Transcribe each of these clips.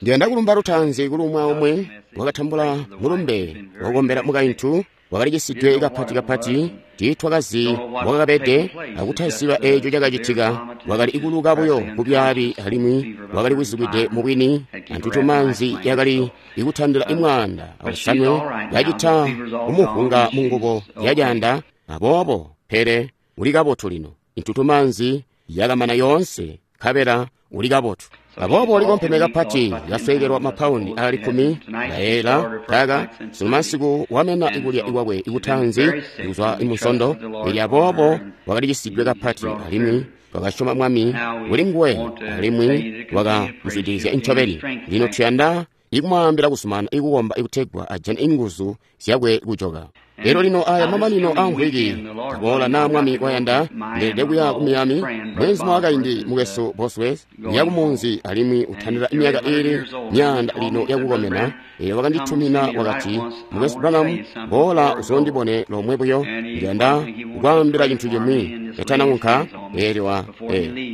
Ndiyanda kulumba lutaanzi kuli umwi aumwi wakatambula mulumbe wakukombela mukaintu wakalikisidwe kapati kapati tiitwakazi mbwakabede akutaziba eeco cakacitika. Wakali ikuluka buyo kubyaabi alimwi wakali kuzibwide mubwini antutumanzi yakali ikutandila 15 yacita kumuhunga mungubo yacaanda. Aboobo pele uli kabotu lino, intutumanzi yakamana yoonse nkabela uli kabotu. Aboobo ulikompeme kapati, yasweekelwa mapaundi aali 10 ndayeela kaka sunu wamena ikulya ikwakwe ikutanzi kuzwa imusondo. Elyo aboobo wakalicisidwe kapati, alimwi twakasyoma Mwami kuli nguwe alimwi wakamuzwidilizya ncobeni. Lino tuyanda ikumwaambila kusumana ikukomba ikutegwa ajane inguzu zyakwe kujoka. Elyo lino aya mamanino amvwiki kaboola naa Mwami wayanda, ndeelede kuya ku Miami. Mwezi mwakaindi mukwesu Bosworth uya kumunzi alimwi utandila myaka iili 100 lino yakukomena. Elyo wakanditumina wakati, Mukwesu Branham, boola uzondibone lomwe buyo, ndiyanda kukwaambila cintu cimwi katanaunka. Elyo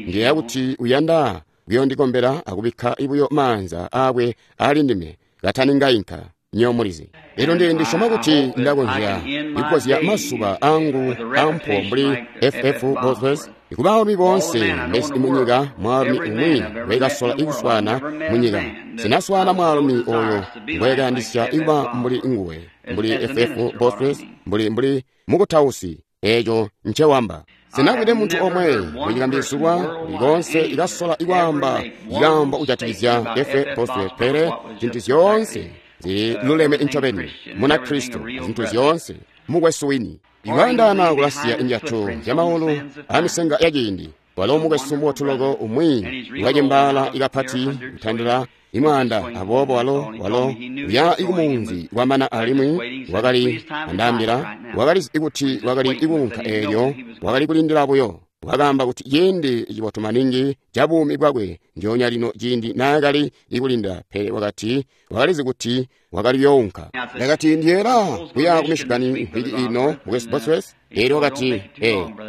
ndiyeeya kuti uyanda kuyondikombela akubikka buyo maanza aakwe ali ndime kataningainka. Nyomulizi. Elyo ndisyoma kuti ndakonzya ikukozya mazuba angu ampo mbuli FF Bosworth ikubaalumi boonse mbesi munyika. Mwaalumi umwi ngwekasola ikuswaana munyika, sinaswaana mwaalumi oyo ngwekayandisya ikuba mbuli nguwe, mbuli FF Bosworth, mbuli mukutausi. Eeco ncewamba. Sinakwide muntu omwe munyika mbizulwa likonse ikasola ikwaamba ikambo kujatikizya FF Bosworth, pele zintu zyoonse ziluleme ncobeni muna Kristo, zintu zyoonse mukwesu wini. Ikwaandaana kulasiya injatu zyamaulu amisenga yaciindi. Walo mukwesu mubotu loko umwi wakacembaala ikapati kutandila 100. Aboobo walo uya ikumunzi kwamana alimwi wakali andaambila, wakalizi kuti wakali ikuunka. Eelyo wakali kulindila buyo. Wakaamba kuti ciindi cibotu maningi ca buumi bwakwe njoonya lino ciindi naakali ikulinda, pele wakati wakalizi kuti wakali younka. Ndakati ndiyeera kuya ku Michigan mvwiki ino mukwesu Bosworth. Elyo wakati,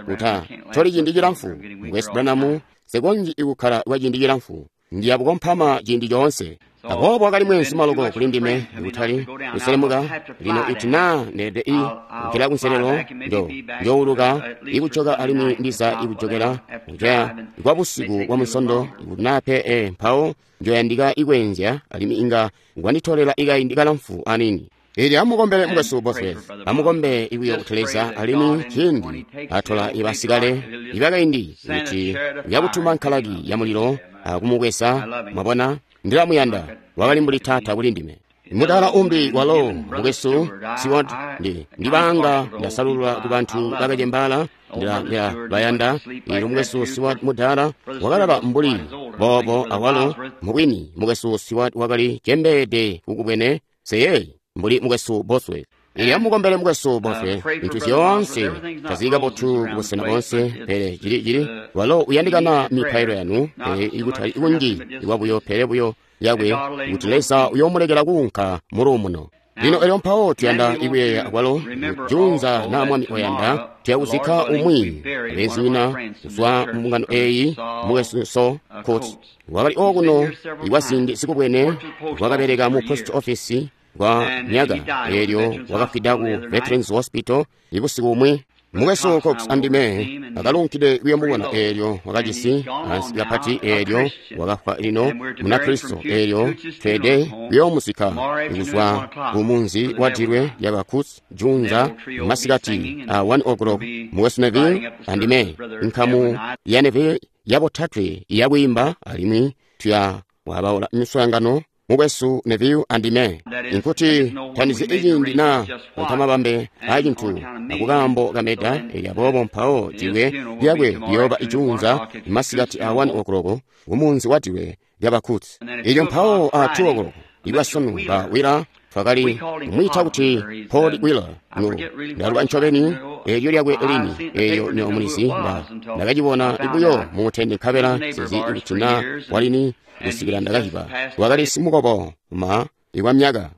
uta toli ciindi cilamfu mukwesu Branham, sekonji ikukkala kwa ciindi cilamfu, ndiya bukompama ciindi coonse. Aboobo wakali mweenzu loko kuli ndime ikutali kuselemuka. Lino iti naa ndeede kukila kunselelo njouluka ikujoka alimwi ndiza ikujokela kuja kwa busiku bwa musondo ikuti naa pe mpawo njoyandika ikwenzya alimwi inga ngwanditolela ikaindi kalamfu anini. Elyo amukombele mukwesu Bosworth, amukombe ikuyo kuti Leza alimwi ciindi atola ibasikale ibakaindi kuti uyakutuma nkalaki ya mulilo akumukwesa. Mwabona, ndilamuyanda, wakali mbuli taata kuli ndime. Mudala umbi walo mukwesu Stewart, ndibanga ndasalulula ku bantu bakacembaala, ndilabayanda. Elyo mukwesu Stewart mudala wakalala mbuli boobo awalo mubwini mukwesu Stewart wakali cembeede kukubwene seyeyi mbuli mukwesu Bosworth. Elyo amukombele mukwesu Bosworth, zintu zyoonse tazili kabotu kubusena boonse, pele cili walo uyandikana mipailo yanu, pele ikutali kunji ikwabuyo pele buyo yakwe kuti Leza uyomulekela kuunka muluumuno. Lino elyo mpawo tuyanda ikuyeeya kwalo junza na Mwami oyanda tuyakuzikka umwi abenzinyina kuzwa mumbungano eeyi, mukwesu Saul Coates wakali okuno ikwaziindi zikubwene, wakabeleka mu post office kwa myaka. Elyo wakafwida ku Veterans Hospital ibusiku bumwi. Mukwesu Cox andime akalunkide kuyomubona. Eelyo wakajisi ansi kapati, eelyo wakafwa lino muna Kristo. Eelyo tweede kuyoomuzikka kuzwa ku munzi wa dilwe lyaba Kuts junza masikati a 1 o'clock. Mukwesu Neville andime nkamu ya Neville yabotatwe yakwiimba alimwi tuya wabaula miswaangano mukwesu Neville andime. Inkuti tandizi iciindi na utamabambe acintu akukambo kameda. Elyo aboobo mpawo dilwe lyakwe liyooba ijunza masikati a 1 o'clock kumunzi wa dilwe lyaba Kuts. Elyo mpawo a 2 o'clock ibwasanu ba Wheeler, twakali kumwiita kuti Paul Wheeler, ndaluba ncobeni elyo lyakwe lini. Elyo nyomulizi ndakacibona ibuyo mutende nkabela sizi ikuti na walini kusikila ndakahiba. Wakali simukobo ma ikwa myaka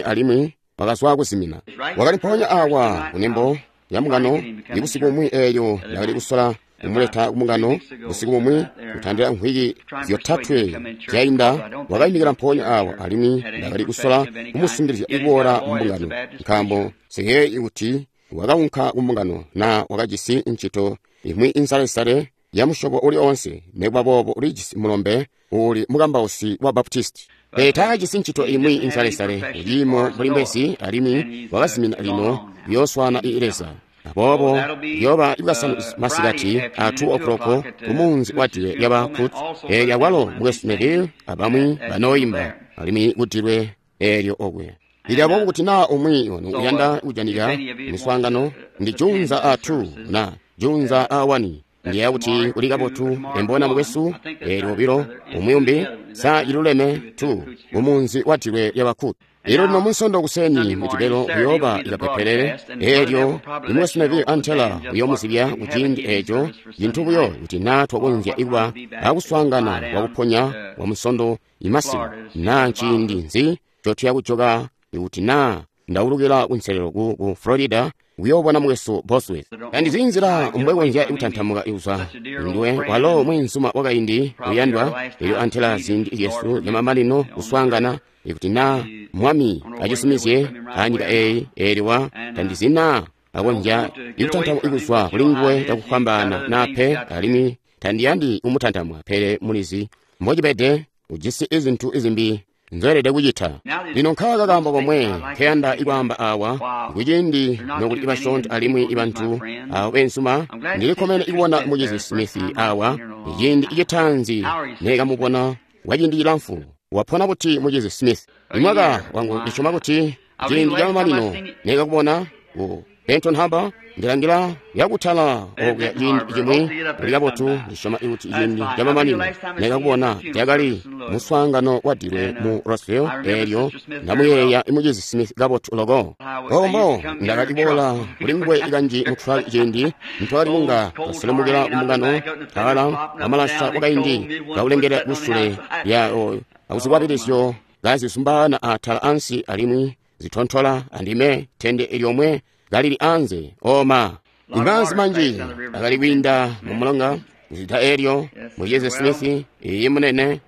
alimwi wakazwa kuzimina. Wakali mpoonya awa kunembo ya mungano ibusiku bumwi. Eelyo ndakali kusola kumuleta kumbungano busiku bumwi kutandila mvwiki zyotatwe zyainda wakaimikila mpoonya awa alimwi ndakali kusola kumusungilizya kuboola mumbungano nkaambo nsiyeeyi kuti wakaunka kumbungano na wakajisi ncito imwi insalesale ya musyobo uli onse nekuba boobo ulijisi mulombe uli mukambausi wa Baptisti. Pele taakajisi ncito imwi insalesale kuciimo mbuli mbwezi alimwi wakazimina lino kuyooswaana i Leza. Aboobo kuyooba Bwasanu masikati a 2 o'clock kumunzi wa dilwe lyaba Kut, eelyo awalo mukwesu Neville abamwi banooyimba alimwi kudilwe eelyo okwe. Lili aboobo kuti naa umwi wanu uyanda kujanika miswaangano ndi junza a 2 na junza a 1. Ndiyeeya kuti kuli kabotu embona mukwesu eelyo obilo umwi umbi sa iluleme 2 mumunzi wa dilwe lyaba Kut. Elyo lino munsondo kuseni mujibelo kuyooba ikapepelele eelyo imukwesu Neville antela uyoomuzibya kuciindi eeco cintu buyo kuti naa twakonzya ikuba akuswaangana kwakuponya kwa munsondo imasiku naa nciindi nzi ncotuya kujoka ikuti naa ndaulukila kunselelo ku Florida kuyoobona mukwesu Bosworth. Tandizi nzila mbwekonzya kutantamuka kuzwa nduwe walo mweenzuma wakaindi uyandwa elyo antela ziindi zyesu zyamamanino kuswaangana ikuti naa Mwami acisumizye anyika eeyi eelyo wa tandizi naa akonzya ikutantamuka kuzwa kuli nguwe cakufwambaana naa pe alimwi tandiyandi kumutantamwa pele mulizi mbocibede ujisi izintu izimbi nzoelede kucita. Lino nkaaka kaambo komwe nkeyanda ikwaamba awa kuciindi nokuli ibasyoonto alimwi ibantu aabo beenzuma ndilikkomene ikubona mucizi Smith awa iciindi icitaanzi neekamubona kwaciindi cilamfu. Wapona buti mucizi Smith? Imwaka wangu ndisyoma kuti ciindi camamanino neekakubona ku Benton Harbor ndilangila yakutala okuya ciindi cimwi kuli kabotu ndisyoma kuti ciindi camamanino neekakubona cakali muswaangano wa dilwe mu Roseville eelyo ndamuyeeya mucizi Smith kabotu loko. Ombo ndakali kuboola kuli nguwe kanji mu truck ciindi ntwakali kunga twaselemukila kumbungano tala amalasha wakaindi kaulengela kusule ya akuzikwabilizyo kazisumbaana atala ansi alimwi zitontola andime tende lyomwe kalili anze oma imaanzi manji akali kwiinda mu mulonga nzida eelyo mucizi Smith iyi munene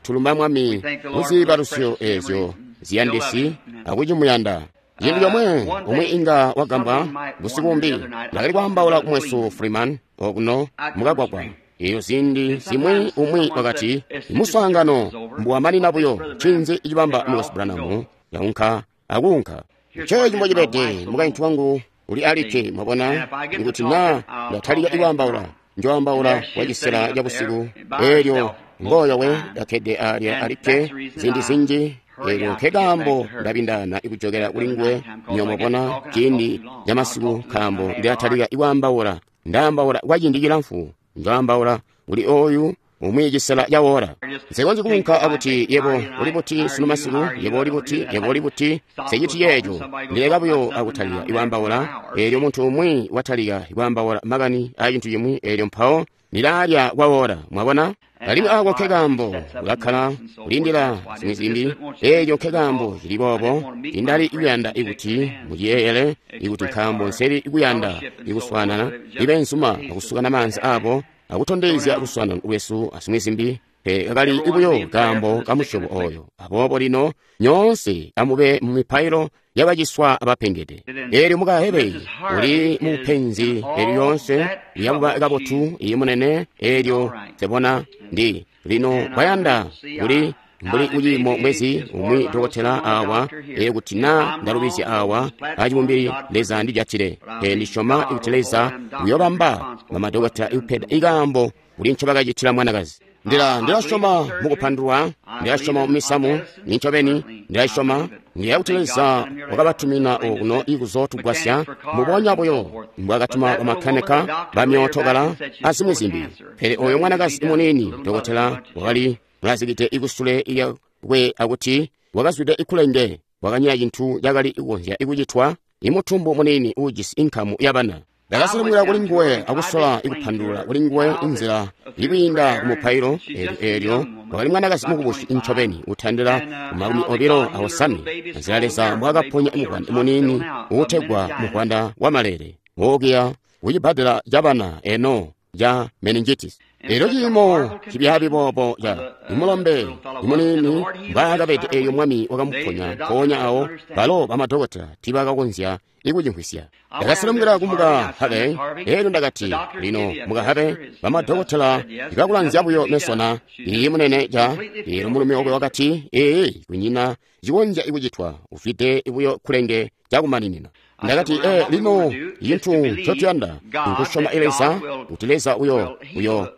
tulumba Mwami muziibalusyo eezyo ziyandisi akucimuyanda. Cintu comwe umwi inga wagambwa busiku bumbi ndakali kwaambaula kumwesu Freeman okuno mukagwagwa. Eyo ziindi zimwi umwi wakati muswaangano mbuwamanina buyo ncinzi icibamba mukwesu Branham yaunka akuunka. Nceeci mbocibede mukaintu wangu uli alikke mwabona ikuti naa ndatalika ikwaambaula njoambaula kwa cisela cabusiku eelyo ngooyo we kakkede alya alikke ziindi zinji eelyo nkekaambo ndabindaana ikujokela kuli nguwe nyoomubona ciindi camasiku nkaambo ndilatalika ikwaambaula ndaambaula kwa ciindi cilamfu njoambaula kuli ooyu umwi cisela cawola. Nsikonzyi kuunka akuti yebo uli buti sunu masiku, yebo uli buti, yebo uli buti, nseciti ceeco. Ndileka buyo akutalika ikwaambaula eelyo muntu umwi watalika ikwaambaula makani aa cintu cimwi eelyo mpawo ndilaalya kwawola mwabona. Alimwi aako nkekaambo ulakkala kulindila zimwi zimbi eelyo nkekaambo cili boobo tindali kuyanda ikuti muciyeeyele ikuti nkaambo nseli kuyanda ikuswaanana ibeenzuma akusukana maanzi aabo akutondezya luswaanano lwesu azimwi zimbi pe kakali buyo kaambo kamusyobo oyo. Aboobo lino nyoonse amube mu mipailo yabaciswa abapengede. Eelyo muka Hebeyi uli mu penzi eelyo yoonse yakuba kabotu iyi munene eelyo nsebona ndi lino bayanda kuli mbuli kuciimo mwezi umwi dokotela awa eyo kuti naa ndalubizya awa acibumbili Leza ndijatile. Pe ndisyoma kuti Leza uyobamba bamadokotela ikupeda ikaambo kuli ncobakacitila mwanakazi. Ndilasyoma mukupandulwa, ndilasyoma mumisamu, nincobeni ndilasyoma ndiyeeya kuti Leza wakabatumina okuno ikuzootugwasya mbubonya buyo mbwaakatuma bamakanika bamyootokala azimwi zimbi. Pele oyo mwanakazi muniini dokotela wakali mulazikide ikusule lyakwe akuti wakazwide ikulenge wakanyina cintu cakali kukonzya ikucitwa imutumbu muniini uujisi inkamu yabana. Ndakaselemukila kuli nguwe akusola ikupandulula kuli nguwe inzila ikwiinda kumupailo eelyo wakali mwanakazi mukubusi ncobeni utandila 25 nzila Leza mbwaakaponya muvwanda muniini uutegwa muvwanda wa malele wookiya kucibbadela cabana eno ca meningitis. Elyo ciimo cibyaabi boobo ca imulombe imuniini mbwaakabede eelyo Mwami wakamuponya mpoonya awo, balo bamadokota tiibakakonzya ikucimvwisya. Ndakaselemukila kumuka Harvey, eelyo ndakati, lino muka Harvey, bamadokotela ibakulanzya buyo mesona, iyi munene ca, eelyo mulumi wakwe wakati, ee, kunyina cikonzya ikucitwa, ufwide buyo kulenge cakumaninina. Ndakati, lino cintu ncotuyanda nkusyoma Leza, kuti Leza uyo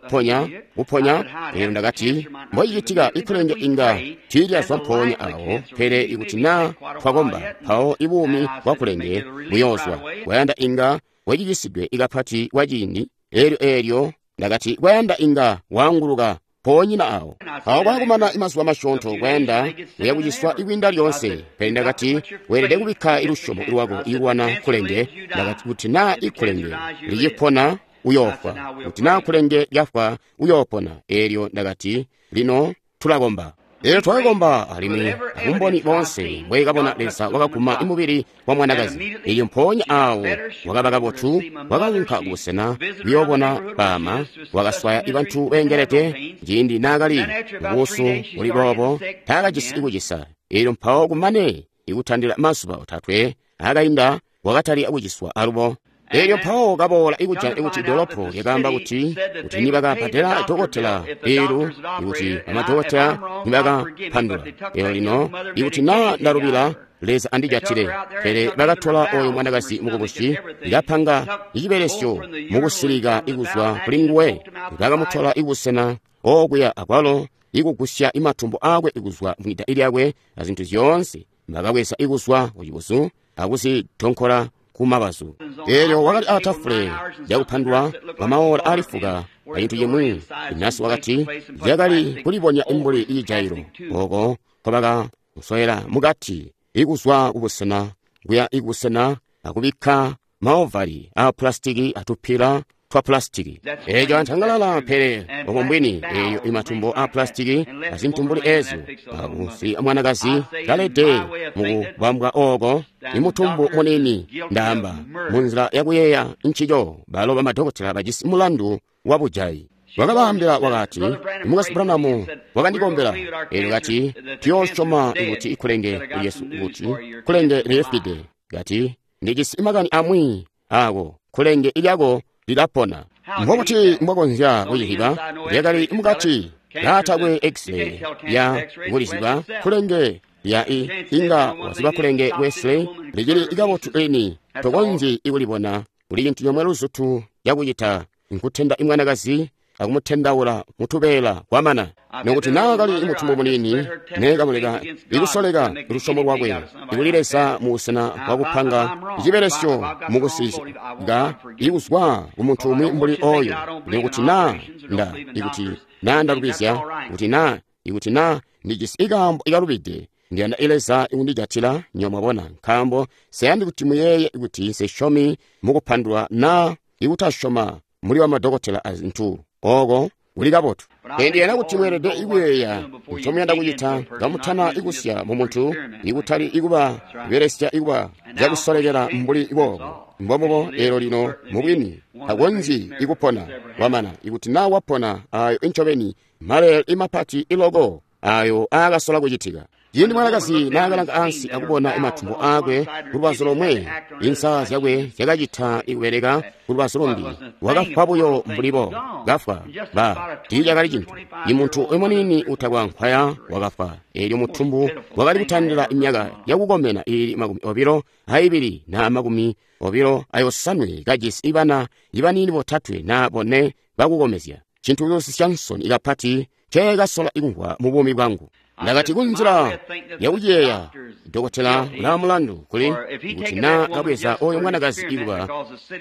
ponya, kuponya. Eelyo ndakati, mbocicitika ikulenge inga tiilyazwa mpoonya awo, pele ikuti naa twakomba, mpawo ibuumi bwa kulenge buyoozwa. Kwayanda inga wacicisidwe ikapati kwa ciindi. Eelyo ndakati, kwayanda inga waanguluka poonyina awo. Awo kwakumana imazuba masyoonto kwayanda uyakuciswa ikwiinda lyoonse. Pele ndakati, weelede kubikka ilusyomo lwako ikulwana kulenge. Ndakati, kuti naa ikulenge licipona uyoofwa, kuti naa kulenge lyafwa uyoopona. Eelyo ndakati, lino tulakomba. Eelyo twakakomba alimwi abumboni boonse mbwekabona Leza wakaguma imubili wa mwanakazi. Eelyo mpoonya awo wakaba kabotu, wakaunka kubusena kuyoobona baama, wakaswaya ibantu beengelede. Ciindi naakali mubuusu buli boobo taakajisi ikucisa. Eelyo mpawo kumane ikutandila mazuba 3 akainda wakatalika kuciswa alubo. Eelyo mpawo kaboola ikujana ikuti idolopo lyakaamba kuti nibakabbadela dokotela bilu, ikuti bamadokotela nibakapandula. Eelyo lino ikuti naa ndalubila, Leza andijatile. Pele bakatola oyo mwanakazi mukubusi, ikapanga icibelesyo mukusilika ikuzwa kuli nguwe. Bakamutola ibusena okuya akwalo ikugusya imatumbo aakwe ikuzwa mwida lyakwe azintu zyoonse. Bakabweza ikuzwa kucibusu akuzitonkola kumabazu. Eelyo wakali atafule lyakupandula kwamaola ali fuka acintu cimwi. Inasi wakati lyakali kulibonya imbuli ijailo oko nkobakamusowela mukati ikuzwa kubusena kuya ikubusena akubikka maovari a pulasitiki atupila twa pulasitiki. Eeco antangalala, pele obo mbwini. Eeyo imatumbo a pulasitiki azintu mbuli eezyo akusi mwanakazi kalede mukubambwa oko imutumbu munini. Ndaamba munzila yakuyeeya ncico, balo bamadokotela bajisi mulandu wa bujayi. Wakabaambila wakati, Mukwesu Branham wakandikombela. Eelyo kati, tuyoosyoma kuti ikulenge lyesu kuti kulenge lilifwide. Kati, ndijisi makani amwi ako kulenge lyako lilapona. Mbokuti mbwakonzya kuciziba, lyakali mukati laatakwe x-ray ya kuliziba kulenge lya inga waziba kulenge ku-x-ray licili kabotu lini, tokonzyi ikulibona. Kuli cintu comwe luzutu cakucita, nkutenda imwanakazi akumutendaula mutubeela kwamana. Nokuti naakali imutumbu munini, neekamuleka ikusoleka lusyomo lwakwe ikuli Leza mubusena bwakupanga icibelesyo mukusika ikuzwa kumuntu umwi mbuli oyo. Nokuti naa nda ikuti naa ndalubizya, kuti naa ndijisi ikaambo ikalubide, ndiyanda Leza ikundijatila nyo mwabona, nkaambo siyandi kuti muyeeye kuti nsesyomi mukupandula naa ikutasyoma muli bamadokotela azintu oko kuli kabotu. Ndiyanda kuti mweelede ikuyeeya ncomuyanda kucita kamutana ikusya mumuntu, ikutali ikuba ibelesya ikuba cakusolekela mbuli boobo. Mbomubo eelyo lino mubwini takonzyi ikupona wamana. Ikuti naa wapona, ayo incobeni maleele imapati iloko ayo aakasola kucitika. Ciindi mwanakazi naakalanga ansi akubona imatumbo aakwe kulubazu lomwe, insa zyakwe zyakacita ikubeleka kulubazu lumbi, wakafwa buyo mbulibo. Kafwa ba tiicakali cintu. Imuntu umuniini utakwa nkwaya wakafwa. Eelyo mutumbu wakali kutandila imyaka yakukomena iili 22 na 28 kajisi ibana ibaniini 3 na 4 bakukomezya. Cintu cuusisya nsoni kapati nceekasola ikumvwa mu buumi bwangu. Ndakati kunzila yakuyeeya, dokotela ulaamulandu kuli kuti naa kabweza oyo mwanakazi ikuba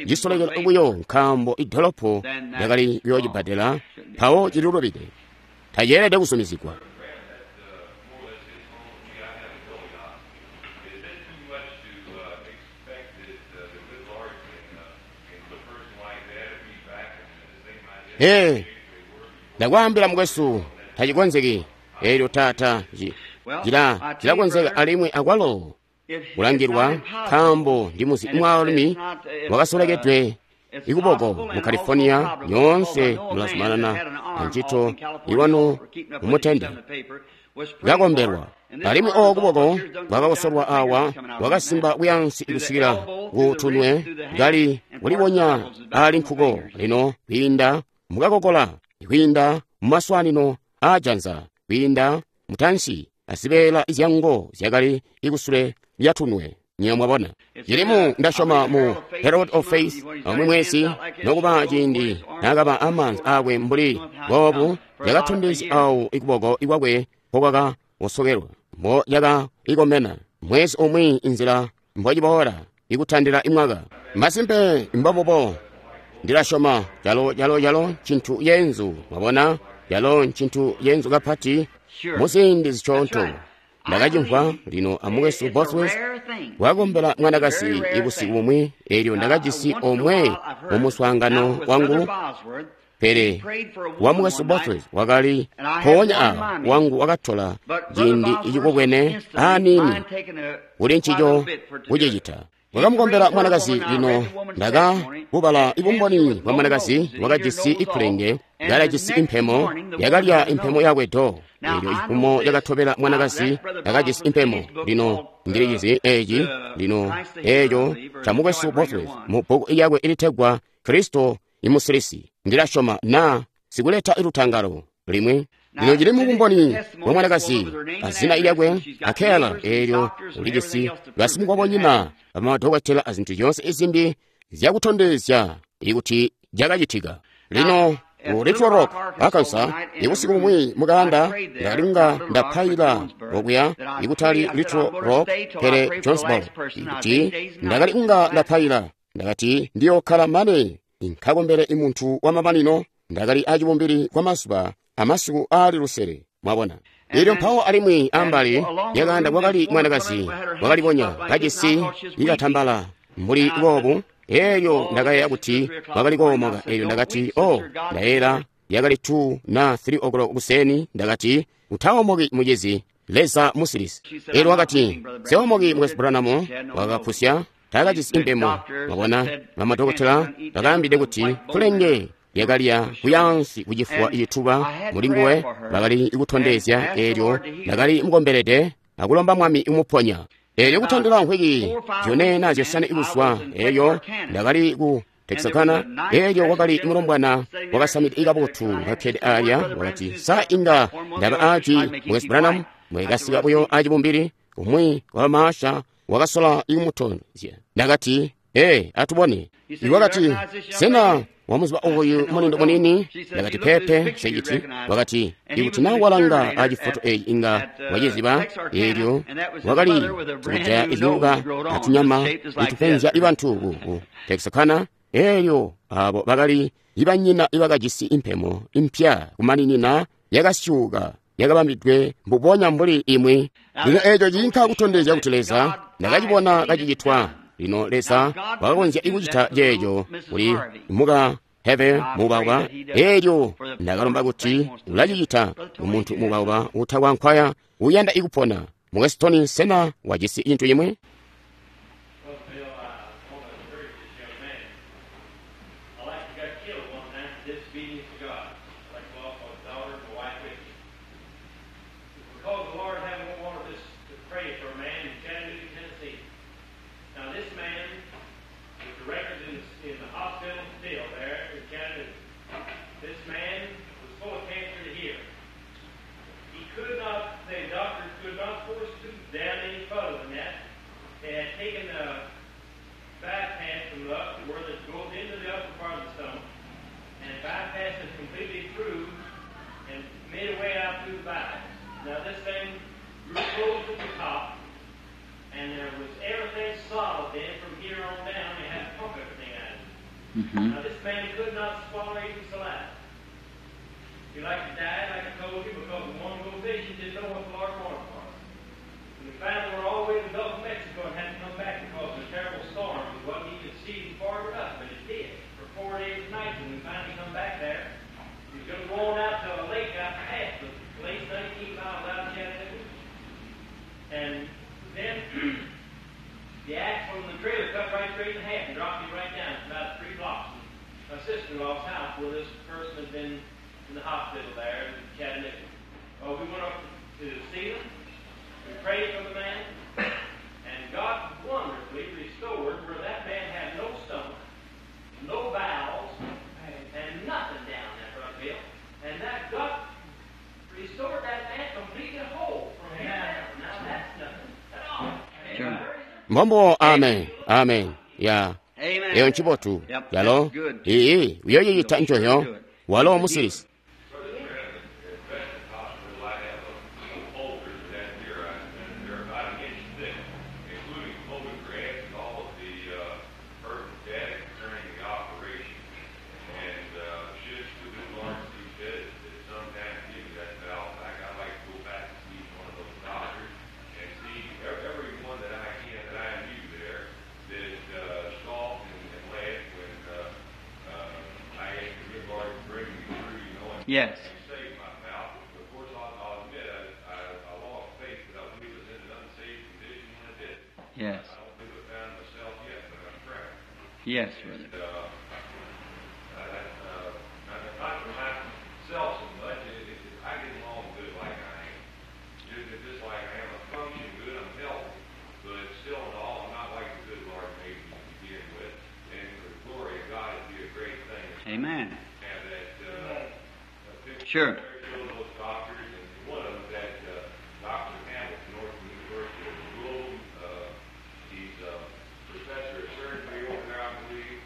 cisolekela buyo nkaambo idolopo lyakali kuyoocibbadela, mpawo cililubide, taceelede kuzumizigwa. Ee, ndakwaambila mukwesu, tacikonzeki. Eelyo tata cilakonzeka alimwi akwalo kulangilwa, nkaambo ndimuzi mwaalumi wakasolekedwe Ikuboko mu California nyoonse mulazumanana ancito ilwanu mumutende kakombelwa alimwi oo kuboko kwakakosolwa awa kwakasimba kuyansi kusikila ku tunwe kali kulibonya ali nkuko lino kwiinda mukakokola kwiinda mumaswanino aajanza kwiinda mutansi azibeela zyango zyakali ikusule lyatunwe nyo mwabona cilimu ndasyoma mu Herald of Faith amwi mwezi nokuba ciindi naakaba amaanza aakwe mbuli boobu yakatondezya awo ikuboko ikwakwe mpokwakawosokelwa mbo yaka ikomena mwezi umwi inzila mbociboola ikutandila imwaka masimpe mbobubo ndilasyoma calo calo calo ncintu yenzu mwabona calo ncintu yenzu kapati muziindi zisyoonto ndakacimvwa lino amukwesu Bosworth wakombela mwanakazi ibusiku bumwi eelyo ndakajisi omwe mu muswaangano wangu pele wa mukwesu Bosworth wakali mpoonya awa wangu wakatola ciindi icikubwene aaniini kuli ncico kucicita wakamukombela mwanakazi lino ndakabubala ibumboni bwa mwanakazi wakajisi ikulenge kalajisi impemo yakalya impemo yakwe do eelyo cifumo cakatobela mwanakazi yakajisi impemo lino ndilicizi eeci lino eeco ca mukwesu Bosworth mu bbuku lyakwe ilitegwa Kristo imusilisi ndilasyoma na sikuleta ilutangalo limwi lino cili mubumboni bwa mwanakazi azina lyakwe akela eelyo ulijisi basimukobonyina bamadokotela azinthu zonse izimbi zyakutondezya ikuti cakacitika lino ku Little Rock, Arkansas, ibusiku bumwi mukanda ndakalinga ndapaila okuya ikutali Little Rock pele Jonesboro ikuti ndakalinga ndapaila ndakati ndiyokhala mane nkakombele imuntu wa mamanino ndakali acibumbili kwa mazuba amasiku aali lusele mwabona eelyo mpawo alimwi ambali yakanda kwakali mwanakazi wakalibonya kajisi ikatambala mbuli boobu eelyo ndakayeeya kuti wakali koomoka eelyo ndakati o ndayela yakali 2 na 3 o'clock kuseni ndakati utaomoki muchizi leza musilisi eelyo wakati seomoki mukwesu Branham wakapusya taakajisi impemo mwabona bamadokotela bakaambide kuti kulenge lyakalya kuyansi kucifuwa icituba mulinguwe bakali kutondezya eelyo ndakali mukombelede akulomba mwami umuponya eelyo kutandila nkhwiki zyone na zyosanwe ikuzwa eelyo ndakali ku Texarkana eelyo wakali mulombwana wakasamide kabotu kakkede alya wakati sa inga ndaba aci mukwesu Branham mwekasika buyo acibumbili umwi wa maasha wakasola ikumutondezya ndakati ee atubone iwakati sena wamuziba oyu mulindo munini ndakati pepe seciti wakati ikuti na walanga acifoto eyi inga waciziba eelyo wakali sikujaya izyuka atunyama itupenzya ibantu ku Texarkana eelyo abo bakali ibanyina ibakajisi impemo impya kumaninina yakasyuka yakabambidwe mbubonya mbuli imwi lino eeco ciinka kutondezya kuti Leza ndakacibona kacicitwa lino Leza wakakonzya ikucita ceeco kuli muka Heve mubauba eelyo ndakalomba kuti ulacicita umuntu mubauba utakwankwaya uyanda ikupona mukwesu Tony sena wajisi cintu cimwi Mm-hmm. Now, this man could not swallow even saliva. He like to die, like I told you, because the one go fishing didn't know what the Lord wanted for us. And we finally were all the way to the Gulf of Mexico and had to come back because of a terrible storm. It wasn't even seas far enough, but it did for 4 days and nights. And we finally come back there. He was going to go on out to a lake out past the place, 19 miles out of Chattanooga. And then the axle in the trailer cut right straight in half and dropped me right down. It's about 3 blocks. sister-in-law's house where this person had been in the hospital there in Chattanooga. Well, we went up to see them. We prayed for the man, and God wonderfully restored where that man had no stomach, no bowels, and nothing down there, Brother Bill. And that God restored that man completely whole from here down. Now that's nothing at all. Sure. Mbombo, amen, amen. Ya. Amen. Eyo ncibotu. Yep, Yalo. that's good. Iyi, uyoyita ncoyo. Walo musilisi. Hospital, I have a folder that here, and they're about an inch thick, including photographs and all of the pertinent data concerning the operation. And should the good Lord see fit at some time to give me that valve back, I'd like to go back and see each one of those doctors and see every one that I can that I knew there that scoffed and laughed when I asked the good Lord to bring me through, you know, and Yes. and save my mouth. Of course, I'll admit I lost faith, but I believe it was in an unsafe condition when I did. Yes. I don't believe I found myself yet, but I'm trying. Yes, brother. And, not for myself so much. I get along good like I am. Just like I am. I function good. I'm healthy. But still in all, I'm not like the good Lord made me to begin with. And for the glory of God, it'd be a great thing to Amen. have that picture. Sure. There are those doctors, and one of them, that Dr. Hamilton, Northern University of Louisville, he's a professor of surgery over there, I believe.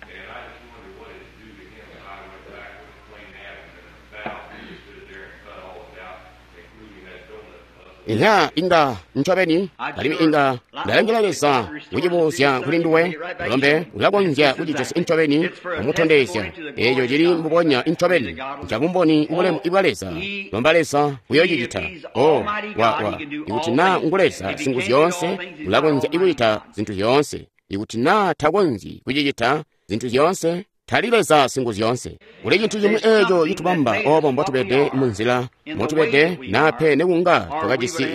And I just wondered what it'd do to him if I went back with a clean abdomen and a valve and just stood there and cut all of it out, including that donut muscle. Inha inga ncobeni alimwi inga ndalangila Leza kucibuzya kuli nduwe lombe ulakonzya kucijosya ncobeni kumutondezya eeco cili mbubonya ncobeni ncabumboni ubulemu ibwa Leza. Lomba Leza uyocicita. O wa ikuti naa ngu Leza Singuzyoonse ulakonzya ikucita zintu zyoonse. Ikuti naa takonzyi kucicita zintu zyoonse, tali Leza Singuzyoonse. Kuli cintu cimwi eeco citubamba obo mbotubede munzila motubede nape nekunga twakajisi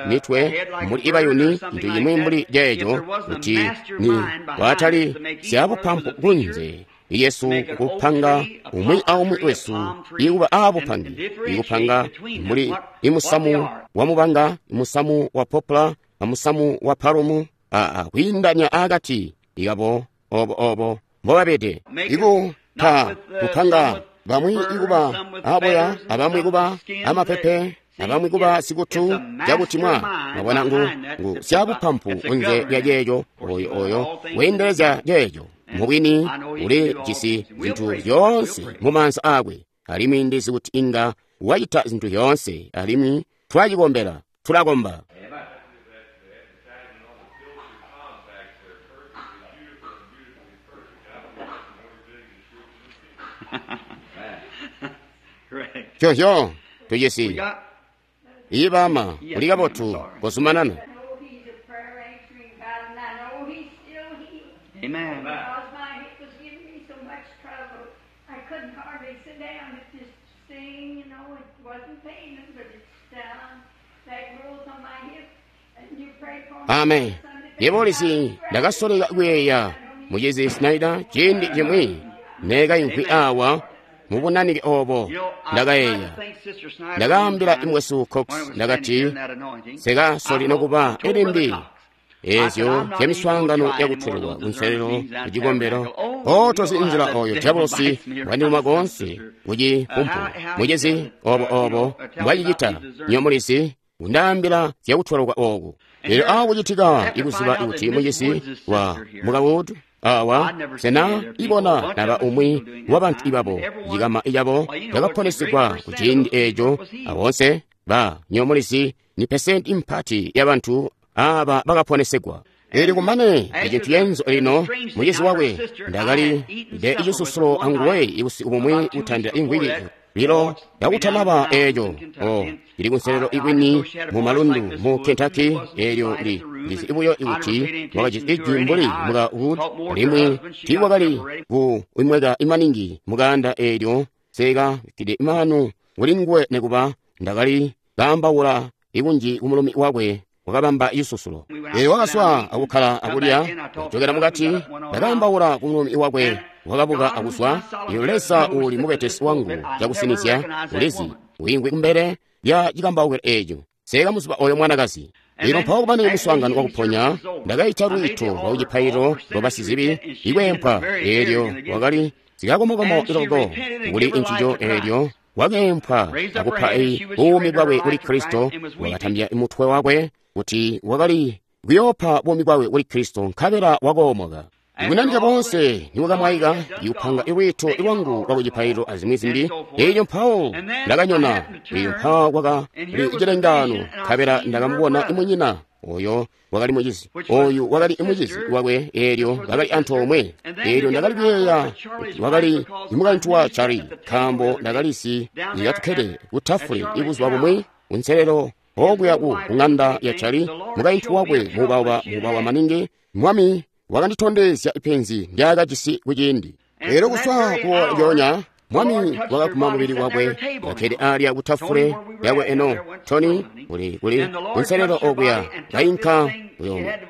mitwe muli ibayuni cintu cimwi mbuli ceeco kuti ni kwatali zyabupampu kunze Yesu kupanga umwi aumwi wesu ikuba aabupangi ikupanga muli imusamu wa mubanga, imusamu wa popla, amusamu wa palumu, kwiindanya akati ikabo obo obo mbobabede ikupa kupanga bamwi ikuba aboya, abamwi kuba amapepe, abamwi kuba sikutu cakuti mwa mwabona ngu syabupampu kunze lya ceeco oyo oyo weendelezya ceeco mubwini uli jisi zintu zyoonse mu maanza akwe, alimwi ndizi kuti inga wacita zintu zyoonse, alimwi twacikombela tulakomba. Correct. Cyohyo We tujisi got ibama Yes, uli ma'am, kabotu I'm sorry. kozumanana. I know he's a prayer answering God, and I know he's still healing. Amen. Because my hip was giving me so much trouble, I couldn't hardly sit down. It just sting, you know, it wasn't paining, but it's down. That growth on my hip, and you prayed for me. Amen. Sunday. Yebo lisi ndakasoleka kuyeeya mucizi Snyder ciindi cimwi neekayimvwi awa mubunanike obo You know, I ndakayeeya tried to thank Sister Snyder ndakaambila one time imwesu Cox when I was ndakati standing here in that anointing. sekasoli I nokuba told ilimbi Brother Cox, ezyo zyamiswaangano yakutulwa kunselelo kucikombelo otozi nzila oyo diabolosi wandiluma konse kucipumpu mucizi obo obo mbwacicita nyomulizi kundaambila zyakutwaluka oku. Lero akucitika ikuziba kuti mucizi wa mukawudu awa sena ibona naba umwi wa bantu ibabo cikama icabo cakaponesigwa ku ciindi eco abonse ba nyomulizi ni pesenti impati ya bantu aba bakaponesegwa. Ili kumane ecintu yenzo lino mucizi wakwe ndakali de icisusulo anguwe ibusiku bumwi kutandila imvwiki lilo yakutanaba eco o ili kunselelo ikwini mu malundu mu Kentucky elyo li lizi ibuyo ikuti wakajisi ijwi mbuli muka Wood limwi tiiwakali ku imweka imaningi mukanda elyo seka kide imanu kuli nguwe nekuba ndakali kaambaula ikunji kumulumi wakwe wakabamba isusulo. Elyo wakaswa akukhala akulya kuchokera mukati ndakaambaula kumulumi wakwe. wakabuka akuzwa. Iyo Leza uuli mubetesi wangu cakusinizya ulizi wiingwi kumbele lya cikambaukilo eeco. Seka muzuba oyo mwanakazi. Lino mpawo kumane muswaangano wakuponya, ndakaita lwiito lwa kucipaililo lwa basizibi ikwempwa. Eelyo wakali zikakomokomo iloko kuli ncico. Eelyo wakeempwa akupa buumi bwakwe kuli Kristo. Wakatambya mutwe wakwe kuti wakali kuyoopa buumi bwakwe kuli Kristo, nkabela wakoomoka. Ikunandika bonse niwakamwaika ikupanga ilwiito lwangu lwa kucipaililo azimwi zimbi. Eelyo mpawo ndakanyona. Eelyo mpawo kwakali cilengaano, nkabela ndakamubona imunyina oyo wakali mucizi, oyu wakali imucizi wakwe. Eelyo bakali antoomwe. Eelyo ndakali kuyeeya wakali imukaintu wa Charlie, nkaambo ndakalisi ikatukkede kutafule ibuzuba bumwi kunselelo okuya ku ng'anda ya Charlie, mukaintu wakwe muubauba muubawa maningi. Mwami wakanditondezya ipenzi ndyaakajisi kuciindi. Eelyo kuswa kulyoonya Mwami wakaguma mubili wakwe, kakkede alya kutafule yakwe. Eno Tony uli kuli kunselelo okuya kainka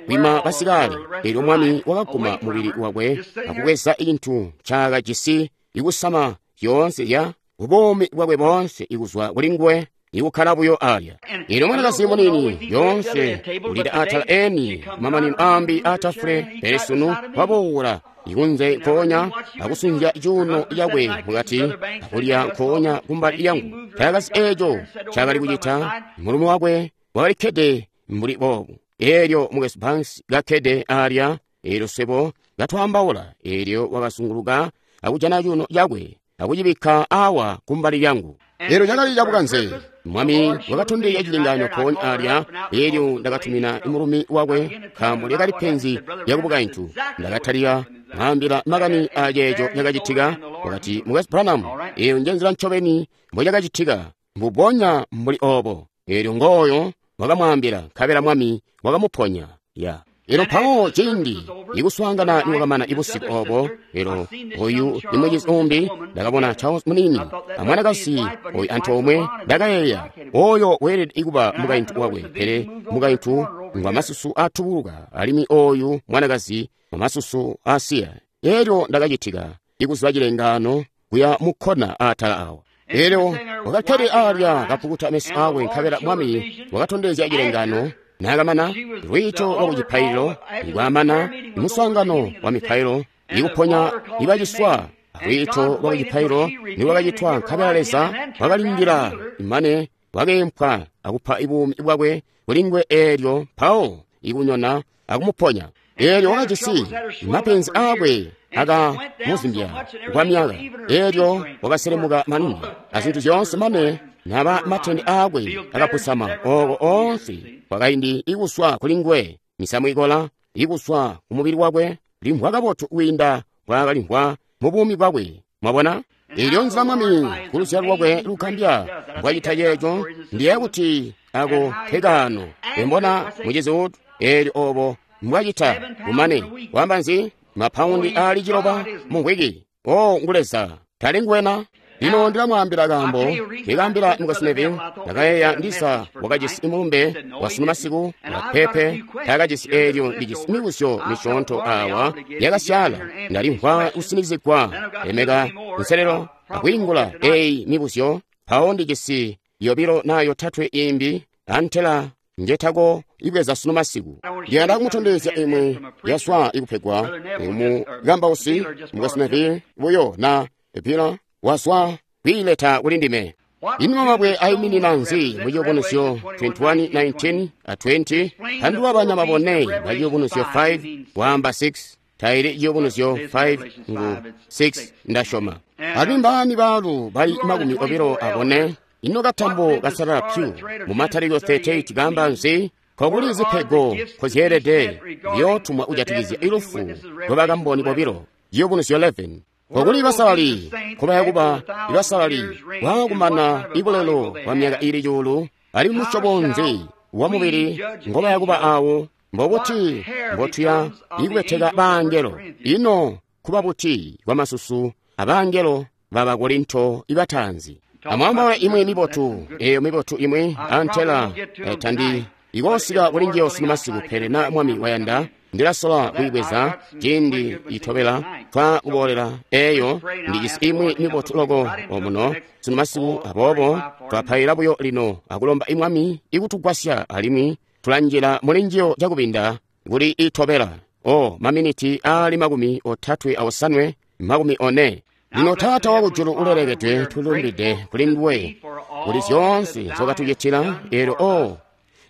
kwima basikale. Eelyo Mwami wakaguma mubili wakwe akubweza icintu ncaakajisi ikusama zyoonse zya bubomi bwakwe boonse ikuzwa kuli nguwe, ikukkala buyo alya. Eelyo mwanakazi munini yoonse ulida atala eni mamanino ambi atafule, pele sunu waboola ikunze nkoonya akusunzya cuuno cakwe mukati akulya nkoonya kumbali yangu. Taakazi eeco ncaakali kucita. Mulumi wakwe wakalikkede mbuli boobu. Eelyo Mukwesu Banks kakkede alya. Eelyo swebo katwaambaula. Eelyo wakazunguluka akujana cuuno cakwe akucibikka awa kumbali lyangu. Eelyo cakali cabukanze. Mwami wakatondezya cilengaano mpoonya alya. Eelyo ndakatumina mulumi wakwe, nkaambo lyakali penzi lyakubukaintu. Ndakatalika mwaambila makani aceeco cakacitika. Wakati, Mukwesu Branham, eyo njenzila ncobeni mbocakacitika, mbubonya mbuli oobo. Eelyo ngooyo wakamwaambila, nkabela Mwami wakamuponya. Ya. Eelyo mpawo ciindi ikuswaangana niwakamana ibusiku obo, eelyo oyu ni mucizi umbi, ndakabona Charles munini amwanakazi oyu antoomwe. Ndakayeeya oyo weelede kuba mukaintu wakwe, pele mukaintu ngwamasusu atubuluka alimwi oyu mwanakazi ngwamasusu asiya. Eelyo ndakacitika ikuziba cilengaano kuya mukkona atala awo. Eelyo wakakkede alya kapukuta meso akwe, nkabela Mwami wakatondezya cilengaano. Naakamana lwiito lwa kucipaililo nikwamana muswaangano wa mipailo ikuponya ibaciswa, lwiito lwa kucipaililo niwakacitwa, nkabela Leza wakalindila imane wakeempwa akupa ibuumi bwakwe kuli nguwe. Eelyo mpawo ikunyona akumuponya. Eelyo wakajisi mapenzi aakwe akamuzimbya kwa myaka. Eelyo wakaselemuka maningi azintu zyoonse mane naba matende aakwe akapusama ooko oonse kwakaindi ikuswa kuli nguwe, misamu ikola ikuswa kumubili wakwe, limvwa kabotu kwiinda mbwaakalimvwa mu buumi bwakwe. Mwabona? Eelyo nzila Mwami kuluzyalo lwakwe lugambya mbwacita ceeco. Ndiye kuti ako nkekaano embona mucizi utu. Eelyo obo mbwacita kumane wamba nzi mapaundi aali 9 mu mvwiki. O ngu Leza, tali nguwena. Lino ndilamwaambila kaambo ndikaambila Mukwesu Neville. Ndakayeeya ndisa wakajisi mulumbe wasunu masiku wapepe taakajisi. Eelyo ndijisi mibuzyo misyoonto awa yakasyaala. Ndalimvwa kusinikizigwa lemeka nselelo akwiingula eyi mibuzyo. Mpawo ndijisi yobilo naa yotatwe imbi antela njetako ibweza sunu masiku. Ndiyanda kumutondezya imwe yaswa ikupegwa mukambausi Mukwesu Neville buyo na bila waswa kwiileta kuli ndime. Ino mabwe ayiminina nzi mu Ciyubunuzyo 21:19 a 20? Pandulula banyama bone ba Ciyubunuzyo 5 wamba 6 taili Ciyubunuzyo 5 ngu 6 ndasyoma. Alimwi mbaani baalu bali 24? Ino katambo kasalala pyu mu Matalikilo 38 kaamba nzi? Kokuli zipego kozyeelede ziyootumwa kujatikizya ilufu lwa bakamboni bobilo. Ciyubunuzyo 11. Kokuli basalali kubaya kuba ibasalali bwaakumana ibulelo bwa myaka ili cuulu, alimwi musyobo nzi wa mubili ngobaya kuba awo? Mbobuti mbotuya ikubeteka bangelo? Ino kuba buti kwa masusu abangelo ba Bakorinto ibataanzi? Amwaambawe imwe mibotu, eyo mibotu imwe antela tandi ikosika kuli njiyo sunu masiku, pele na Mwami wayanda Ndilasola kuyibweza ciindi itobela twa kuboolela eyo. Ndijisi imwi mibotu loko omuno sunu masiku, aboobo twapaila buyo lino akulomba imwami ikutugwasya, alimwi tulanjila muli njiyo cakubinda kuli itobela. O maminiti aali 35, 40. Lino Taata wakujulu ulelekedwe, tulumbide kuli nduwe kuli zyoonse nzokatucitila. Eelyo o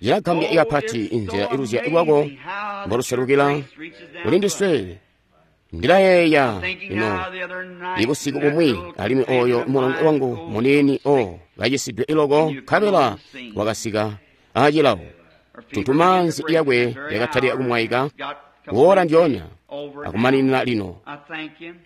cilagambya ikapati inzila iluzya lwako mboluselukila kuli ndiswe. Ndilayeeya lino ibusiku bumwi, alimwi oyo mulongo wangu muniini o kacisidwe iloko, nkabela wakasika acilawo. Tuntumaanzi yakwe yakatalika kumwaika kuola ndyoonya akumaninina. Lino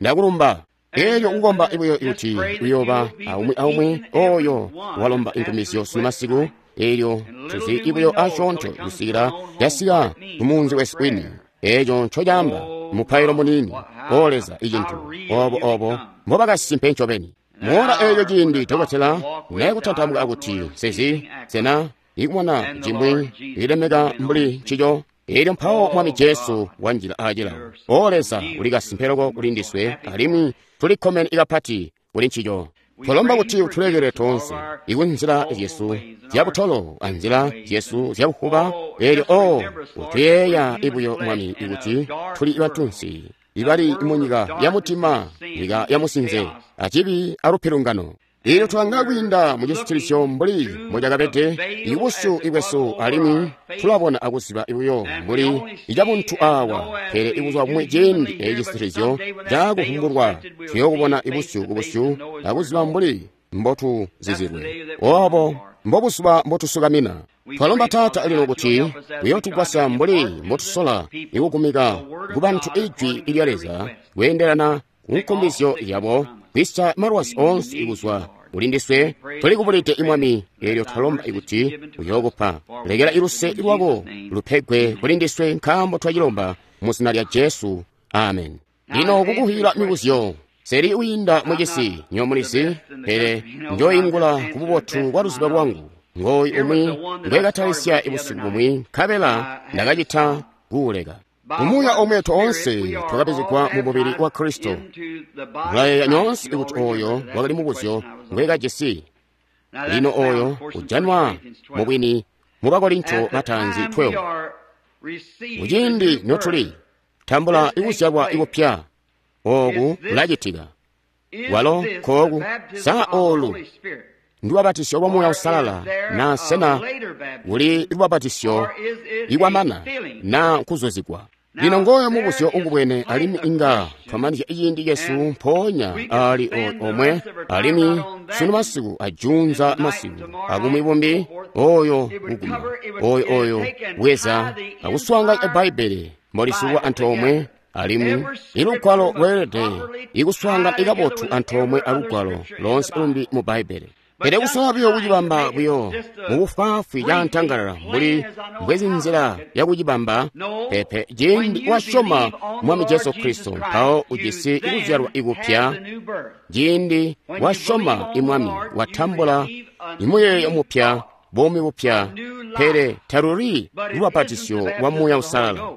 ndakulumba. Elyo kukomba buyo kuti uyooba aumwi aumwi oyo walomba inkumizyo sunu masiku. Elyo tuzi buyo asyoonto kusikila yasika kumunzi wesu wini. Eco ncocaamba mupailo muniini. O Leza, icintu obo obo mbobakasimpe ncobeni. Moora eeyo ciindi dokotela naye akuti sezi sena ikumona cimwi ilemeka mbuli ncico. Elyo mpawo Mwami Jesu wanjila acilawo. O Leza, uli kasimpe loko kuli ndiswe, alimwi tulikkomene ikapati kuli ncico. Twalomba kuti utulekele toonse ikunzila zyesu zyabutolo anzila zyesu zyabuhuba. Elyo o utuyeeya ibuyo Mwami ikuti tuli bantunsi ibali munyika ya mutima, nyika ya musinze acibi alupilungano. Elyo tulanga kwiinda mucisitilisyo mbuli mbocakabede ibusyu ibwesu, alimwi tulabona akuziba buyo mbuli icabuntu awa. Pele ibuzwa bumwi ciindi eci cisitilisyo cakuvumbulwa, tuyookubona ibusyu kubusyu akuziba mbuli mbotuzizilwe. Obo mbobuzuba mbotusukamina. Twalomba Taata lino kuti uyootugwasya mbuli mbotusola ikugumika kubantu ijwi lya Leza kweendelana kunkumbizyo yabo, kwisya malwazi onse ikuzwa kuli ndiswe. Tulikubulide imwami, eelyo twalomba ikuti uyookupa. Lekela iluse lwako lupegwe kuli ndiswe, nkaambo twacilomba mu zina lya Jesu. Amen. Lino kukuhila mibuzyo seli uyinda mucisi nyomulizi, pele njoingula kububotu bwa luziba lwangu. Ngooyu umwi ngwekatalisya ibusiku bumwi, nkabela ndakacita kuuleka. Mumuuya omwe toonse twakabizigwa mu mubili wa Kristo. Mulayeeya nyoonse kuti oyo wakali mubuzyo ngwekajisi. Lino oyo ujanwa mubwini mu Bakorinto bataanzi 12. Muciindi notuli tambula ikuzyalwa ikupya, oku kulacitika. Walo kooku sa olu ndulubapatisyo lwa Muuya Uusalala, na sena kuli lubapatisyo ikwamana na kuzuzigwa? Lino ngoyo mubuzyo ukubwene, alimwi inga twamanizya ciindi cesu mpoonya ali omwe, alimwi sunu masiku ajunza masiku abumwi bumbi oyo kuguma oyo oyo bweza akuswaanganya Bbaibbele mbolisukwa antoomwe, alimwi ilugwalo lweelede ikuswaangana ikabotu antoomwe alugwalo loonse lumbi mu Bbaibbele. Pele kusola buyo kucibamba buyo mubufwaafwi cantangalala mbuli mbwezinzila yakucibamba pepe. Ciindi wasyoma Mwami Jesu Kristo, mpawo ujisi ikuzyalwa ikupya. Ciindi wasyoma imwami, watambula imuyeeyo mupya, buumi bupya, pele taluli lubapatisyo lwa Muuya Uusalala.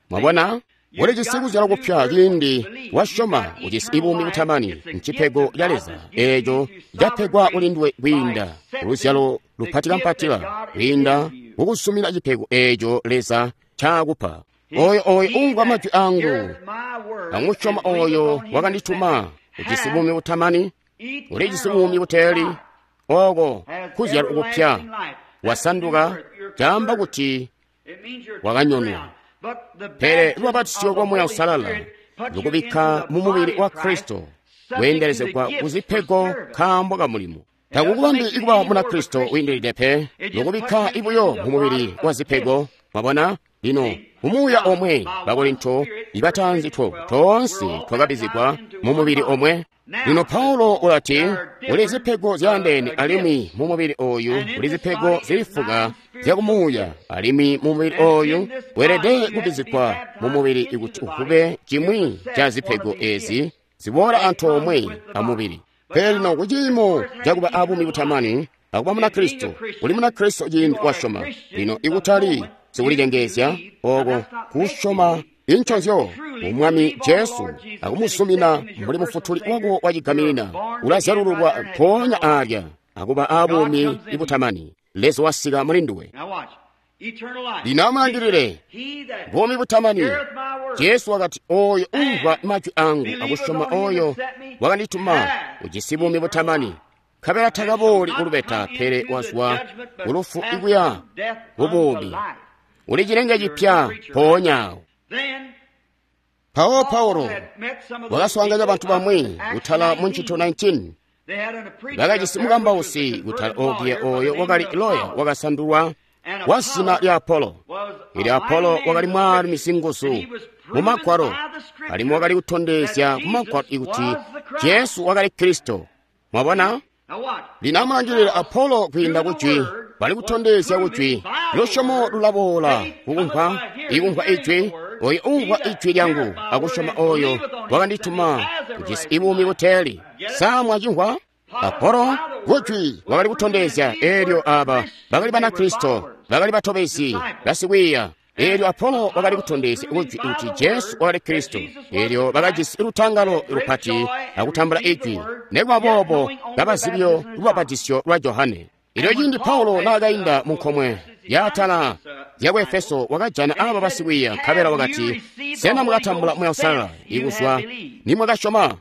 Mwabona? Ulijisi kuzyalwa kupya ciindi wasyoma, ujisi ibuumi butamani, ncipego ca Leza eeco capegwa kuli nduwe kwiinda luzyalo lupatikampatila, kwiinda kukusumina cipego eeco Leza caakupa. Oyo oyo umvwa majwi angu amusyoma oyo wakandituma ujisi buumi butamani, ulijisi buumi buteeli. Oko kuzyalwa kupya, wasanduka, caamba kuti wakanyonwa. Pele lubapatisyo lwa Muuya Uusalala lukubikka mu mubili wa Kristo, kweendelezegwa kuzipego nkaambo ka mulimo. Takukubambi ikuba Munakristo wiindilide pe, lukubikka ibuyo mu mubili wa zipego. Mwabona? Lino mumuuya omwe Bakorinto ibataanzi 12 toonse twakabizigwa mu mubili omwe. Lino Paulo ulati kuli zipego zyaandeene, alimwi mu mubili oyu kuli zipego zilifuka zyakumuuya, alimwi mu mubili oyu weelede kubizigwa mu mubili ikuti uvube cimwi ca zipego ezi ziboola antoomwe amubili. Pele lino kuciimo cakuba abuumi butamani akuba Munakristo, uli Munakristo ciindi wasyoma. Lino ikutali sikulicengeezya oko kusyoma inconzyo mu Mwami Jesu akumusumina mbuli mufutuli wako wacigaminina, ulazyalululwa mpoonya alya akuba abuumi butamani. Leza wasika muli nduwe. Lino amulangilile buumi butamani. Jesu wakati, oyo umvwa majwi angu akusyoma oyo wakandituma ujisi buumi butamani, nkabela takabooli kulubeta, pele wazwa kulufu ikuya kubuumi. Uli cilenge cipya mpoonya awo. Mpawo Paulo wakaswaanganya bantu bamwi kutala mu ncito 19. Bakajisi mukambausi kutala okuya oyo wakali loya wakasandulwa wa zina lya Apolo. Ili Apolo wakali mwaalumi singuzu mu Magwalo, alimwi wakali kutondezya ku Magwalo ikuti Jesu wakali Kristo. Mwabona? Lino amulangilile Apolo kwiinda kujwi, bali kutondezya kujwi. Lusyomo lulaboola kukumvwa, ikumvwa ijwi. Oyo umvwa ijwi lyangu akusyoma oyo wakandituma ujisi ibuumi buteeli. Sa mwacimvwa? Apolo kujwi wakali kutondezya, elyo aba bakali Banakristo, bakali batobezi, basikwiiya. Elyo Apolo wakali kutondezya kujwi kuti Jesu wakali Kristo. Elyo bakajisi lutangalo lupati akutambula ijwi, nekuba boobo kabazibyo lubapatizyo lwa Johane. Elyo ciindi Paulo naakainda mu nkomwe yaatala zyaku Efeso, wakajana aba basikwiiya, nkabela wakati, sena mwakatambula Muuya Uusalala ikuzwa nimwakasyoma?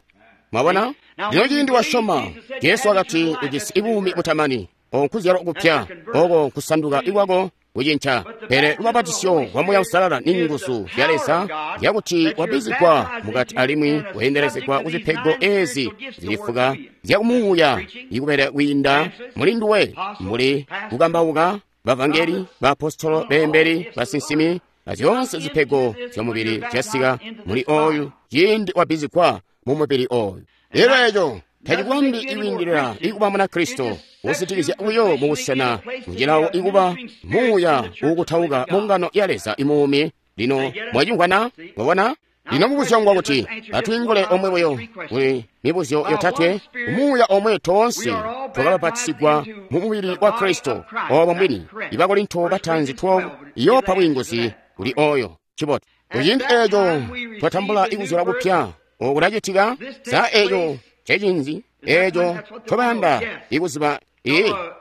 Mwabona? Lino ciindi wasyoma, Jesu wakati ujisi ibuumi butamani. Oko nkuzyalwa kupya, oko nkusanduka ikwako kucinca. Pele lubapatizyo lwa Muuya Uusalala ni nguzu zya Leza zyakuti wabizigwa mukati alimwi weendelezegwa ku zipego ezi zilifuka zyakumuuya ikubele kwiinda muli nduwe, mbuli kukambauka, bavangeli, baapostolo, beembeli, basinsimi, azyoonse zipego zyamubili zyasika muli oyu ciindi wabizigwa mu mubili oyu. Elyo eco tacikwambi ikwiindilila ikuba Munakristo usitikizya buyo mu busena mucilawo ikuba muuya uukutauka mu ngano ya Leza imuumi. Lino mwacimvwana? Mwabona? Lino mubuzyo ngwa kuti atwiingule omwe buyo kuli mibuzyo yotatwe. Muuya omwe toonse twakabapatisigwa mu mubili wa Kristo. Obo mbwini. Ibakorinto bataanzi 12 iyoopa bwiinguzi kuli oyo. Cibotu. Kuciindi eco twatambula ikuzyalwa kupya. Oku kulacitika sa eco cecinzi eco ncobayanda ikuziba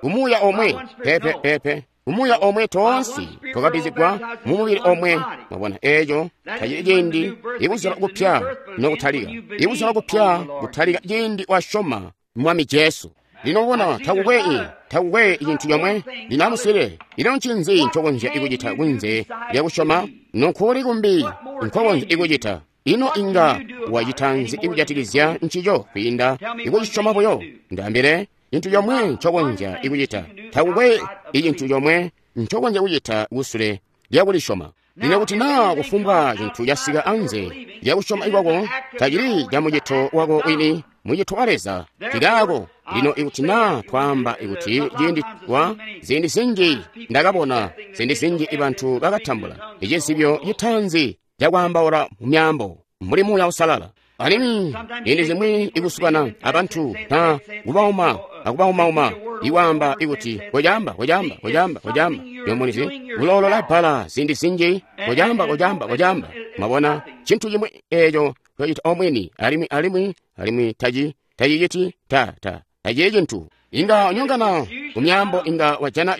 kumuuya omwe pepe pepe kumuuya omwe toonse twakabizigwa mu mubili omwe. Mwabona, eco tacili ciindi ikuzyalwa kupya nokutalika. Ikuzyalwa kupya kutalika ciindi wasyoma Mwami Jesu. Lino ubona takukwe cintu comwe. Lino amuswile, ino ncinzi ncokonzya ikucita kunze lyakusyoma? Nokuli kumbi nkokonzya ikucita? Ino inga wacita nzi ikujatikizya ncico kwiinda ikucisyoma buyo? Ndaambile cintu comwe ncokonzya ikucita. Takukwe icintu comwe ncokonzya kucita kusule lyakulisyoma. Lino kuti naa kufumbwa cintu casika anze lyakusyoma ikwako, tacili ca mucito wako wini, mucito wa Leza cikaako. Lino ikuti naa twaamba ikuti ciindi wa ziindi zinji ndakabona ziindi zinji ibantu bakatambula icizibyo citaanzi cakwaambaula mu myaambo mbuli Muuya Uusalala. Alimwi ziindi zimwi ikusukana abantu na kubauma akubaumauma iwaamba ikuti kocaamba kocaamba kocaamba kocaamba yomunizi kuloolola bbala ziindi zinji kocaamba kocaamba kocaamba. Mwabona cintu cimwi eco twacita omwini alimwi alimwi alimwi taciciti ta tacili cintu. Inga unyongana ku myaambo, inga wajana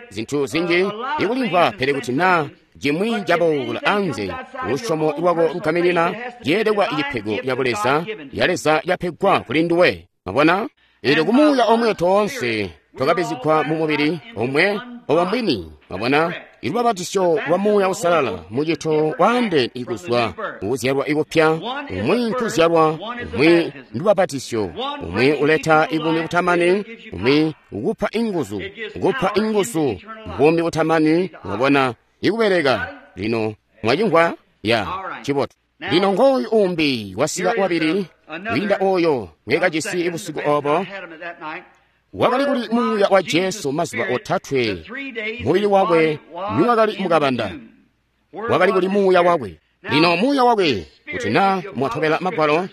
zintu zinji ikulimvwa, pele kuti naa cimwi caboola anze lusyomo lwako lugaminina ceelekwa icipego ca Buleza ya Leza yapegwa kuli nduwe. Mwabona? Elyo kumuuya omwe toonse twakabizigwa mu mubili omwe oba mbwini. Mwabona? Ilubabatisyo lwa Muuya Uusalala mucito waande ikuzwa kuzyalwa ikupya. Umwi nkuzyalwa, umwi ndubabatisyo, umwi uleta ibuumi butamani, umwi ukupa inguzu, ukupa inguzu buumi butamani. Mwabona? Ikubeleka. Lino mwacimvwa? Ya cibotu. Lino ngooyu umbi wasika wabili kwiinda oyo ngwekajisi busiku obo. Wakali kuli Muuya wa Jesu mazuba otatwe, mubili wakwe niwakali mukabanda. Wakali kuli Muuya wakwe. Lino Muuya wakwe, kuti naa mwatobela Magwalo,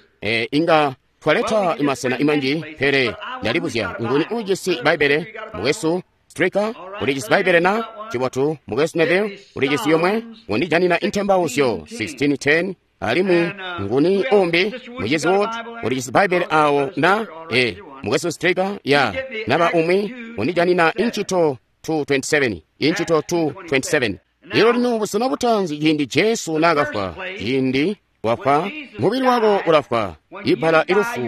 inga twaleta imasena imanji, pele ndalibuzya nguni ujisi Bbaibbele? Mukwesu Stricker, ulijisi Bbaibbele na? Cibotu, Mukwesu Neville, ulijisi yomwe, undijanina Intembauzyo 16:10, alimwi nguni umbi, Mucizi Wood, ulijisi Bbaibbele awo na, Mukwesu Stricker, ya, naba umwi, undijanina Inchito 2:27, Inchito 2:27. Lero lino busena butanzi ciindi Jesu naakafwa, ciindi wafwa, mubili wako ulafwa. Ibbala ilufu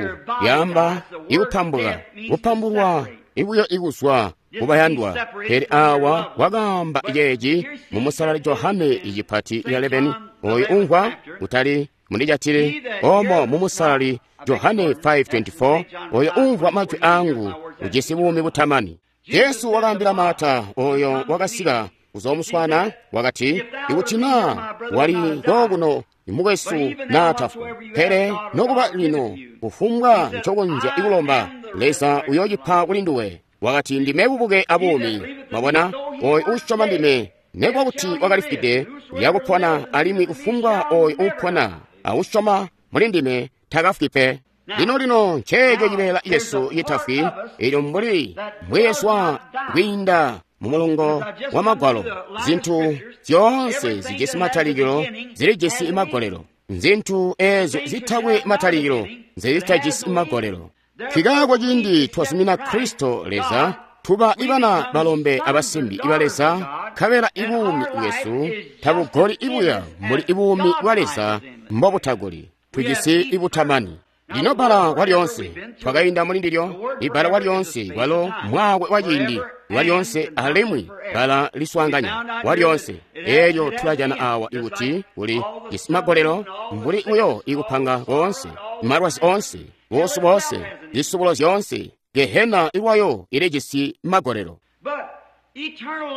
lyaamba ikupambula, kupambulwa ibuyo ikuzwa kubayandwa. Pele awa wakaamba ceeci mu Musalali Johane icipati 11, oyo umvwa kutali mundijatile omo mu Musalali Johane 5:24, oyo umvwa majwi angu ujisi buumi butamani. Jesu wakaambila Marta oyo wakasika kuzomuswana, wakati, ikuti naa wali kookuno mukwesu naatafwa, pele nokuba lino kufumbwa ncokonzya ikulomba Leza uyoocipa kuli nduwe. Wakati, ndime bubuke abuumi. Mwabona, oyo uusyoma ndime, nekuba kuti wakalifwide, uyakupona, alimwi kufumbwa oyo uupona ausyoma muli ndime takafwi pe. Lino lino nceeco cibeela Yesu citafwi, elyo mbuli mbweezwa kwiinda mu mulongo wa magwalo, zinthu zyoonse zijisi matalikilo zilijisi magolelo, nzinthu eezyo zitakwe matalikilo nzezitajisi magolelo. Kikaako ciindi twazumina Kristo Leza, tuba ibana balombe abasimbi iba Leza, nkabela ibuumi bwesu tabugoli ibuya mbuli ibuumi bwa Leza mbobutagoli, tujisi ibutamani. Lino bbala kwalyonse twakainda muli ndilyo, ibbala kwalyonse kwalo mwaakwe wa ciindi kwalyonse, alimwi bbala liswaanganya kwalyonse. Elyo tulajana awa ikuti kuli jisi magolelo mbuli uyo ikupanga koonse, malwazi onse, buusu boonse, zisubulo zyoonse, Gehena ilwayo ilijisi magolelo.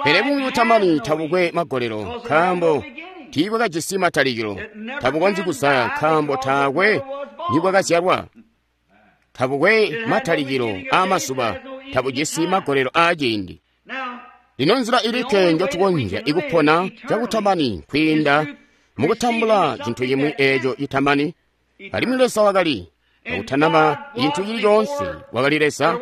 Pele buumi butamani tabukwe magolelo, nkaambo tiibwakajisi matalikilo, tabukonzyi kuzaya nkaambo taakwe nibwakazyalwa. Tabukwe matalikilo aamazuba, tabujisi magolelo aaciindi. Lino nzila ilikke njotukonzya ikupona cakutamani kwiinda mukutambula cintu cimwi eeco citamani. Alimwi Leza wakali akutanaba cintu cili coonse, wakali Leza.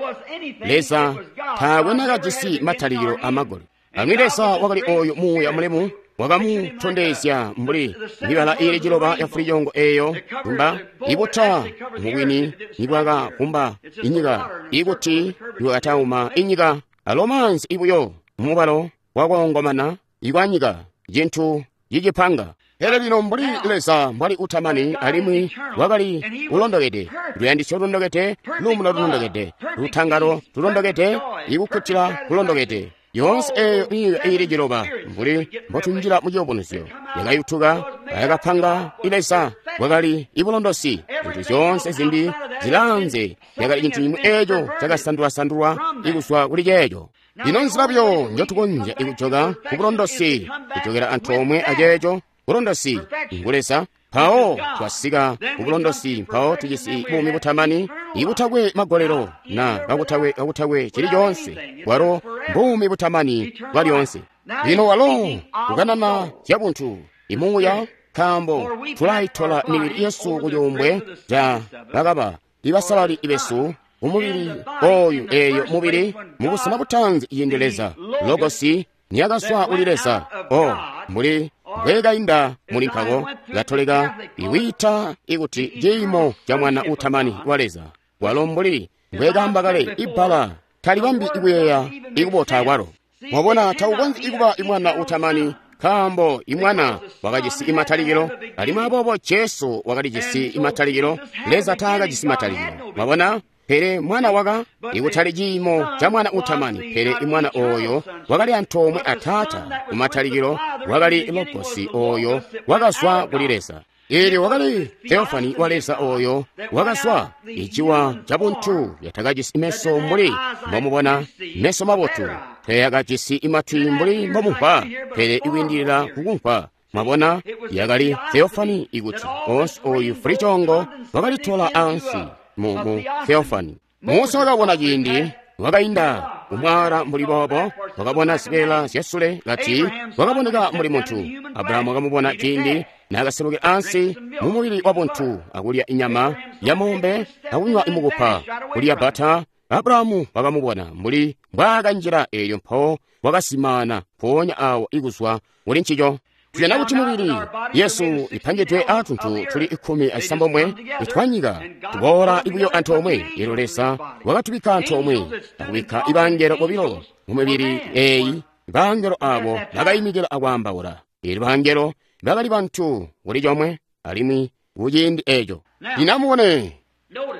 Leza taakwe nakajisi matalikilo amagolelo. Alimwi Leza wakali oyo muuya mulemu wakamutondezya mbuli mibala iili ciloba ya fulicoongo eeyo kumba ibuta mubwini nibwakakumba inyika, ikuti ibwakatauma inyika, alo maanzi ibuyo mumubalo wakoongomana ikwanyika, cintu cicipanga. Pele lino mbuli Leza mbwali utamani alimwi wakali ulondokede, luyandisyo lulondokede, luumuno lulondokede, lutangalo lulondokede, ikukkutila kulondokede, yoonse eeyo myuuya iili ciloba mbuli mbotunjila mu ciyubunuzyo yakayutuka ayakapanga Leza bwakali ibulondosi. Zintu zyoonse zimbi zilaanze yakali cintu cimwi eeco cakasandulwasandulwa ikuzwa kuli ceeco. Lino nzila buyo njotukonzya ikujoka ku bulondosi, kujokela antoomwe aceeco bulondosi ngu Leza. Mpawo twasika ku bulondosi, mpawo tujisi buumi butamani ibutakwe magolelo na kakutakwe cili coonse, bwalo mbuumi butamani bwalyonse. Lino walo kukanana zyabuntu imuuya, nkaambo tulaitola mibili yesu ku cuumbwe ca bakaba ibasalali besu umubili oyu eeyo mubili mubusena butanzi ciindi Leza Logosi niyakazwa kuli Leza, o mbuli mbwekainda muli nkako Katolika iwiita ikuti ciimo ca mwana utamani wa Leza, walo mbuli mbwekaamba kale ibbala talibambi ikuyeeya ikubota kwalo. Mwabona, taukonzyi ikuba imwana utamani, nkaambo imwana wakajisi imatalikilo, alimwi aboobo Jesu wakalijisi imatalikilo, Leza taakajisi matalikilo. Mwabona? Pele mwana waka ikutali ciimo ca mwana utamani, pele imwana oyo wakali antoomwe a Taata kumatalikilo, wakali Logosi oyo wakazwa kuli Leza. Eelyo wakali Theofani wa Leza oyo wakazwa iciwa ca buntu yatakajisi meso mbuli mbomubona, meso mabotu, teyakajisi imatwi mbuli mbomumvwa, pele ikwiindilila kukumvwa. Mwabona, yakali Theofani ikuti onse oyu fulicoongo wakalitola ansi mu Theofani. Musa wakabona ciindi wakainda kumwala mbuli boobo, wakabona zibeela zyasule kati wakaboneka mbuli muntu. Abrahamu wakamubona ciindi naakaselukila ansi mu mubili wa buntu akulya inyama ya mombe akunywa imukupa, kulya bata. Abrahamu wakamubona mbuli mbwaakanjila eelyo mpawo wakazimaana mpoonya awo ikuzwa kuli ncico. Tujana kuti mubili yesu ipangidwe aatuntu tuli 16 itwanyika tuboola buyo antoomwe. Eelyo Leza wakatubikka antoomwe akubikka ibangelo bobilo mu mibili eeyi. Bangelo abo bakayimikila akwaambaula. Eelyo bangelo bakali bantu kuli comwe alimwi kuciindi eeco. Lino amubone,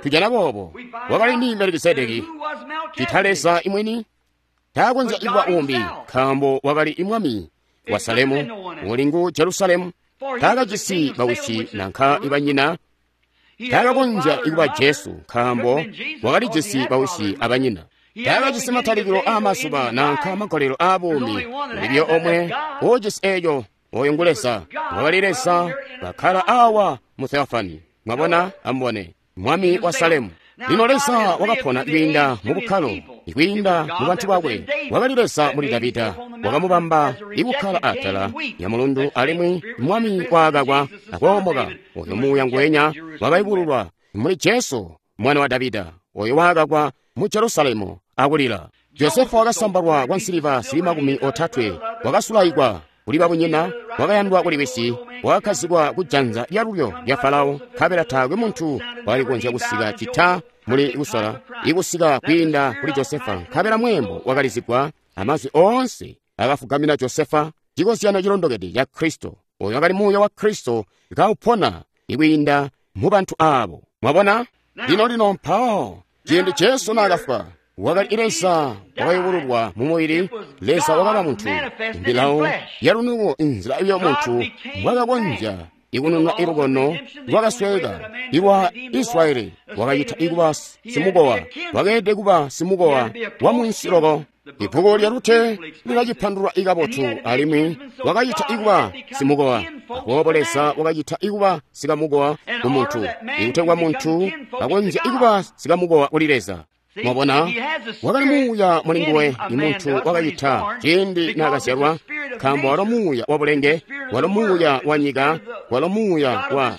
tujana boobo wakali ndi Melikisedeki, cita Leza imwini taakonzya ikuba umbi, nkaambo wakali imwami wa Salemu, uli ngu Jerusalemu. Taakajisi bawisi nanka ibanyina. Taakakonzya ikuba Jesu, nkaambo wakalijisi bawisi abanyina. Taakajisi matalikilo aamazuba nanka magolelo aabuumi. Ulibyo omwe uujisi eeco, oyo ngu Leza. Wakali Leza kakkala awa mu Theofani. Mwabona, amubone, mwami wa Salemu. Lino Leza wakapona kwiinda mu bukkalo, kwiinda mu bantu bakwe. Wakali Leza muli Davida, wakamubamba ikukkala atala ya mulundu, alimwi mwami waakakwa akoomoka. Oyo muuya ngwenya wakayubululwa muli Jesu mwana wa Davida, oyo waakakwa mu Jerusalemu akulila. Josefa wakasambalwa kwa nsiliva zili 30, wakasulaikwa kuli babunyina, wakayandwa kuli wisi, wakakkazikwa ku janza lyalulyo lya Farao, nkabela taakwe muntu wakali kukonzya kusika cita muli kusola ikusika kwiinda kuli Josefa, nkabela mweembo wakalizigwa amazwi oonse akafugamina Josefa, cikozyano cilondokede ca Kristo. Oyo wakali muuya wa Kristo kaupona ikwiinda mu bantu abo. Mwabona? Lino lino mpawo ciindi Jesu naakafwa, wakali Leza wakayubululwa mu mubili. Leza wakaba muntu, mbilawo yalunuko, inzila iyo muntu mbwakakonzya ikunununa ilukono lwakasweka ilwa Israyeli. Wakacita ikuba simukowa, wakeelede kuba simukowa wa munsi loko. Ibbuku lya Rute lilacipandulula ikabotu, alimwi wakacita ikuba simukowa. Aboobo Leza wakacita ikuba sikamukowa ku muntu, ikutegwa muntu akonzya ikuba sikamukowa kuli Leza. Mwabona, wakali muuya muli nguwe, imuntu wakacita ciindi naakazyalwa, nkaambo walo muuya wa bulenge, walo muuya wa nyika, walo muuya wa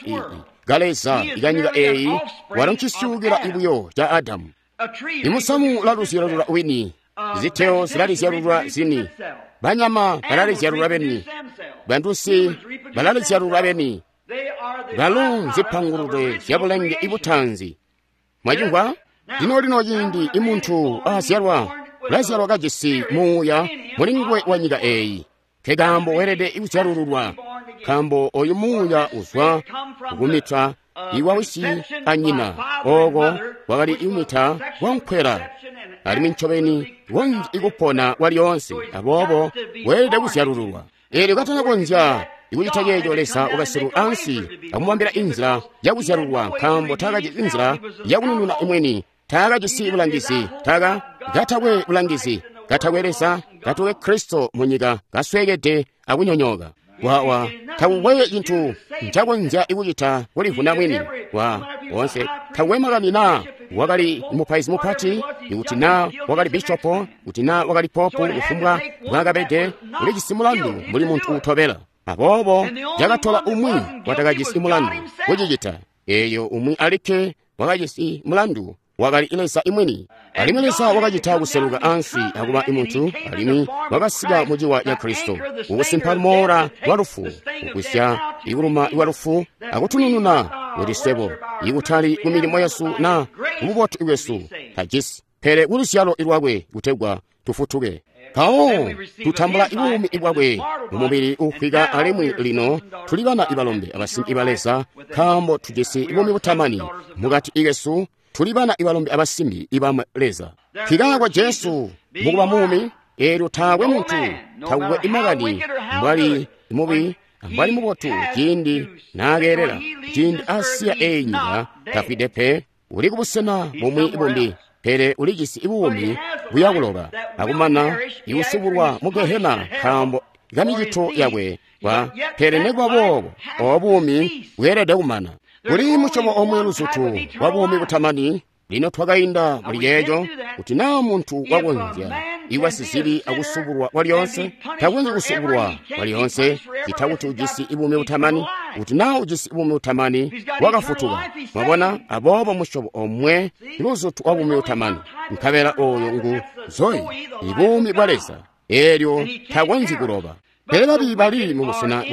kaleza ikanyika eeyi, walo ncisyuukila ibuyo ca Adamu. Imusamu ulaluzyalulula wini, ziteo zilalizyalulula zini, banyama balalizyalulula beni, bantusi balalizyalulula beni, balo nzipangulule zya bulenge ibutanzi. Mwacimvwa? Lino lino ciindi imuntu aazyalwa, ulazyalwa kajisi muuya muli nguwe wa nyika eeyi. Nkekaambo weelede kuzyalululwa, nkaambo oyu muuya uzwa kukumita iwa wisi anyina, ooko wakali ikumita kwankwela, alimwi ncobeni konzya ikupona kwalyoonse. Aboobo weelede kuzyalululwa. Eelyo katanakonzya ikucita ceeco, Leza wakaseluka ansi akumubambila inzila yakuzyalulwa, nkaambo taakajisi inzila yakunununa imweni, taakajisi bulangizi, katakwe bulangizi, katakwe Leza, katakwe Kristo mu nyika, kasweekede akunyonyooka. Wawa takukwe cintu ncakonzya ikucita kulivuna mwini wa wonse. Takukwe makani naa wakali mupaizi mupati, ikuti naa wakali bishopo, kuti naa wakali popu, kufumbwa mbwaakabede, ulijisi mulandu mbuli muntu uutobela. Aboobo cakatola umwi watakajisi mulandu kucicita. Eeyo umwi alikke wakajisi mulandu wakali Leza imwini. Alimwi Leza wakacita kuseluka ansi akuba imuntu, alimwi wakasika muciwa ca Kristo, kukusimpa lumoola lwa lufu, kugwisya ikuluma lwa lufu, akutunununa kuti swebo, ikutali ku milimo yesu na kububotu bwesu tajisi, pele kuluzyalo lwakwe kutegwa tufutuke. Mpawo tutambula buumi bwakwe mu mubili uufwika, alimwi lino tuli bana ibalombe abasimbi ba Leza, nkaambo tujisi buumi butamani mukati kesu. Tuli bana ibalombe abasimbi iba Leza. Nkikaako Jesu mukuba muumi, eelyo taakwe muntu, takukwe imakani mbwali mubi mbwali mubotu, ciindi naakeelela, ciindi asiya eeyi nyika, tafwide pe, uli kubusena bumwi bumbi, pele ulijisi buumi buyakuloba akumana ikusubulwa mu Gehena nkaambo kamicito yakwe kwa, pele nekuba boobo obo buumi bweelede kumana. Kuli musyobo omwe luzutu wa buumi butamani, Lino twakainda muli ceeco, kuti naa muntu wakonzya iwa sizibi akusubulwa kwalyoonse, takonzyi kusubulwa kwalyoonse, cita kuti ujisi buumi butamani. Kuti naa ujisi buumi butamani, wakafutuka. Mwabona? Aboobo musyobo omwe luzutu wa buumi butamani, nkabela oyo ngu Zoe, ibuumi bwa Leza, eelyo takonzyi kuloba. Pele babi bali mu busena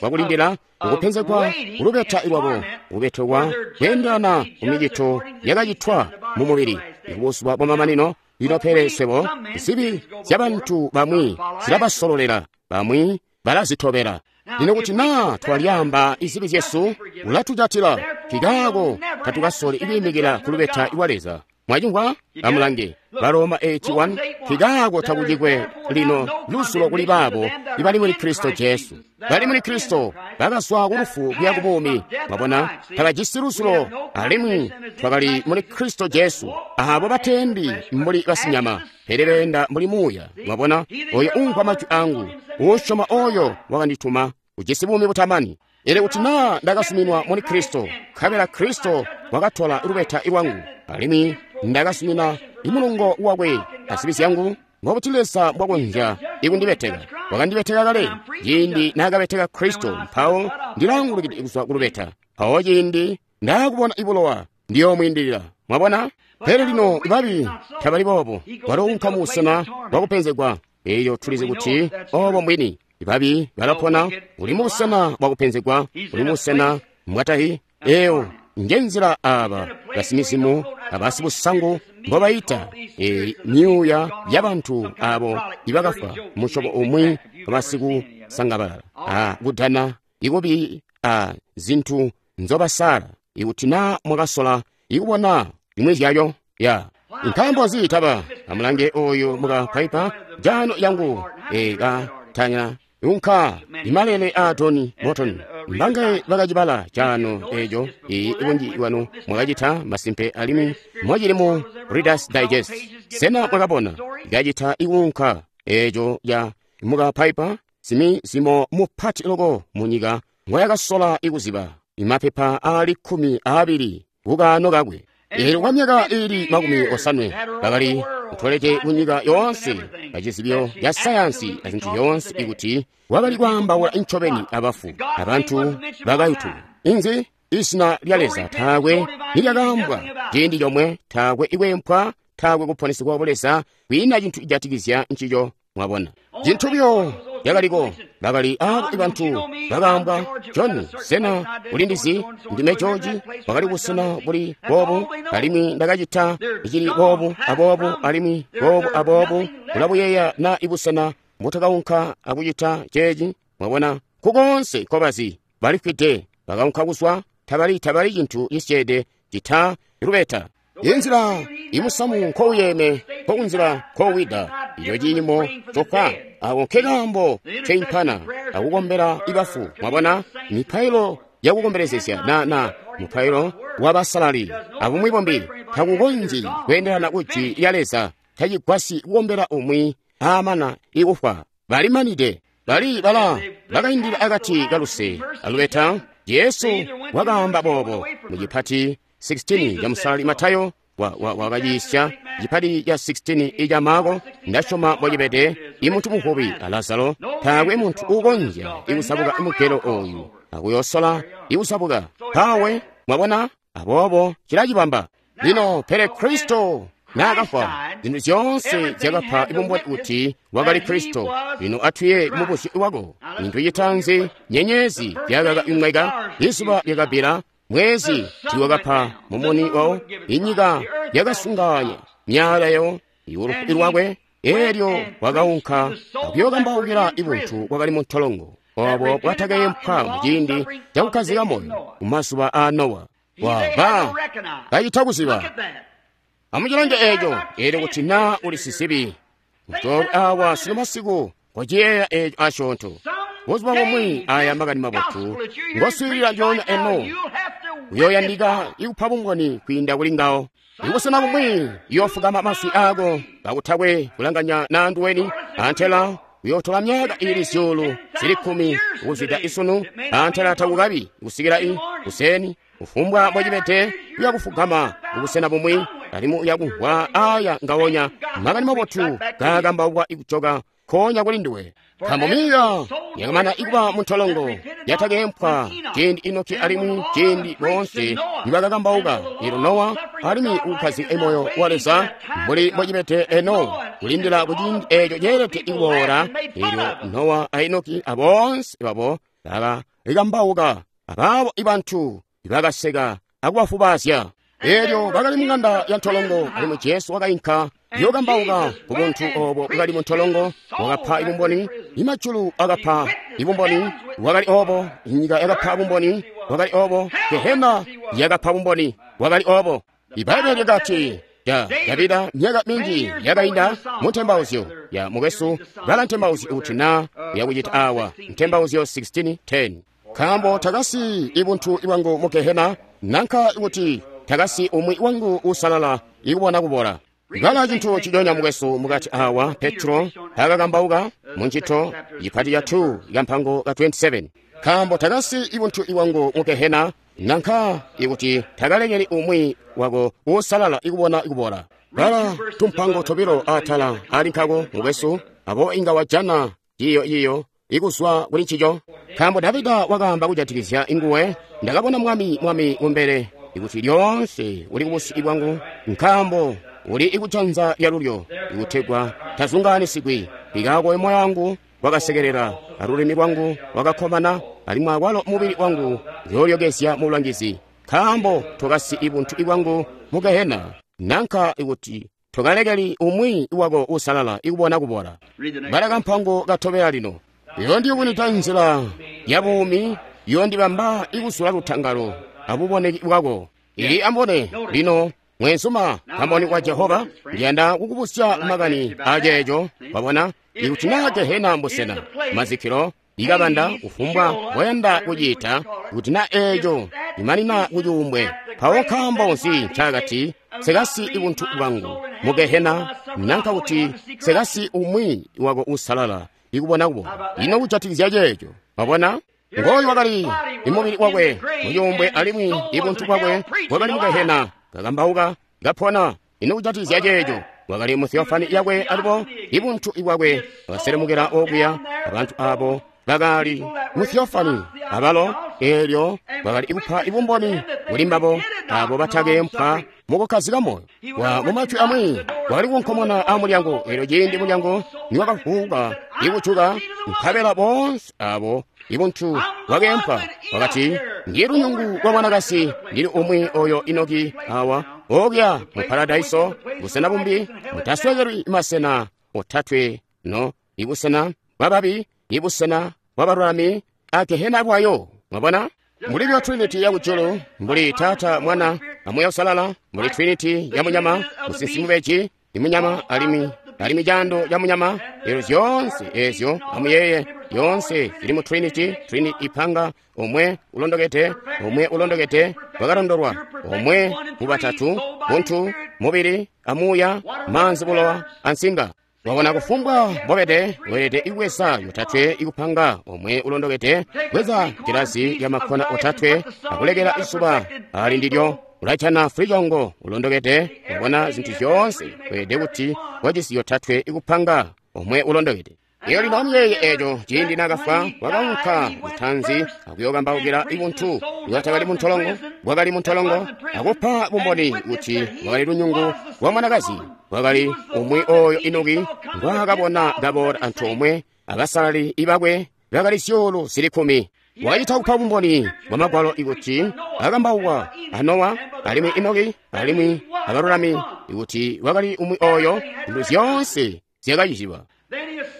bwakulindila ukupenzegwa kulubeta lwabo, kubetekwa kweendelana ku micito yakacitwa mu mubili kubuzuba bwamamanino. Lino pele swebo zibi zyabantu bamwi zilabasololela, bamwi balazitobela. Lino kuti naa twalyaamba izibi zyesu, ulatujatila, kikaako tatukasoli kwiimikila kulubeta lwa Leza. Mwacimvwa? Amulange Baroma 81. Kikaako takucikwe lino lusulo kuli baabo ibali muli Kristo Jesu. Bali muli Kristo bakazwa ku lufu kuya ku buumi. Mwabona, tabajisi lusulo, alimwi twakali muli Kristo Jesu. Abo batendi mbuli basinyama, pele beenda mbuli muuya. Mwabona, oyo umvwa majwi angu, usyoma oyo wakandituma, ujisi buumi butamani. Ele kuti naa ndakasuminwa muli Kristo, nkabela Kristo wakatola lubeta lwangu, alimwi ndakasumina imulungo wakwe azibi zyangu, mbobuti Leza mbwakonzya ikundibeteka? Wakandibeteka kale ciindi naakabeteka Kristo, mpawo ndilaangulukide kuzwa kulubeta. Mpawo ciindi ndaakubona ibulowa, ndiyoomwiindilila. Mwabona? Pele lino babi tabali boobo, balounka mu busena bwakupenzegwa. Eyo tulizi kuti obo mbwini. Babi balapona, uli mu busena bwakupenzegwa, uli mu busena mbwatahi. Eyo njenzila aba basimizimu abasibusangu mbobayita myuuya yabantu abo ibakafwa musyobo umwi basikusangabalala a kudana ikubi a zintu nzobasala. Ikuti naa mwakasola ikubona imwi zyayo ya nkaambo nzi taba amulange oyu muka Piper jano yangu ekatanya unka imalele a Tony Morton mbangaye bakacibala chano ejo ibunji bwanu mwakacita masimpe alimwi mwachili mu Reader's Digest. Sena mwakabona ikacita ikunka ejo ya muka Piper simi zimo mupati loko munyika ngoyakasola ikuziba imapepa ali 12 kukano kakwe. Eelyo kwa myaka ili 50 bakali kutolete kunyika yoonse pachizibyo ya sayansi na zinthu yonse ikuti wakali kwaambaula ncobeni abafu abantu bakayutu. Inzi izina lya Leza taakwe nilyakaambwa ciindi chomwe, taakwe ikwempwa, taakwe kuponesegwa kwa Leza, kwiina chinthu ijatikizya nchicho. Mwabona chinthu byo lyakaliko bakali abo bantu bakaambwa John sena ulindizi ndime George wakali kusena buli boobu alimwi ndakacita ichili boobu aboobu alimwi boobu aboobu ulabuyeeya na ibusena mbutakaunka akucita ceeci. Mwabona kukonse kobazi balifwide bakaunka kuzwa tabali cinthu cisyeede cita lubeta. Inzila imusamu nkouyeme nkokunzila nkowida iyo ciimo cokka ako nkekaambo ceimpana akukombela ibafu. Mwabona mipailo yakukombelezesya na mupailo wabasalali abumwi bombi takukonzyi kweendelana kujwi lya Leza. Tacigwasyi kukombela umwi amana ikufwa. Balimanide bali bala bakaindila akati kaluse alubeta. Yesu wakaamba boobo mu chipati 16 cha msalali Matayo wakayisya chipati cha 16 icha Marko. Ndashoma mwachipete imunthu muhupi a Lazaro taakwe munthu ukonzya ikusabuka mugelo oyu akuyosola ikusabuka pawe. Mwabona aboobo chilachibamba lino. Pele Kristo naakafwa zinthu zyonse zyakapha ibumboni kuti wakali Kristo. Lino atwiye mubuzyo wako. Inthu chitanzi nyenyezi yakaka imweka, izuba lyakabira, mwezi tiwakapha mumuni wawo, inyika yakasunganya myala yawo iulufu lwakwe. Elyo wakaunka akuyokambaukila ibunthu bwakali mu ntolongo obo bwatakayempwa muciindi cakukhazika moyo kumazuba a Nowa. Waba kacita kuziba amucilange eco. Elyo kuti naa uli sizibi mutolwe awa sino masiku kociyeeya eco asyoonto. Buzuba bumwi aya makani mabotu ngoswiilila lyoonya eno uyoyandika ikupa bumboni kwiinda kuli ngawo. Ikusena bumwi iyofukama maswi ako kakutakwe kulanganya na nduweni antela Kuyotola myaka ili 10,000 kuzwida isunu antala takukabi kusikila i kuseni kufumbwa mbocibede uyakufugama kubusena bumwi alimwi uyakumvwa aya ngawonya makani mabotu gakambaukwa ikujoka konya kuli nduwe. Nkaambo miya yakamana ikuba muntolongo yatakempwa ciindi Enoki alimwi ciindi boonse nibakakambauka elo Nowa alimwi ukukhazika moyo wa Leza mbuli mbocibede eno kulindila kuciindi eco ceelede ikuboola. Elyo Nowa a Enoki aboonse babo bakakambauka abaabo ibantu bakaseka akubafubazya. Elyo bakali mung'anda ya ntolongo alimwi Jesu wakainka yokambauka ku buntu obo bwakali muntolongo. Wakapa ibumboni, imajulu akapa ibumboni, wakali obo, inyika yakapa bumboni, wakali obo, Gehena yakapa bumboni, wakali obo. Ibaibbele lyakati ya Davida myaka minji yakainda mu ntembauzyo ya mukwesu bala ntembauzyo kuti na yakuchita awa ntembauzyo 16:10 nkaambo takasi ibuntu ibwangu mu Gehena nanka kuti takasi umwi wangu usalala ikubona kubola. Bala cintu cidonya mukwesu mukati awa Petro akakambauka mu ntchito yipati ya 2 kampango ka 27 nkaambo takasi ibuntu ibwangu mu Gehena nanka ikuti takalekeli umwi wako usalala ikubona ikubola. Bala tumpango tobilo atala ali nkako mukwesu abo inga wajana yiyo yiyo ikuzwa kuli ncico. Nkaambo Davida wakaamba kujatikizya inguwe, ndakabona mwami mwami kumbele ikuti lyoonse uli kubusi bwangu, nkaambo uli ikujanza lyalulyo ikutegwa tazungaanisigwi. Ikaako moyo wangu wakasekelela, alulimi lwangu lwakakkomana, alimwi akwalo mubili wangu uyoolyokezya mu bulangizi. Nkaambo tokasi ibuntu ibwangu mu Gehena, nanka ikuti tokalekeli umwi wako usalala ikubona kubola. Bala kampango katobela lino. Yondiyubunita nzila ya buumi, yondibamba ikusula lutangalo abuboneki bwako. Ili ambone lino mwenzuma kamboni kwa Jehova, ndiyanda kukubusya makani aceeco. Wabona ikuti na Gehena mbusena mazikilo ikabanda kufumbwa boyanda kuciita, kuti na eeco imanina kucuumbwe. Mpawo nkaambo nzi ncakati sekasi ibuntu bwangu mu Gehena nanka kuti sekasi umwi wako usalala ikubona kubola. Ino kujatikizya ceeco? Wabona ngoyu wakali imubili wakwe mucuumbwe alimwi ibuntu bwakwe bwakali mu Gehena kakambauka kapona. Ino kujatikizya ceeco? Wakali mu theofani yakwe alipo ibuntu ibwakwe bakaselemukela okuya abantu abo bakali mu theofani abalo elyo bakali ikupa ibumboni kuli mbabo abo batakempwa mukukhazika moyo. Wa mumajwi amwi wakali kunkomona a mulyango, elyo ciindi mulyango niwakavuka ikujuka, nkabela boonse abo ibuntu bwakempwa wakati, ndili lunyungu lwa mwanakasi, ndili umwi oyo Enoki awa okuya mu paradaiso busena bumbi mutaswekelwi masena otatwe no ibusena bwababi, ibusena bwabalulami, a Gehena bwayo. Mwabona mbuli bya Trinity ya kujulu, mbuli Tata, Mwana amuya Usalala, mbuli Trinity ya munyama, musinsi mubeji imunyama alimwi alimwi jando ya munyama. Elo zyonse ezyo amuyeye yonse zili mu Trinity. Trinity ipanga omwe ulondokete, omwe ulondokete wakalondolwa, omwe mubatatu, buntu, mubili, amuya, manzi, bulowa, ansinga. Wabona kufumbwa mbobede weelede ikuweza yotatwe ikupanga omwe ulondokete, bweza gilazi ya makhona otatwe akulekela isuba ali ndilyo ulajana fulichongo ulondokete. Wabona zinthu zyonse weelede kuti wajisi yotatwe ikupanga omwe ulondokete. Iyo lino amuyeye eco ciindi nakafwa wakaunka lutanzi akuyokambaukila ibuntu bwatakali muntolongo, bwakali muntolongo, akupa bumboni kuti wakali lunyungu lwa mwanakazi, wakali umwi oyo Enoki ngwaakabona kaboola antoomwe abasalali ibakwe bakali 10,000. Wacita kupa bumboni bwa magwalo ikuti akambaukwa a Nowa alimwi Enoki alimwi abalulami ikuti wakali umwi oyo zintu zyoonse zyakaciziba.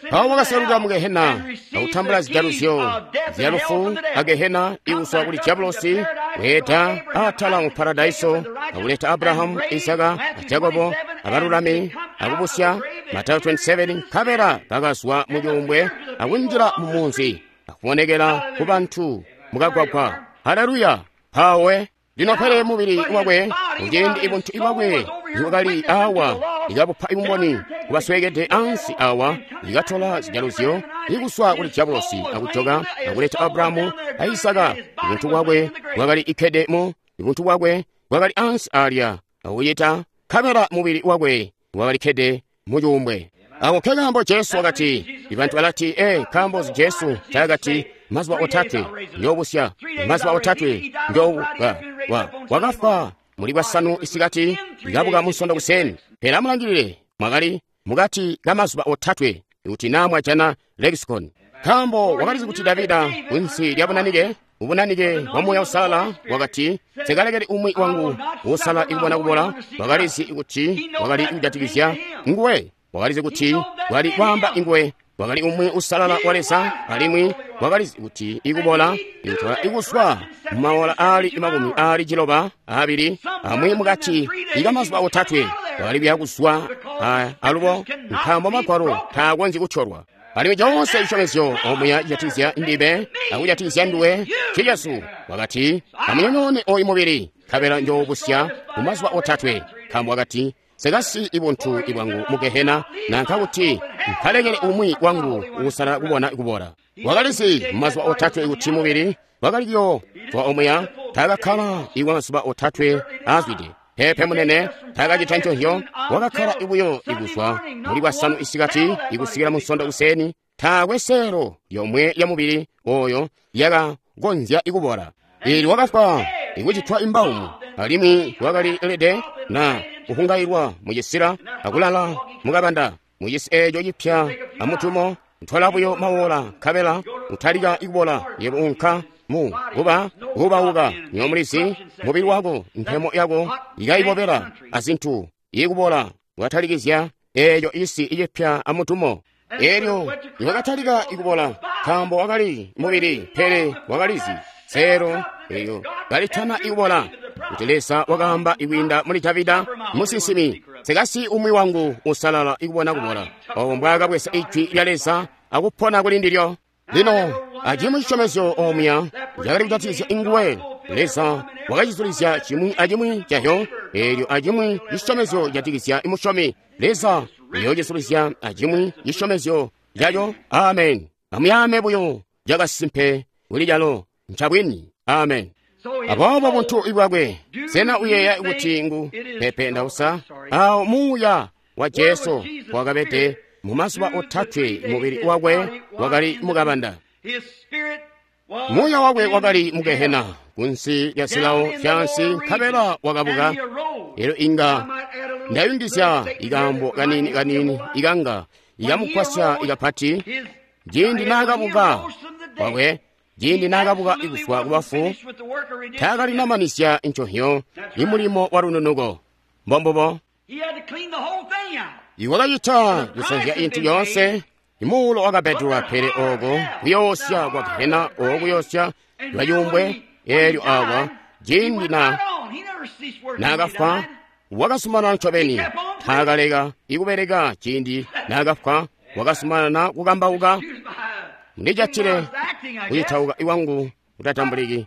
Mpawo wakaseluka mu Gehena akutambula zijaluzyo zya lufu a Gehena ikuswa kuli Diabulosi, kweeta atala mu paradaiso akuleta Abrahamu, Isaka a Jakobo abalulami akubusya Matayo 27 nkabela bakazwa mu cuumbwe akunjila mu munzi akubonekela ku bantu mukagwagwa. Haleluya! Mpawe lino pele mubili wakwe muciindi ibuntu ibwakwe niwakali awa ikabupa ibumboni kubasweekede ansi awa, ikatola zijaluzyo ikuswa kuli diabolosi akujoka akuleta Abrahamu a Isaka. Ubuntu bwakwe bwakali ikkede mu ubuntu bwakwe bwakali ansi alya akucita nkabela mubili wakwe wakali kkede mu cuumbwe. Ako nkekaambo Jesu wakati, ibantu balati, nkaambo Jesu taakati mazuba otatwe njoobusya, mazuba otatwe njoobuka. Wakafwa muli bwasanu isikati, ikabuka munsondo kuseni. Pele amulangilile, mwakali mukati ka mazuba otatwe kuti naa mwajana lexicon. Nkaambo wakalizi kuti Davida kunsi lya bunanike, ubunanike bwa Muuya Uusalala wakati, nsikalekeli umwi wangu uusala ikubona kubola. Wakalizi kuti wakali kujatikizya nguwe. Wakalizi kuti wakali kwaamba inguwe. Wakali umwi usalala wa Leza, alimwi wakalizi kuti ikubola ikutola ikuswa mumaola aali 72 amwi mukati ikamazuba otatwe wakali kuya kuzwa alubo, nkaambo magwalo taakonzyi kutyolwa. Alimwi coonse cisyomezyo omuya cijatikizya ndibe akujatikizya nduwe cicesu. Wakati, amunyonyoone oyu mubili, nkabela njoobusya mumazuba otatwe. Nkaambo wakati, nsikasiyi ibuntu ibwangu mu gehena, nanka kuti nkalekele umwi wangu uusalala kubona kubola. Wakalizi mumazuba otatwe kuti mubili wakali kuyoozwa omuya, taakakkala ikwa mazuba otatwe aazwide. Peepe munene, taakacita nconzyo, wakakkala buyo ikuzwa muli bwasanu isikati ikusikila munsondo kuseni. Taakwe seelo yomwe ya mubili oyo yakakonzya ikubola. Ili wakafwa ikucitwa imbaumu, alimwi wakali elede na kuhungailwa mucisila akulala mukabanda mucisi eeco cipya amutumo. Ntwala buyo mawola nkabela utalika ikubola. Yebo unka mu kuba kubauka nyomulizi mubili wako mpemo yako ikaibobela azintu ikubola. Watalikizya eeco isi icipya amutumo. Elyo iwakatalika ikubola nkaambo wakali mubili, pele wakalizi seelo eyo kalitana ikubola kuti Leza wakaamba ikwiinda muli Davida musinsimi, nsikasiyi umwi wangu usalala ikubona kubola. Obo mbwaakabweza ijwi lya Leza akupona kuli ndilyo. Lino acimwi cisyomezyo omuya cakali kujatikizya inguwe. Leza wakacizulizya cimwi acimwi cahyo. Eelyo acimwi cisyomezyo cijatikizya imusyomi, Leza uyoocizulizya acimwi cisyomezyo caco. Amen. Amuyaame buyo cakasimpe kuli calo ncabwini. Amen. Aboobo buntu ibwakwe, sena uyeeya kuti ngu pepe ndausa? Awo muuya wa Jesu wakabede mu mazuba otatwe, mubili wakwe wakali mukabanda. Muuya wakwe wakali mu gehena kunsi lya zilawo zyaansi, nkabela wakabuka. Elyo inga ndayungizya ikaambo kanini kanini ikanga ikamugwasya ikapati. Ciindi naakabuka wakwe, ciindi naakabuka ikuzwa kubafu, taakalinamanizya nconhyo imulimo wa lununuko. Mbombubo iwakacita kusanzya intu yoonse. Imuulo wakabedulwa, pele oko kuyoosya kwa gehena, oko kuyoosya lwayumbwe. Eelyo awa ciindi naakafwa wakazumanana ncobeni, taakaleka ikubeleka. Ciindi naakafwa wakazumanana kukambauka. Ndijatile kucitauka iwangu kutatambuliki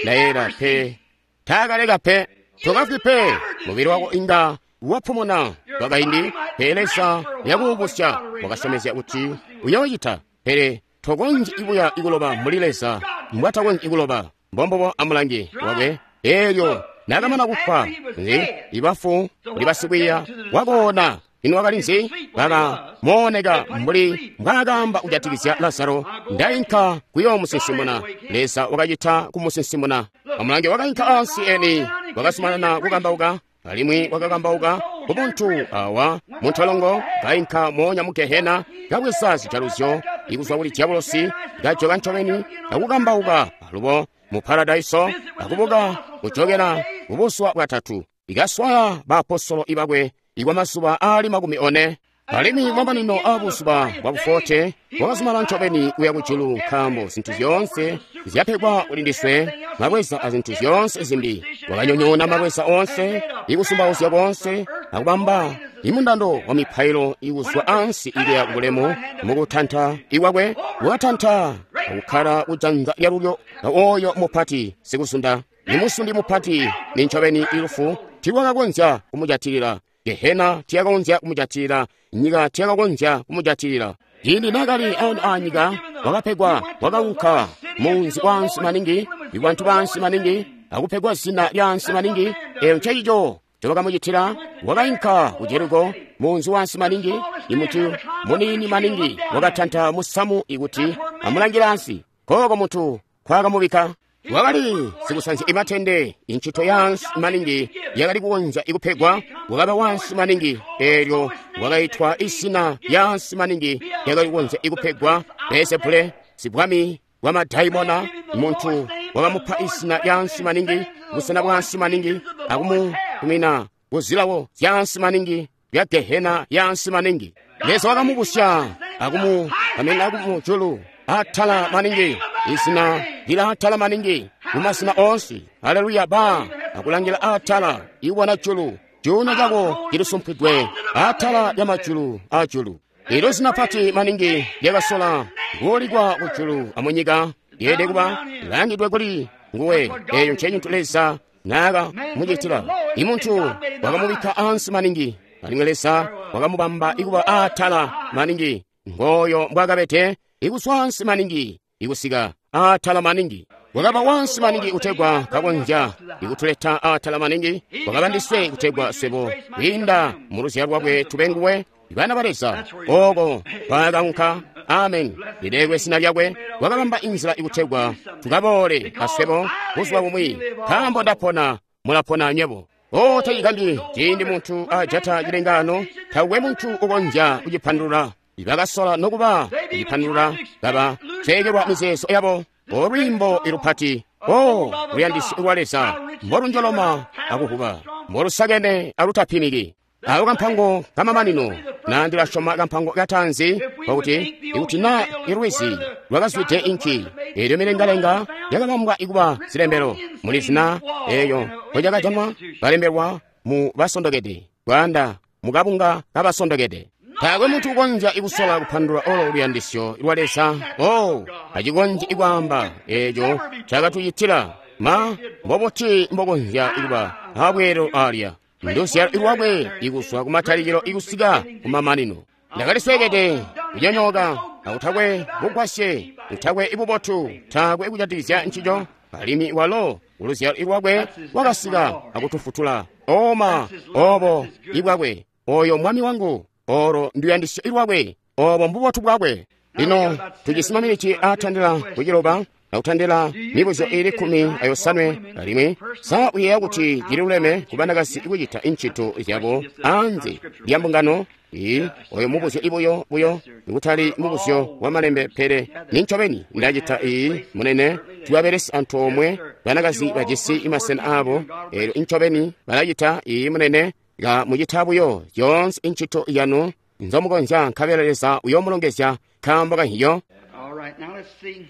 ndayela pe, taakaleka pe. Tokafwi pe, mubili wako inga wapumuna kwakaindi, pele Leza yakuubusya wakasyomezya kuti uyoocita. Pele tokonzyi ibuya ikuloba mbuli Leza mbwatakonzyi ikuloba. Mbombubo amulangi wakwe. Eelyo naakamana kufwa nzi ibafu kuli basikwiiya wakoona. Ino wakali nzi? Bakamooneka mbuli mbwaakaamba kujatikizya Lazaro, ndainka kuyoomusinsimuna. Leza wakacita kumusinsimuna. Amulange wakainka ansi eni, wakazumanana kukambauka, alimwi wakakambauka kubuntu awa muntolongo, kainka moonya mu gehena, kabweza zijaluzyo ikuzwa kuli diabolosi, kajoka ncobeni akukambauka alubo mu paradaiso, akubuka kujokela kubuzuba bwatatu, ikaswaya baapostolo ibakwe ikwa mazuba aali 40. Alimwi mamanino aabuzuba bwa bufote wakazumana ncobeni kuya kujulu, nkaambo zintu zyoonse zyapegwa kuli ndiswe, mabweza azintu zyoonse zimbi. Wakanyonyoona mabweza oonse, ikusumbauzya koonse, akubamba imundando wa mipailo ikuzwa ansi ikuya kubulemu. Mukutanta ikwakwe wakatanta akukkala kujanza lyalulyo oyo mupati sikuzunda. Imusundi mupati ni ncobeni ilufu tilwakakonzya kumujatilila. Gehena tiyakakonzya kumujatilila, nyika tiyakakonzya kumujatilila. Ciindi naakali ano aanyika, wakapegwa, wakaunka munzi waansi maningi, ibantu baansi maningi, akupegwa zina lyaansi maningi. Eyo ncencico ncobakamucitila. Wakainka ku Jeriko, munzi waansi maningi, imuntu muniini maningi wakatanta musamu ikuti amulangile ansi. Kooko muntu nkwakamubikka. Wakali sikusanzya imatende, incito yaansi maningi yakali kukonzya ikupegwa. Wakaba wansi maningi, eelyo wakaitwa izina yaansi maningi yakali kukonzya ikupegwa, Beelzebule, sibwami bwa madaimona. Muntu wakamupa izina lyaansi maningi, busena bwaansi maningi, akumutumina kuzilawo zyaansi maningi bya Gehena yaansi maningi. Leza wakamubusya akumukamena kumujulu atala maningi, izina lila atala maningi mumazina onse. Haleluya! Ba akulangila atala iwona julu, cuuno cako cilisumpwidwe atala lya majulu ajulu. Ilo zina pati maningi lyakasola kuulikwa kujulu amunyika lyeelede kuba langidwe kuli nguwe. Eyo ncecintu Leza naaka mucitila. Imuntu wakamubikka ansi maningi, alimwi Leza wakamubamba ikuba atala maningi. Ngoyo mbwakabete, ikuswa ansi maningi ikusika atala maningi. Wakaba wansi maningi kutegwa kakonzya ikutuleta atala maningi. Wakaba ndiswe kutegwa swebo kwiinda mu luzyalo lwakwe tube nguwe bana ba Leza. Oko kwakaunka. Amen. Lilekwe zina lyakwe. Wakabamba inzila ikutegwa tukaboole aswebo buzuba bumwi. Nkaambo ndapona, mulapona anywebo. O, tacigambyi ciindi muntu ajata cilengano, taukwe muntu ukonzya kucipandulula. Bakasola nokuba kucipandulula, kaba ceekelwa mizeezo yabo. O lwiimbo ilupati, o luyandisyo lwa Leza, mbolunjoloma akuhuba, mbolusakene alutapimiki. Awo kampango kamamanino, na ndilasyoma kampango kataanzi, kwakuti ikuti na ilwizi lwakazwide inki, eelyo milengalenga yakabambwa ikuba zilembelo muli zina eeyo nkolyakajanwa balembelwa mu basondokede, bwaanda mukabunga kabasondokede. Taakwe muntu ukonzya ikusola kupandulula olo luyandisyo lwa Leza. O, acikonzyi ikwaamba eeco cakatucitila. Ma mbobuti mbokonzya ikuba abweelo alya? Nduzyalo lwakwe ikuzwa kumatalikilo ikusika kumamanino. Ndakalisweekede, kunyonyooka, akutakwe bugwasye, utakwe ibubotu, taakwe kujatikizya ncico. Alimwi walo uluzyalo lwakwe wakasika akutufutula. Oma obo ibwakwe, oyo mwami wangu, olo nduyandisyo lwakwe, obo mbubotu bwakwe. Lino tujisi maminiti aatandila kuciloba akutandila mibuzyo iili 17. Alimwi sa uyeeya kuti cililuleme kubanakazi kucita incito zyabo anze lya mbungano? Ii, oyo mubuzyo ibuyo buyo, ikutali mubuzyo wa malembe, pele nincobeni ndacita. Ii, munene, tubabelesi antoomwe banakazi bajisi masena abo, eelyo incobeni balacita. Ii, munene, ka mucita buyo zyoonse incito yanu nzomukonzya, nkabela Leza uyoomulongezya nkaambo kahiyo. All right, now let's see.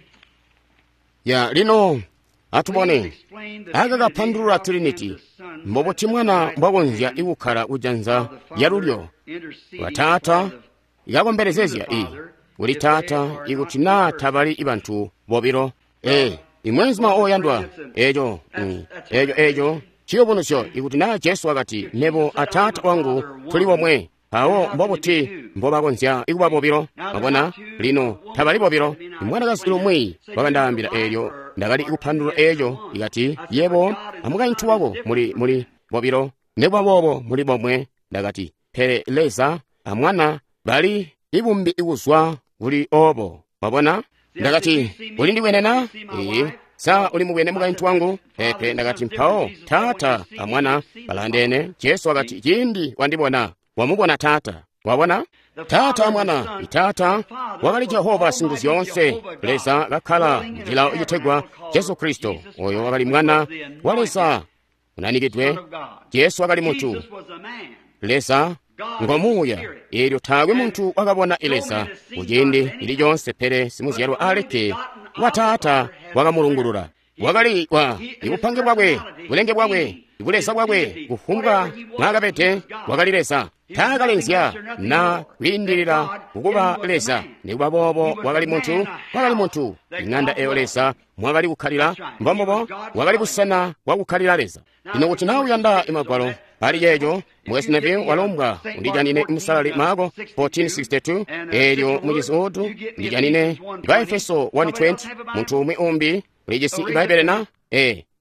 Ya lino atubone Explain the aka kapandulula Trinity, Trinity, how can the Son mbobuti mwana mbwakonzya ikukkala kujanza lya lulyo intercede lwa Taata for the ikakombelezezya i kuli Taata ikuti naa tabali ibantu bobilo. E, imwenzuma oyandwa, eco eco eco ciyubunuzyo ikuti naa Jesu wakati mebo a Taata wangu tuli bomwe, mpawo mbobuti mbobakonzya ikuba bobilo? Mwabona, lino tabali bobilo. Imwanakazi lumwi wakandaambila eelyo ndakali kupandulula eeco, ikati yebo amukaintu wako muli bobilo, nekuba boobo muli bomwe. Ndakati pele Leza amwana bali ibumbi ikuzwa kuli obo. Mwabona? Ndakati uli ndibwene na? Ee. Sa uli mubwene mukaintu wangu? Pepe. Ndakati mpawo Taata amwana balandene. Jesu wakati ciindi wandibona wamubona Taata. Wabona? Taata amwana. Itaata wakali Jehova Singuzyoonse, Leza kakkala mucilawo citegwa Jesu Kristo, oyo wakali mwana wa Leza unanikidwe. Jesu wakali muntu. Jesus was a man. Leza ngo muuya, eelyo taakwe muntu wakabona Leza kuciindi ili conse, pele simuzyalwa alikke wa Taata wakamulungulula. Wakali wa ibupange bwakwe, bulenge bwakwe, ibuleza bwakwe, kufumbwa mwaakabede wakali Leza. Taakalenzya na kwiindilila kukuba Leza, nikuba boobo wakali muntu, wakali muntu. Ing'anda eyo Leza mwakali kukkalila, mbombobo wakali busena bwakukkalila Leza. Lino kuti naa uyanda imagwalo Ali ceeco, Mukwesu Neville walombwa undijanine Musalali Marko 14:62, elyo mucizi Wood ndijanine Baefeso 1:20. Munthu umwe umbi ulijisi Ibaibbele na?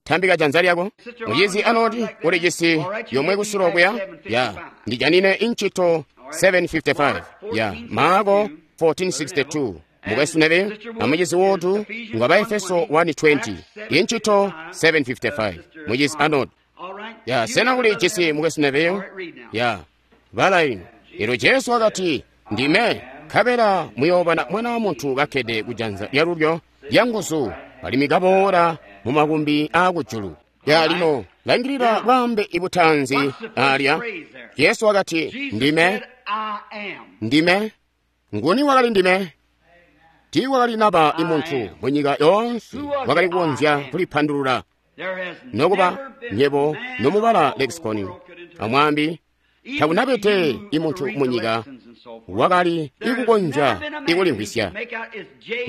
Tambika janza lyako. Mucizi anoti ulijisi yomwe kusulo kuya? Ya, ndijanine Inchito 7:55. Ya, Marko 14:62. Mukwesu Neville amucizi Wood ngwa Baefeso 1:20, Inchito 7:55. Mucizi anoti. Ya, sena ulijisi Mukwesu Neville? Ya, bala ino. Elo Jesu wakati, ndime nkabela muyoobona Mwana wa Muntu kakkede kujanza lyalulyo lyanguzu alimwi kaboola mu makumbi aakujulu. Ya, lino langilila bwaambe ibutanzi alya. Yesu wakati, ndime, ndime. Nguni wakali ndime? Tiiwakali naba imuntu munyika yoonse wakali kukonzya kulipandulula. Nokuba nyebo nomubala lexicon amwambi takunabete imuntu munyika wakali ikukonzya ikulimvwisya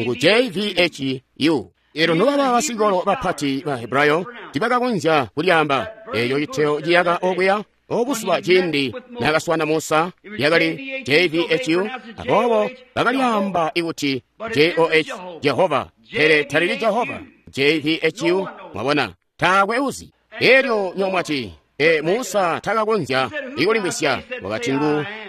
ngu JVHU. Elo nobaba basikolo bapati ba Hebrayo tibakakonzya kulyaamba eyo citeo ciyaka okuya obusuba ciindi nakaswana Musa yakali JVHU, aboobo bakalyaamba ikuti JOH Jehova, pele talili Jehova JVHU. Mwabona, taakwe uzi. Elyo nyomwati Musa takakonzya ikulimvwisya. Wakati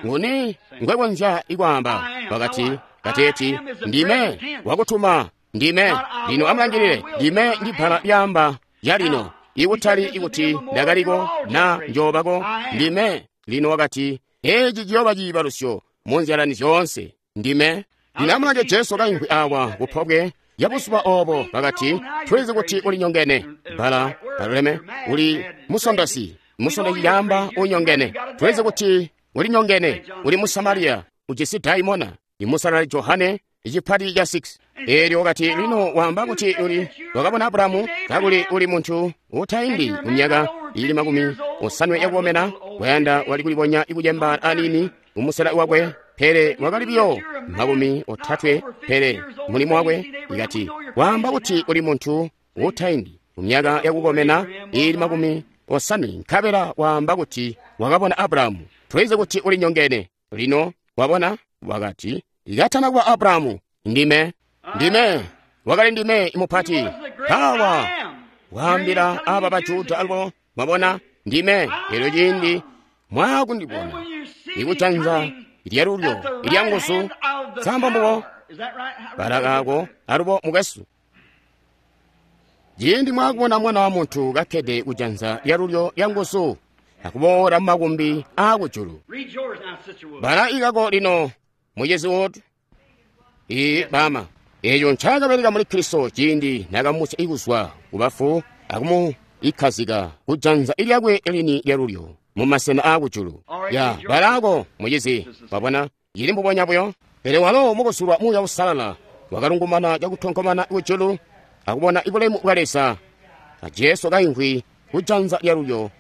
nguni ngwekonzya ikwaamba? Wakati kateeti ndime wakutuma, ndime. Lino amulangilile, ndime ndi bbala lyaamba yalino, ikutali ikuti ndakaliko na njoobako, ndime. Lino wakati eci ciyooba ciibalusyo mu nzyalani zyoonse, ndime. Lino amulange Jesu kaimvwi awa kupobwe yabuzuba obo, bakati tulizi kuti ulinyongene. Bbala baluleme uli musondosi, musondosi yaamba unyongene. Tulizi kuti ulinyongene, uli Musamariya, ujisi daimona. Imusalali Johane icipati ca 6. Elyo wakati lino waamba kuti uli wakabona Abulahamu kakuli uli munthu utaindi mu myaka ili 70 yakukomena, wayanda wali kulibonya ikudyemba anini umusela wakwe, pele wakali biyo 30, pele mulimo wakwe ikati waamba kuti uli munthu utaindi mu myaka yakukomena ili 70, nkabela waamba kuti wakabona Abulahamu. Tulizi kuti uli nyongene. Lino wabona, wakati ikatana kuba Abulahamu, ndime, ndime. Wakali ndime imupati awa waambila aba Bajuda alubo. Mwabona, ndime. Elyo ciindi mwakundibona ikujanza lyalulyo ilyanguzu sambambubo balakako alubo mukwesu. Ciindi mwakubona Mwana wa Muntu kakkede kujanza lyalulyo lyanguzu akuboola mu makumbi aakujulu. Bala ikako lino mucizi Wood. Bama eyo ncaakabeleka muli Kristo ciindi nakamusya ikuzwa kubafu akumuikkazika kujanza ilyakwe lini lyalulyo mu masena aakujulu. Ya balako mucizi, wabona ili mbubonya buyo. Pele walo mukusulwa Muuya Uusalala wakalungumana cakutonkomana kujulu akubona ibulemu bwa Leza a Jesu kaimvwi kujanza lyalulyo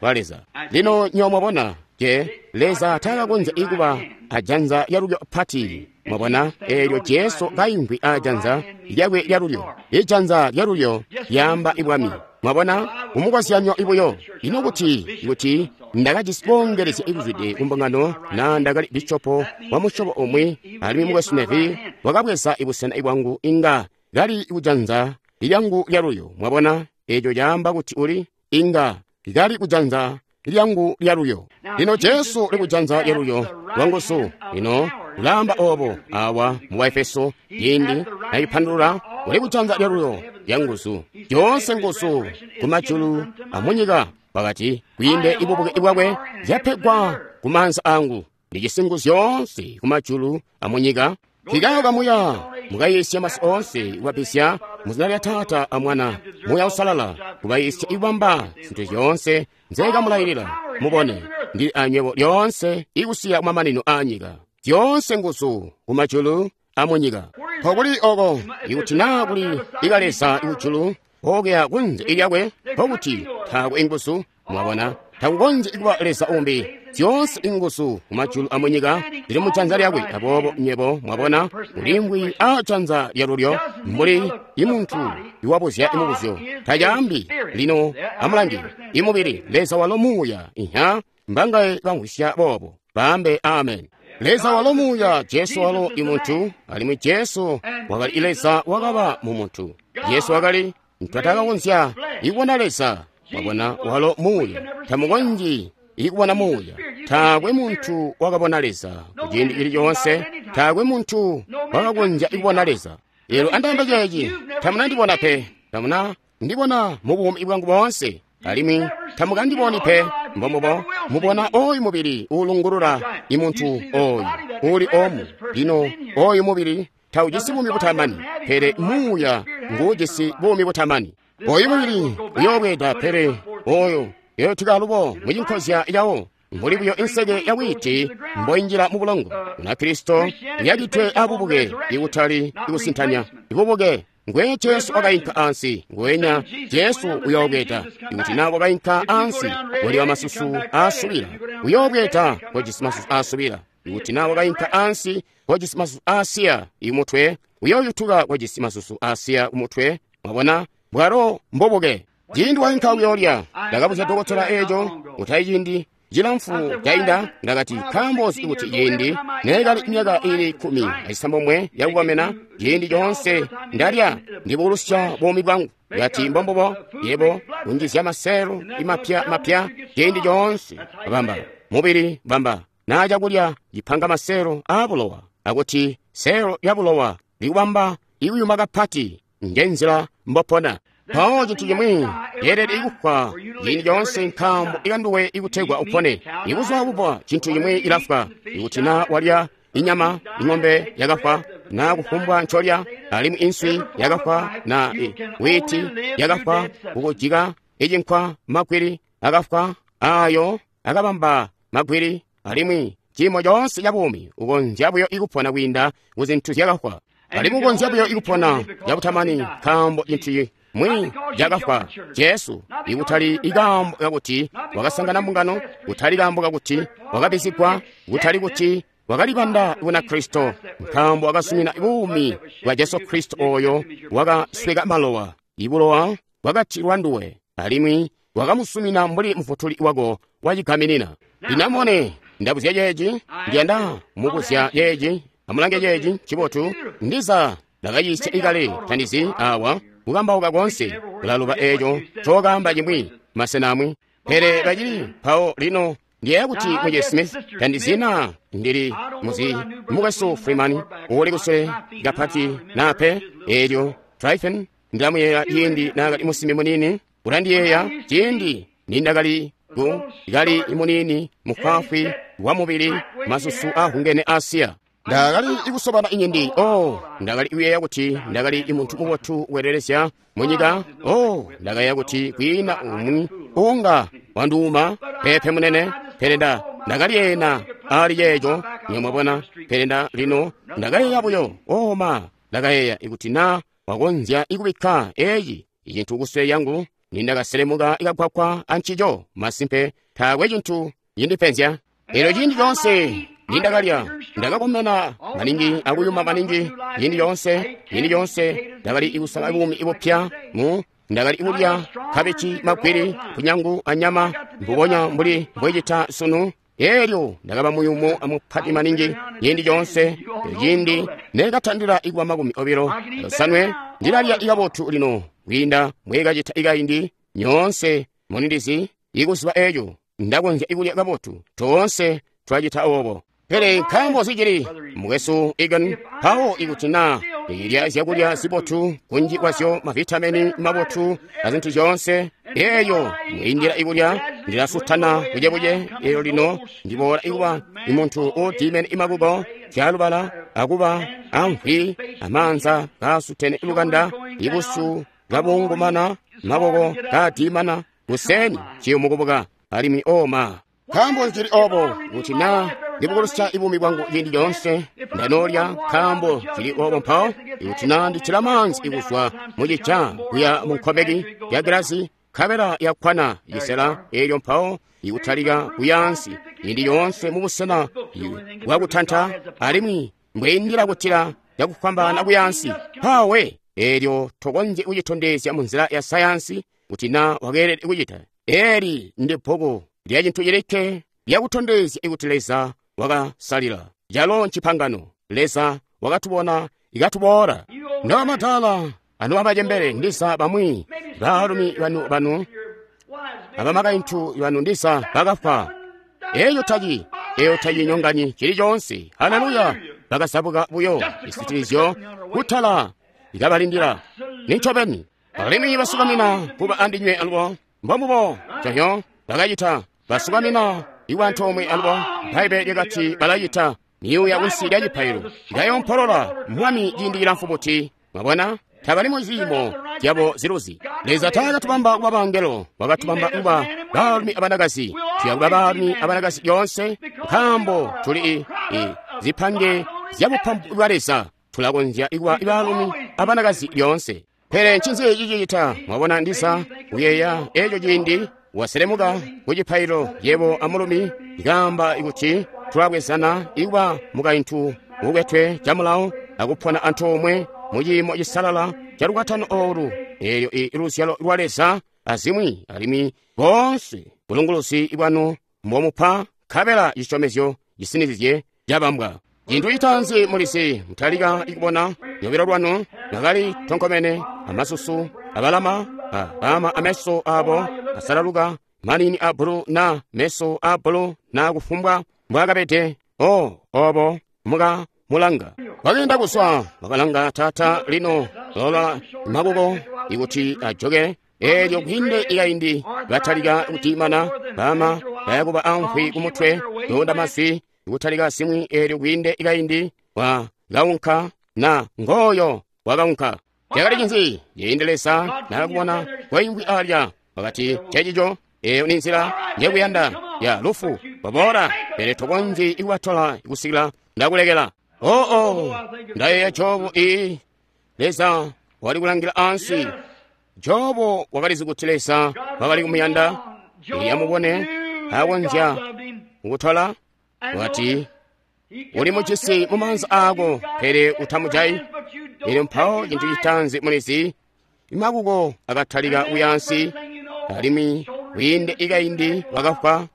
lwa Leza. Lino nyo mwabona je Leza takakonzya ikuba ajanza lyalulyo pati. Mwabona elyo Jesu kaimvwi ajanza lyakwe lyalulyo, ijanza lyalulyo lyaamba ibwami. Mwabona umukozyanyo ibuyo. Ino kuti ndakajisi boongelezya ikuzwide kumbungano na ndakali bishopo wa musyobo umwi, alimwi Mukwesu Neville wakabweza ibusena ibwangu inga kali kujanza lyangu lyalulyo. Mwabona eco caamba kuti uli inga kali kujanza lyangu lyalulyo. Lino Jesu uli kujanza lyalulyo lwanguzu. Lino ulaamba obo awa mu Baefeso ciindi nayipandulula, uli kujanza lyalulyo lyanguzu, zyoonse nguzu kumajulu amunyika. Wakati kwiinde ibubuke bwakwe zyapegwa kumaanza angu, ndijisi nguzu zyoonse kumajulu amunyika. Fikayo kamuya mukayiisya masi oonse, kubapisya muzina lya Taata a Mwana Muuya Uusalala, kubayiisya ikubamba zintu zyoonse nzeekamulayilila. Mubone, ndili anywebo lyoonse ikusiya kumamanino aanyika. Zyoonse nguzu kumajulu amunyika. Mpokuli oko ikuti naa kuli ikaleza ikujulu okuya kunze ilyakwe, mpokuti taakwe inguzu. Mwabona, Takukonzyi kuba Leza umbi. Zyoonse inguzu mumajulu amunyika zili mujanza lyakwe. Aboobo nywebo mwabona ulimwi a janza lyalulyo mbuli imuntu iwabuzya imubuzyo. Tacaambi lino amulangi imubili Leza walo muuya. Iha mbangaye bamvwisya boobo baambe amen. Leza walo muuya, Jesu walo imuntu, alimwi Jesu wakali Leza wakaba mu muntu. Jesu wakali twatakakonzya ikubona Leza. Mwabona walo muuya, tamukonzyi ikubona muuya. Taakwe muntu wakabona Leza kuciindi cili coonse, taakwe muntu wakakonzya ikubona Leza. Elo andaambe ceeci, tamunandibona pe, tamuna ndibona mu buumi bwangu boonse, alimwi tamukandiboni pe. Mbombubo mubona oyu mubili uulungulula imuntu oyu uli omu. Lino oyu mubili taujisi buumi butamani, pele muuya nguujisi buumi butamani. Oyu mubili uyoobweeda, pele oyo yotika alubo mucinkozya yawo, mbuli buyo inseke ya wiiti mboinjila mu bulongo. Munakristo yakitwe abubuke, ikutali ikusintanya ibubuke. Ngwe Jesu wakainka ansi, ngwenya Jesu uyoobweeda. Ikuti na wakainka ansi wali wa masusu aasubila, uyoobweeda kojisi masusu aasubila. Ikuti na wakainka ansi kojisi masusu aasiya imutwe, uyooyutuka kojisi masusu aasiya kumutwe. Mwabona bwalo mbubuke. Ciindi wainka kuyoolya, ndakabuzya dokotela eeco kutayi ciindi cilamfu cainda. Ndakati nkaambo nzi kuti ciindi neekali myaka ili 19 yakukomena, ciindi coonse ndalya ndibukulusya buumi bwangu. Ngati mbombubo yebo kunjizya maseelo imapya mapya ciindi coonse. Bamba mubili bamba naa cakulya cipanga maseelo aabulowa, akuti seelo lyabulowa likubamba ikuyuma kapati, njenzila mbopona. Mpawo cintu cimwi yeelede ikufwa ciindi coonse, nkaambo ikanduwe ikutegwa upone. Ibuzuba bupwa cintu cimwi ilafwa. Ikuti na walya inyama ing'ombe yakafwa, na kufumbwa ncolya, alimwi inswi yakafwa, na wiiti yakafwa, kukujika icinkwa magwili akafwa, ayo akabamba magwili, alimwi ciimo coonse ca buumi ukonzya buyo ikupona kwiinda ku zintu zyakafwa. Alimwi ukonzya buyo ikupona cabutamani nkaambo cintu mwi cakafwa Jesu, ikutali ikaambo kakuti wakasangana mbungano, kutali kaambo kakuti wakabizigwa, kutali kuti wakalibanda Bunakristo, nkaambo wakasumina buumi bwa Jesu Kristo oyo wakasweka malowa. Ibulowa bwakatilwa nduwe, alimwi wakamusumina mbuli mufutuli wako wacigaminina. Lino ndabuzya ceeci, ndiyanda mubuzya ceeci, amulange ceeci cibotu. Ndiza ndakayiisya ikale, tandizi awa kukambauka koonse kulaluba eeco cokaamba cimwi masena amwi, pele bacili mpawo. Lino ndiyeeya kuti Mwiye Smith, tandizina ndili muzi mukwesu Freeman uuli kusule kapati nape eelyo Tryphon ndilamuyeeya ciindi naakali musimbi muniini, ulandiyeeya ciindi nindakali ku kali muniini mufwaafwi wa mubili masusu aahungene Asiya. Ndakali ikusobana inyindi. Oh, ndakali kuyeeya kuti ndakali imuntu mubotu weelelezya munyika. Oh, ndakayeeya kuti kwiina umwi unga wanduuma pepe munene, pele ndakalyeena ali ceeco mwabona. Pele lino ndakayeeya buyo, oh ma, ndakayeeya ikuti na wakonzya ikubikka eeci icintu kusule yangu nindakaselemuka ikagwagwa ancico, masimpe taakwe cintu cindipenzya. Elyo ciindi coonse nindakalya ndakakomena maningi akuyuma maningi. Ciindi coonse ndakali ikusala buumi ibupya mu ndakali ikulya kabici, magwili, kunyangu anyama mbubonya mbuli mbwecita sunu. Elyo ndakaba muyumu amupati maningi ciindi coonse. Ciindi nekatandila ikuba 25 ndilalya ikabotu lino kwiinda mbwekacita ikaindi. Nyoonse munindizi ikuziba eeco ndakonzya ikulya kabotu, toonse twacita obo. Pele nkaambo zicili mukwesu Egan, mpawo ikuti na ilya zyakulya zibotu kunji kwazyo mavitamini mabotu azintu zyoonse, eeyo mwiindila ikulya ndilasutana bucebuce. Eyo lino ndiboola ikuba imuntu uudimene imakuko zyalubala akuba amvwi amaanza kaasutene lukanda, ibusu kabungumana, maboko kaadimana, kuseni ciyumukubuka alimwi oma. Nkaambo nzili obo kuti na ndibukulusya ibuumi bwangu ciindi coonse ndanoolya, nkaambo zili obo mpawo ikuti na nditila maanzi ikuzwa mucica kuya mu nkomeki ya gilasi Nkabela yakkwana cisela eelyo mpawo ikutalika kuyaansi ciindi yoonse mubusena bwakutanta alimwi mbweindila kutila cakufwambaana kuyaansi mpawe eelyo tokonzyi kucitondezya munzila ya sayansi kuti na wakeelede kucita. Eli ndi bbuku lya cintu cilikke lyakutondezya kuti Leza wakasalila calo ncipangano. Leza wakatubona ikatuboola. Nobamadala anu abacembele ndiza bamwi baalumi banu abamakaintu banu ndiza bakafwa. Eyo taci nyonganyi cili coonse. Haleluya! Bakazabuka buyo cisitilizyo kutala ikabalindila. Nincobeni alimwi basukamina kuba andinywe alubo mbombubo conyo bakacita basukamina iwa antoomwe alubo. Bbaibbele lyakati balacita miyuya kunsi lya cipailo ikayompolola mwami ciindi cilamfu buti. Mwabona tabali mu ziimo zyabo ziluzi. Leza taakatubamba kuba bangelo, wakatubamba kuba baalumi abanakazi. Tuya kuba baalumi abanakazi lyoonse nkaambo tuli zipange zya bupampu bwa Leza. Tulakonzya kuba baalumi abanakazi lyoonse. Pele ncinzi cicita? Mwabona ndiza kuyeeya eco ciindi waselemuka ku cipailo yebo amulumi ikaamba kuti tulabwezana ikuba mukaintu ukwetwe camulawo akupona antoomwe mu ciimo cisalala ca lukwatano oolu eelyo iluzyalo lwa Leza azimwi alimwi boonse bulunguluzi bwanu mbomupa nkabela cisyomezyo cisinizye cabambwa. Cintu citaanzi mulizi mutalika ikubona lobilo lwanu mwakali tonkomene amasusu abalama abama ameso abo asalaluka manini a bulu na meso a bulu na kufumbwa mbwakabede obo muka mulanga wakenda kuswa wakalanga tata lino lola makuko ikuti ajoke eelyo kwinde ikaindi batalika kutimana bama bayakuba amfwi kumutwe yonda mazwi ikutalika simwi eelyo kwinde ikaindi wakaunka na ngoyo wakaunka. Cakali cinzi ciindi Leza nakubona kwaingwi alya wakati cecico eyo ni nzila njekuyanda ya lufu waboola pele tokonzyi ikubatola kusikila ndakulekela. Oo ndayeeya Jobu iyi Leza wali kulangila ansi. Jobu wakalizi kuti Leza wakali kumuyanda. Yamubone akonzya kukutola wati uli mucisi mu maanza ako pele utamujayi. Elyo mpawo cintu citaanzi mulizi imakuko akatalika kuyansi alimwi wiinde ikaindi wakafwa.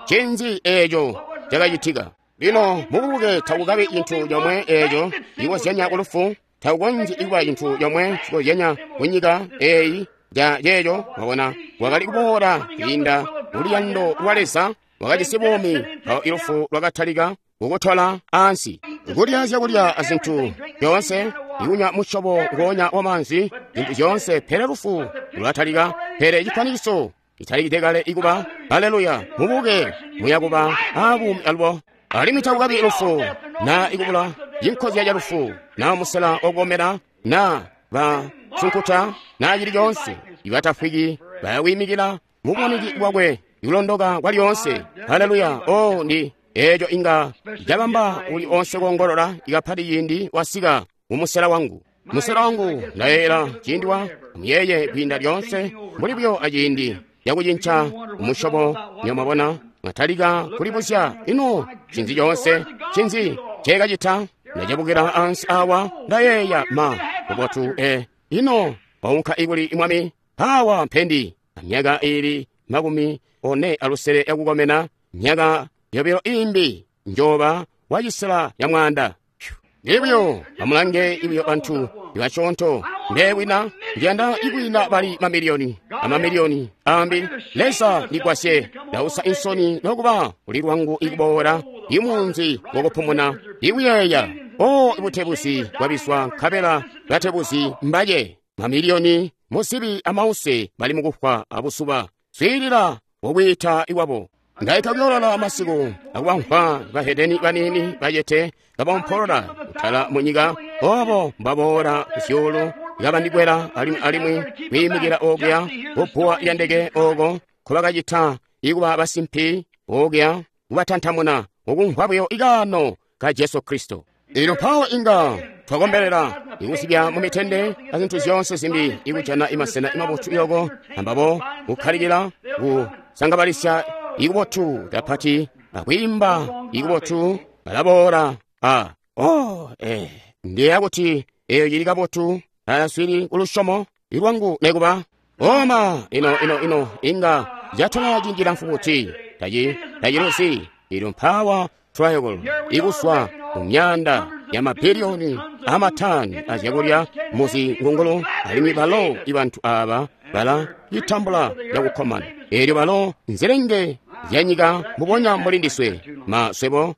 Cinzi eeco cakacitika. Lino mububuke takukabi cintu comwe eeco cikozyanya ku lufu, takukonzyi kuba cintu comwe cikozyanya ku nyika eeyi ja ceeco. Mwabona wakali kuboola kwiinda muluyando lwa Leza wakajisi buumi mpawo ilufu lwakatalika kukutola ansi. Kulya zyakulya azintu zyoonse, ikunywa musyobo ngoonya wamaanzi, zintu zyoonse, pele lufu lwatalika. Pele cifwanikiso citalikide kale ikuba. Haleluya! Mubuke muyakuba abuumi alubo. Alimwi takukabi lufu na ikubula cinkozya ca lufu na musela wakukomena na basunkuta na cili coonse. Ibatafwiki bayakwimikila muboneki bwakwe ikulondoka kwa lyoonse. Haleluya! O ndi eeco inga cabamba uli onse kuongolola ikapati ciindi wasika mumusela wangu. Musela wangu ndayeeyela ciindi wa muyeye kwiinda lyoonse mbuli buyo aciindi cakucinca umusyobo. Nyomabona mwatalika kulibuzya ino cinzi coonse cinzi cekacita. Ndacebukila ansi awa ndayeeya ma bubotu ino waunka ikuli mwami awa mpendi myaka ili 46 yakukomena myaka yobilo imbi njoba wacisela ya mwanda. Ibyo amulange ibyo bantu ibasyoonto ndewina ndiyanda ikwina bali mamiliyoni amamiliyoni ambi. Leza ndigwasye ndausa insoni nokuba uli lwangu ikuboola imunzi wokupumuna ikuyeeya o ibutebuzi bwabiswa nkabela batebuzi mbaye mamiliyoni musibi amause bali mukufwa abusuba. Swiilila wokwiita iwabo. Ndaita kuyolola masiku akubamvwa bahedeni banini bayete kabampolola kutala munyika obo mbaboola kuzyuulu kabandikwela alimwi kwiimikila okuya kubbuwa lya ndeke oko nkobakacita ikuba basimpi okuya kubatantamuna ukumvwa buyo ikaano ka Jesu Kristo. Elyo mpawo inga twakombelela ikusibya mu mitende azintu zyoonse zimbi, ikujana imasena imabotu iloko ambabo kukkalikila kusangabalisya ikubotu kapati akwiimba ikubotu balaboola a oh ndiyeeya kuti eyo cili kabotu aswili kulusyomo ilwangu nekuba oma ino ino ino inga catola ciindi cilamfu buti taciluzi. Elyo mpawa triangle ikuswa mu myanda ya mabiliyoni amatani azyakulya muzingungulu, alimwi balo ibantu aba bala citambula cakukkomana. Elyo balo nzilenge zyanyika mubonya mbuli ndiswe maswebo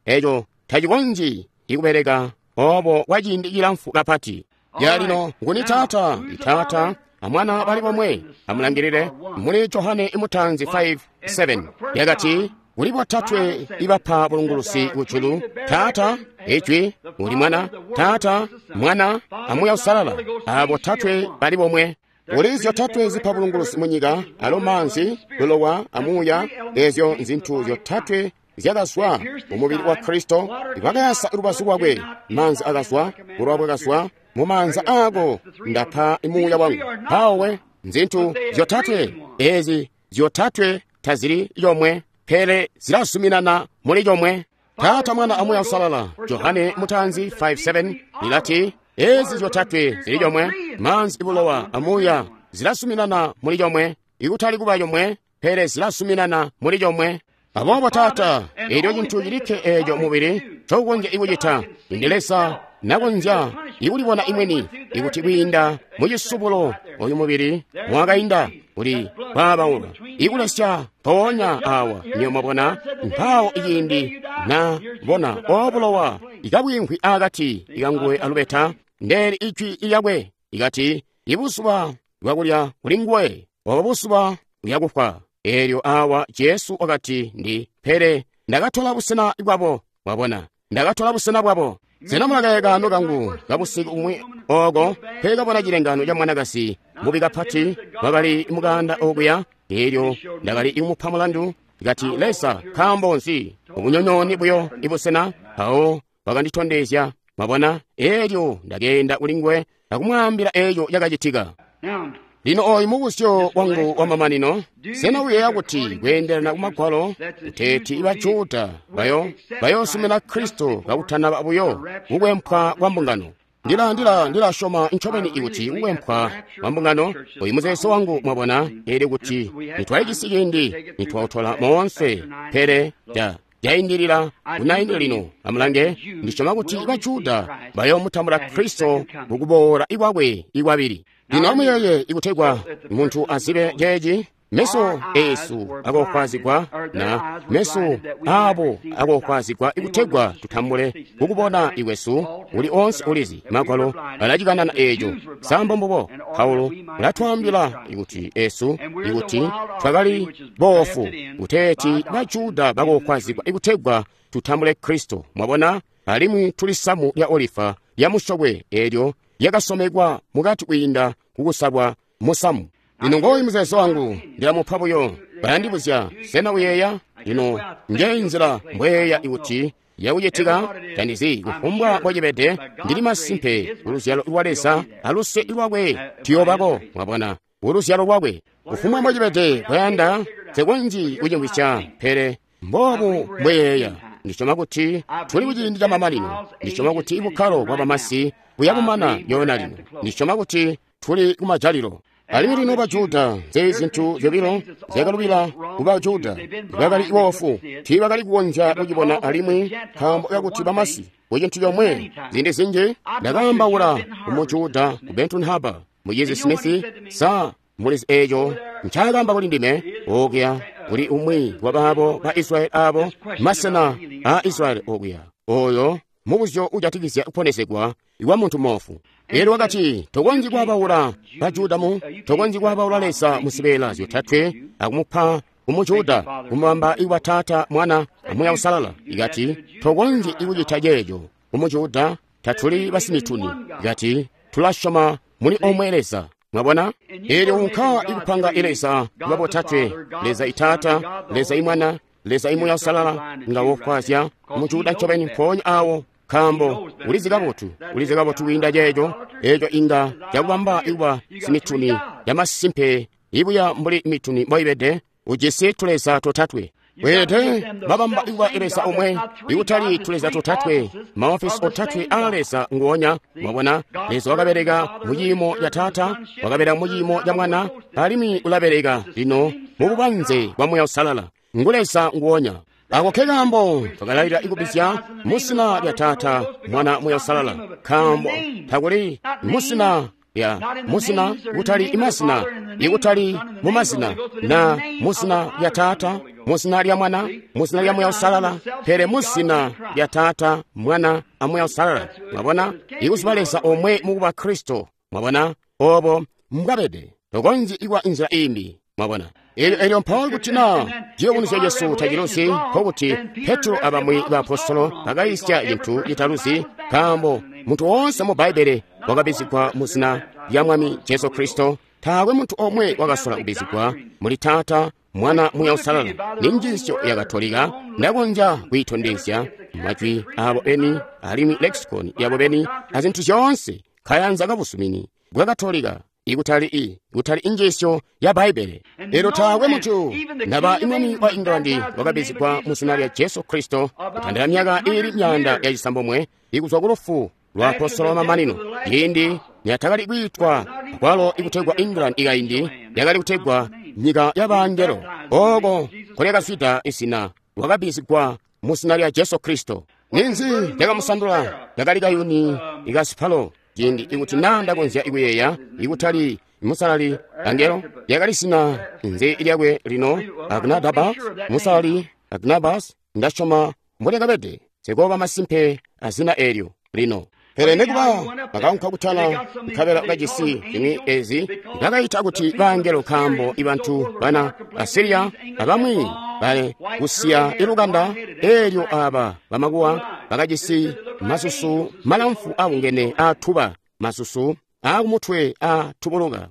eco tacikonzyi ikubeleka obo kwa ciindi cilamfu kapati. Ya lino nguni Taata? Taata amwana bali bomwe. Amulangilile muli Johane imutanzi 5:7 yakati kuli botatwe ibapa bulungulusi kujulu: Taata, Ijwi, uli Mwana, Taata, Mwana, amuya Usalala. Abo botatwe bali bomwe. Kuli zyotatwe zipa bulungulusi munyika, alo maanzi, bulowa, amuya. Ezyo nzintu zyotatwe zyakazwa mumubili wa Kristo, bakayasa lubazu lwakwe. Maanzi akazwa, bulowa bwakazwa, mu maanza ako ndapa muuya wangu. Mpawe nzintu zyotatwe ezi zyotatwe tazili yomwe, pele zilazuminana muli yomwe. Taata, Mwana, amuya Usalala. Johane mutanzi 5:7 lilati ezi zyotatwe zili yomwe, maanzi, bulowa, amuya zilazuminana muli yomwe, ikutali kuba yomwe, pele zilazuminana muli yomwe. Aboobo Taata, elyo cintu cilikke eco mubili cokukonzya ikucita, indi Leza nakonzya ikulibona imweni ikuti kwiinda mucisubulo oyu mubili mwakainda uli kwabaula ikulesya mpoonya awa. Niyo mwabona mpawo iciindi na bona obulowa ikabwimvwi akati ikanguwe alubeta ndeli ijwi lyakwe ikati ibuzuba bwakulya kuli nguwe obo buzuba buyakufwa. Elyo awa Jesu wakati ndi pele ndakatola busena bwabo. Mwabona, ndakatola busena bwabo. Sena mulakaye kaano kangu kabusiku umwi oko pekabona cilengano ca mwanakazi mubi kapati wakali mukanda okuya. Elyo ndakali ikumupa mulandu kati Leza nkaambo nzi ubunyonyooni buyo ibusena. Mpawo wakanditondezya. Mwabona, elyo ndakeenda kuli nguwe akumwaambila eco cakacitika. Lino oyu mubuzyo wangu wamamanino: sena uyeeya kuti kweendelana kumagwalo kuteeti Bajuda bayoosumina Kristo kakutanaba buyo kukwempwa kwa mbungano? Ndilasyoma ncobeni ikuti kukwempwa kwa mbungano oyu muzeezo wangu, mwabona, elyo kuti nitwalijisi ciindi nitwautola moonse, pele jaindilila kunaindi lino. Amulange, ndisyoma kuti Bajuda bayoomutambula Kristo mukuboola ikwakwe ikwabili. Lino amuyeeye ikutegwa muntu azibe ceeci, meso esu akokwazigwa na meso abo akokwazigwa ikutegwa tutambule kukubona ikwesu. Uli onse ulizi magwalo alacikanana eco sambo mbubo. Paulo ulatwaambila ikuti esu ikuti twakali boofu kuteeti Bajuda bakokwazigwa ikutegwa tutambule Kristo. Mwabona, alimwi tuli samu lya olifa lya musyokwe elyo lyakasomekwa mukati kwiinda kukusalwa musamu. Lino ngoyu muzeezo wangu, ndilamupa buyo. Bayandibuzya, sena uyeeya? Lino njeyi nzila mbweeya ikuti yakucitika tandizi kufumbwa mbocibede. Ndili masimpe kuluzyalo lwa Leza aluse lwakwe tuyobako. Mwabona, kuluzyalo lwakwe kufumbwa mbocibede kwayanda nsekonzyi kucimvwisya, pele mbobu mbweyeeya. Ndisyoma kuti tuli kuciindi ca mamanino. Ndisyoma kuti bukkalo bwa bamasi buyabumana yoona lino. Ndisyoma kuti tuli kumajalilo. Alimwi lino Bajuda, nzeezi zintu zyobilo zyakalubila ku Bajuda. Bakali boofu, tiibakali kukonzya kucibona, alimwi nkaambo kakuti bamasi ku cintu comwe. Ziindi zinji ndakaambaula ku Mujuda ku Benton Harbor, Mucizi Smith, sa mulizi eco ncaakamba kuli ndime okuya kuli umwi wa baabo ba Israeli abo masena a Israeli okuya oyo mubuzyo ujatikizya kuponesegwa kwa muntu moofu. Elyo wakati tokonzyi kwabaula Bajuda mu tokonzyi kwabaula Leza muzibeela zyotatwe akumupa kumujuda kumubamba iwa Taata, Mwana, amuya Usalala. Ikati tokonzyi ikucita ceeco kumujuda, tatuli basimituni. Ikati tulasyoma muli omwe Leza. Mwabona, elyo unka ikupanga ileza kuba botatwe, Leza Itaata, Leza Imwana, Leza Imuya Usalala, nga wokwazya mujuda ncobeni mpoonya awo. Nkaambo ulizi kabotu, ulizi kabotu kwiinda ceeco, eeco inga cakubamba ikuba simituni yamasimpe ibuya mbuli mituni mboibede, ujisi tuleza totatwe. Weelede babamba ikuba Leza omwe, ikutali tuleza totatwe, maofisi otatwe aa Leza nguonya. Mwabona, Leza wakabeleka mu ciimo ca Taata, wakabeleka mu ciimo ca Mwana, alimwi ulabeleka lino mu bubanze bwa Muuya Uusalala. Ngu Leza nguonya. Ako ke kaambo twakalalira ikubizya mu zina lya Taata, Mwana, Muuya Uusalala, nkaambo takuli mu zina lya muzina, kutali imazina, ikutali mu mazina, na mu zina lya Taata, mu zina lya Mwana, mu zina lya Muuya Uusalala, pele mu zina lya Taata, Mwana, a Muuya Uusalala. Mwabona, ikuziba Leza omwe mukuba Kristo. Mwabona, obo mbwabede. Tokonzyi ikuba inzila imbi. Mwabona, elyo mpawo kuti na ciyubunuzyo cesu taciluzi, nkokuti Petro abamwi baapostolo bakayisya cintu citaluzi, nkaambo muntu woonse mu Bbaibbele wakabizigwa mu zina lya Mwami Jesu Kristo. Taakwe muntu omwe wakasola kubizigwa muli Taata, Mwana, Muuya Uusalala. Ni njiisyo ya Katolika, ndakonzya kuyitondezya majwi abo beni alimwi lexicon yabo beni azintu zyoonse kayanza kabusumini bwa Katolika, ikutali ikutali injiisyo ya Bbaibbele. Elyo taakwe muntu naba imwami wa England wakabizigwa mu zina lya Jesu Kristo kutandila myaka iili 900 ikuzwa ku lufu lwa apostolo mamanino, ciindi niyatakali kwiitwa akwalo ikutegwa England ikaindi yakali kutegwa nyika ya bangelo, oko nkolyakazwida izina, wakabizigwa mu zina lya Jesu Kristo. Ninzi lyakamusandula? Yakali kayuni ikasipalo. Ciindi ikuti na ndakonzya ikuyeeya, ikutali musalali angelo, yakali zina nzi lyakwe lino, Agnadabas, musalali Agnabas, ndasyoma mbolyakabede, sikoba masimpe azina eelyo lino. Pele nekuba bakaunka kutala nkabela kajisi zimwi ezi bakayita kuti bangelo, nkaambo ibantu bana Asiriya abamwi bale kusiya ilukanda eelyo aba bamakuwa bakajisi masusu malamfu abungene aatuba, masusu aakumutwe aatubuluka,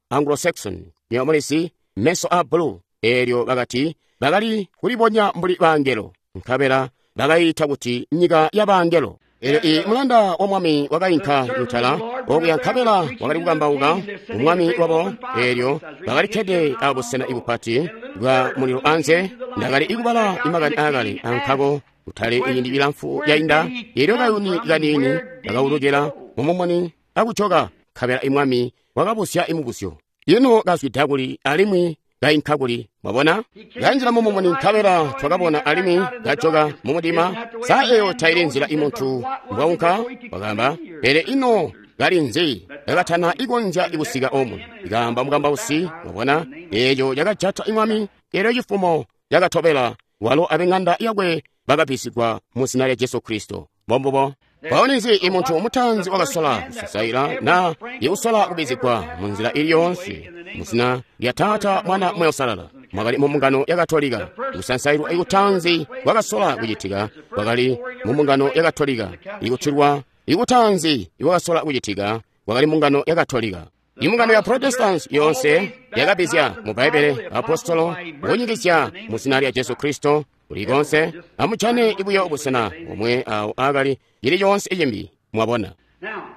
Anglo-Saxon, nyoomulisi meso a bulu, eelyo bakati bakali kulibonya mbuli bangelo, nkabela bakayita kuti nyika ya bangelo. Elyo i mulanda wa mwami wakainka kutala okuya nkabela wakali kukambauka umwami wabo, eelyo bakalikkede abusena ibupati bwa mulilo anze. Ndakali ikubala imakani aakale ankako kutali iyindi ilamfu yainda, eelyo kayuni kaniini kakaulukila mumumuni akujoka, nkabela imwami wakabusya imubuzyo, ino kazwida kuli alimwi kainka kuli? Mwabona, kanjila mumumuni nkabela twakabona alimwi kajoka mumudima. Sa eyo taili nzila imuntu mbwaunka? Wakaamba, pele ino kali nzi kakatana ikonzya ikusika omu? Ikaamba mukambausi. Mwabona, eeco cakajata imwami. Elyo cifumo cakatobela walo abeng'anda yakwe bakabisigwa mu zina lya Jesu Kristo. Mbombubo. Mpawo ninzi imuntu mutanzi wakasola kusasaila na ikusola kubizigwa mu nzila ili yoonse mu zina lya Taata, Mwana, Muuya Uusalala, mwakali mu mbungano ya Katolika. Kusansailwa ikutanzi kwakasola kucitika kwakali mu mbungano ya Katolika. Ikutilwa ikutanzi ikwakasola kucitika kwakali mbungano ya Katolika. Imbungano ya Protestant yonse yakabizya mu Bbaibbele apostolo kunyikizya mu zina lya Jesu Kristo kulikonse. Amujane ibuyo busena omwe awo akali ili yonse iyimbi. Mwabona,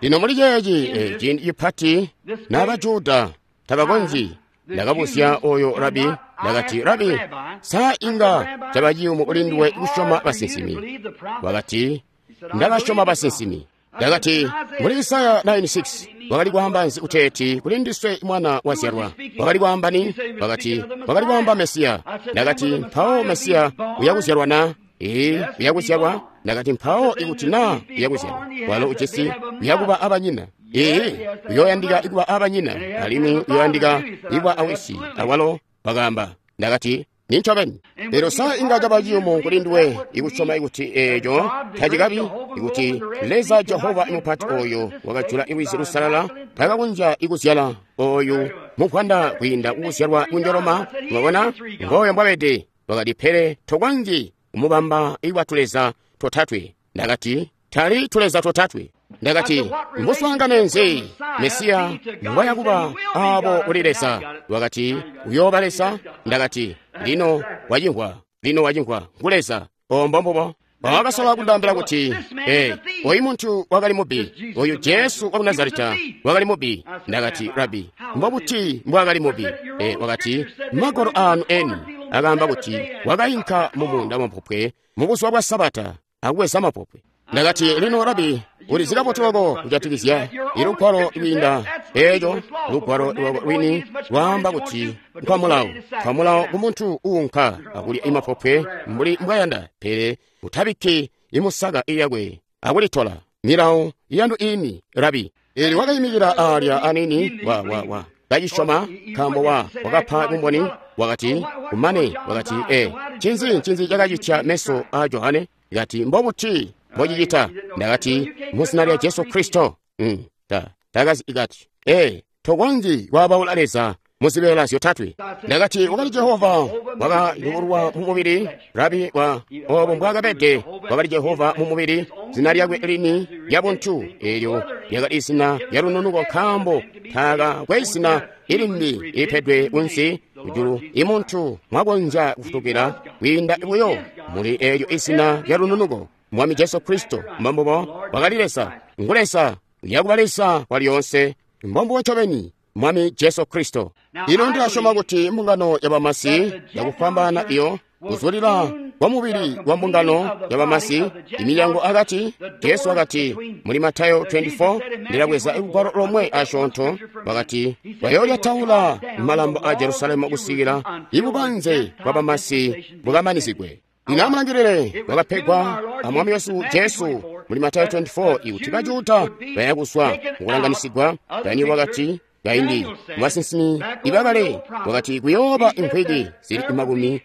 lino muli ceeci ciindi cipati n'Abajuda tabakonzyi. Ndakabuzya oyo rabi, ndakati, Rabi, sa inga caba ciyumu kuli nduwe kusyoma basinsimi? Wakati, ndabasyoma basinsimi. Ndakati, muli Isaya 9:6 wakali kwaamba nzi kuteeti kuli ndiswe mwana wazyalwa? Wakali kwaamba ni? Wakati, wakali kwaamba Mesiya. Ndakati, mpawo Mesiya uyakuzyalwa na? Ee, uyakuzyalwa. Ndakati, mpawo ikuti na uyakuzyalwa, walo ujisi uyakuba abanyina. Ee, uyoyandika ikuba abanyina, alimwi uyoyandika ikuba awisi awalo. Wakaamba. Ndakati, nincobeni. Lero sa inga caba ciyumu kuli nduwe ikusyoma ikuti eeco tacikabi, ikuti Leza Jehova imupati oyo wakajula Lwizi Lusalala takakonzya ikuzyala oyu muvwanda kwiinda kukuzyalwa kunjoloma? Mwabona, ngooyo mbwabede. Wakati, pele tokonzyi kumubamba ikuba tuleza totatwe. Ndakati, tali tuleza totatwe. Ndakati, mbuswaangane nzi Mesiya mbwayakuba abo kuli Leza? Wakati, uyooba Leza. Ndakati, lino wacimvwa, lino wacimvwa, ngu Leza. Ombo mbubo. Wakasola kundaambila kuti, oyu muntu wakali mubbi, oyu Jesu waku Nazareta wakali mubbi. Ndakati, Rabi, mbobuti mbwaakali mubbi? Wakati, magwalo aanu eni akaamba kuti wakainka mu muunda wamapopwe mu buzuba bwa Sabata akubweza mapopwe. Ndakati, lino Rabi, ulizi kabotu loko kujatikizya ilugwalo lwiinda eeco. Lugwalo lwini lwaamba kuti nkwamulawo, nkwamulawo kumuntu uunka akulya imapopwe mbuli mbwayanda, pele utabikki imusaka iyakwe akulitola. Milawo yanu ini, Rabi. Eli wakayimikila alya anini wa kacisyoma, nkaambo wakapa bumboni. Wakati kumane wakati, ncinzi cakacitya meso a Johane? Kati, mbobuti mbocicita? Ndakati, muzina lya Jesu Kristo. Takazi ikati, tokonzyi kwaabaula Leza muzibeela zyotatwe. Ndakati, wakali Jehova wakayubulwa mu mubili, Rabi wa obo mbwaakabede, wakali Jehova mu mubili, zina lyakwe lini lya buntu, eelyo lyakali zina lya lununuko, nkaambo taakakwe zina ilimbi ilipedwe kunsi kujulu imuntu mwakonzya kufutukila kwiinda buyo muli eelyo izina lya lununuko, Mwami Jesu Kristo. Mbombubo wakali Leza, ngu Leza, uyakuba Leza walyoonse, mbombubo ncobeni, Mwami Jesu Kristo. Ino ndilasyoma kuti mbungano ya bamasi yakufwambaana iyo kuzulila kwa mubili wa mbungano ya bamasi, imilyango akati. Jesu wakati muli Matayo 24, ndilabweza lugwalo lomwe asyoonto, wakati bayoolyataula malambo a Jerusalemu kusikila ibubanze bwa bamasi bukamanizigwe. Lino amulangilile, wakapegwa a Mwami wesu Jesu muli Matayo 24 ikuti Bajuda bayakuzwa mukulanganisigwa. Daniel wakati kaindi mubasinsimi ibakale wakati kuyooba imvwiki zili 60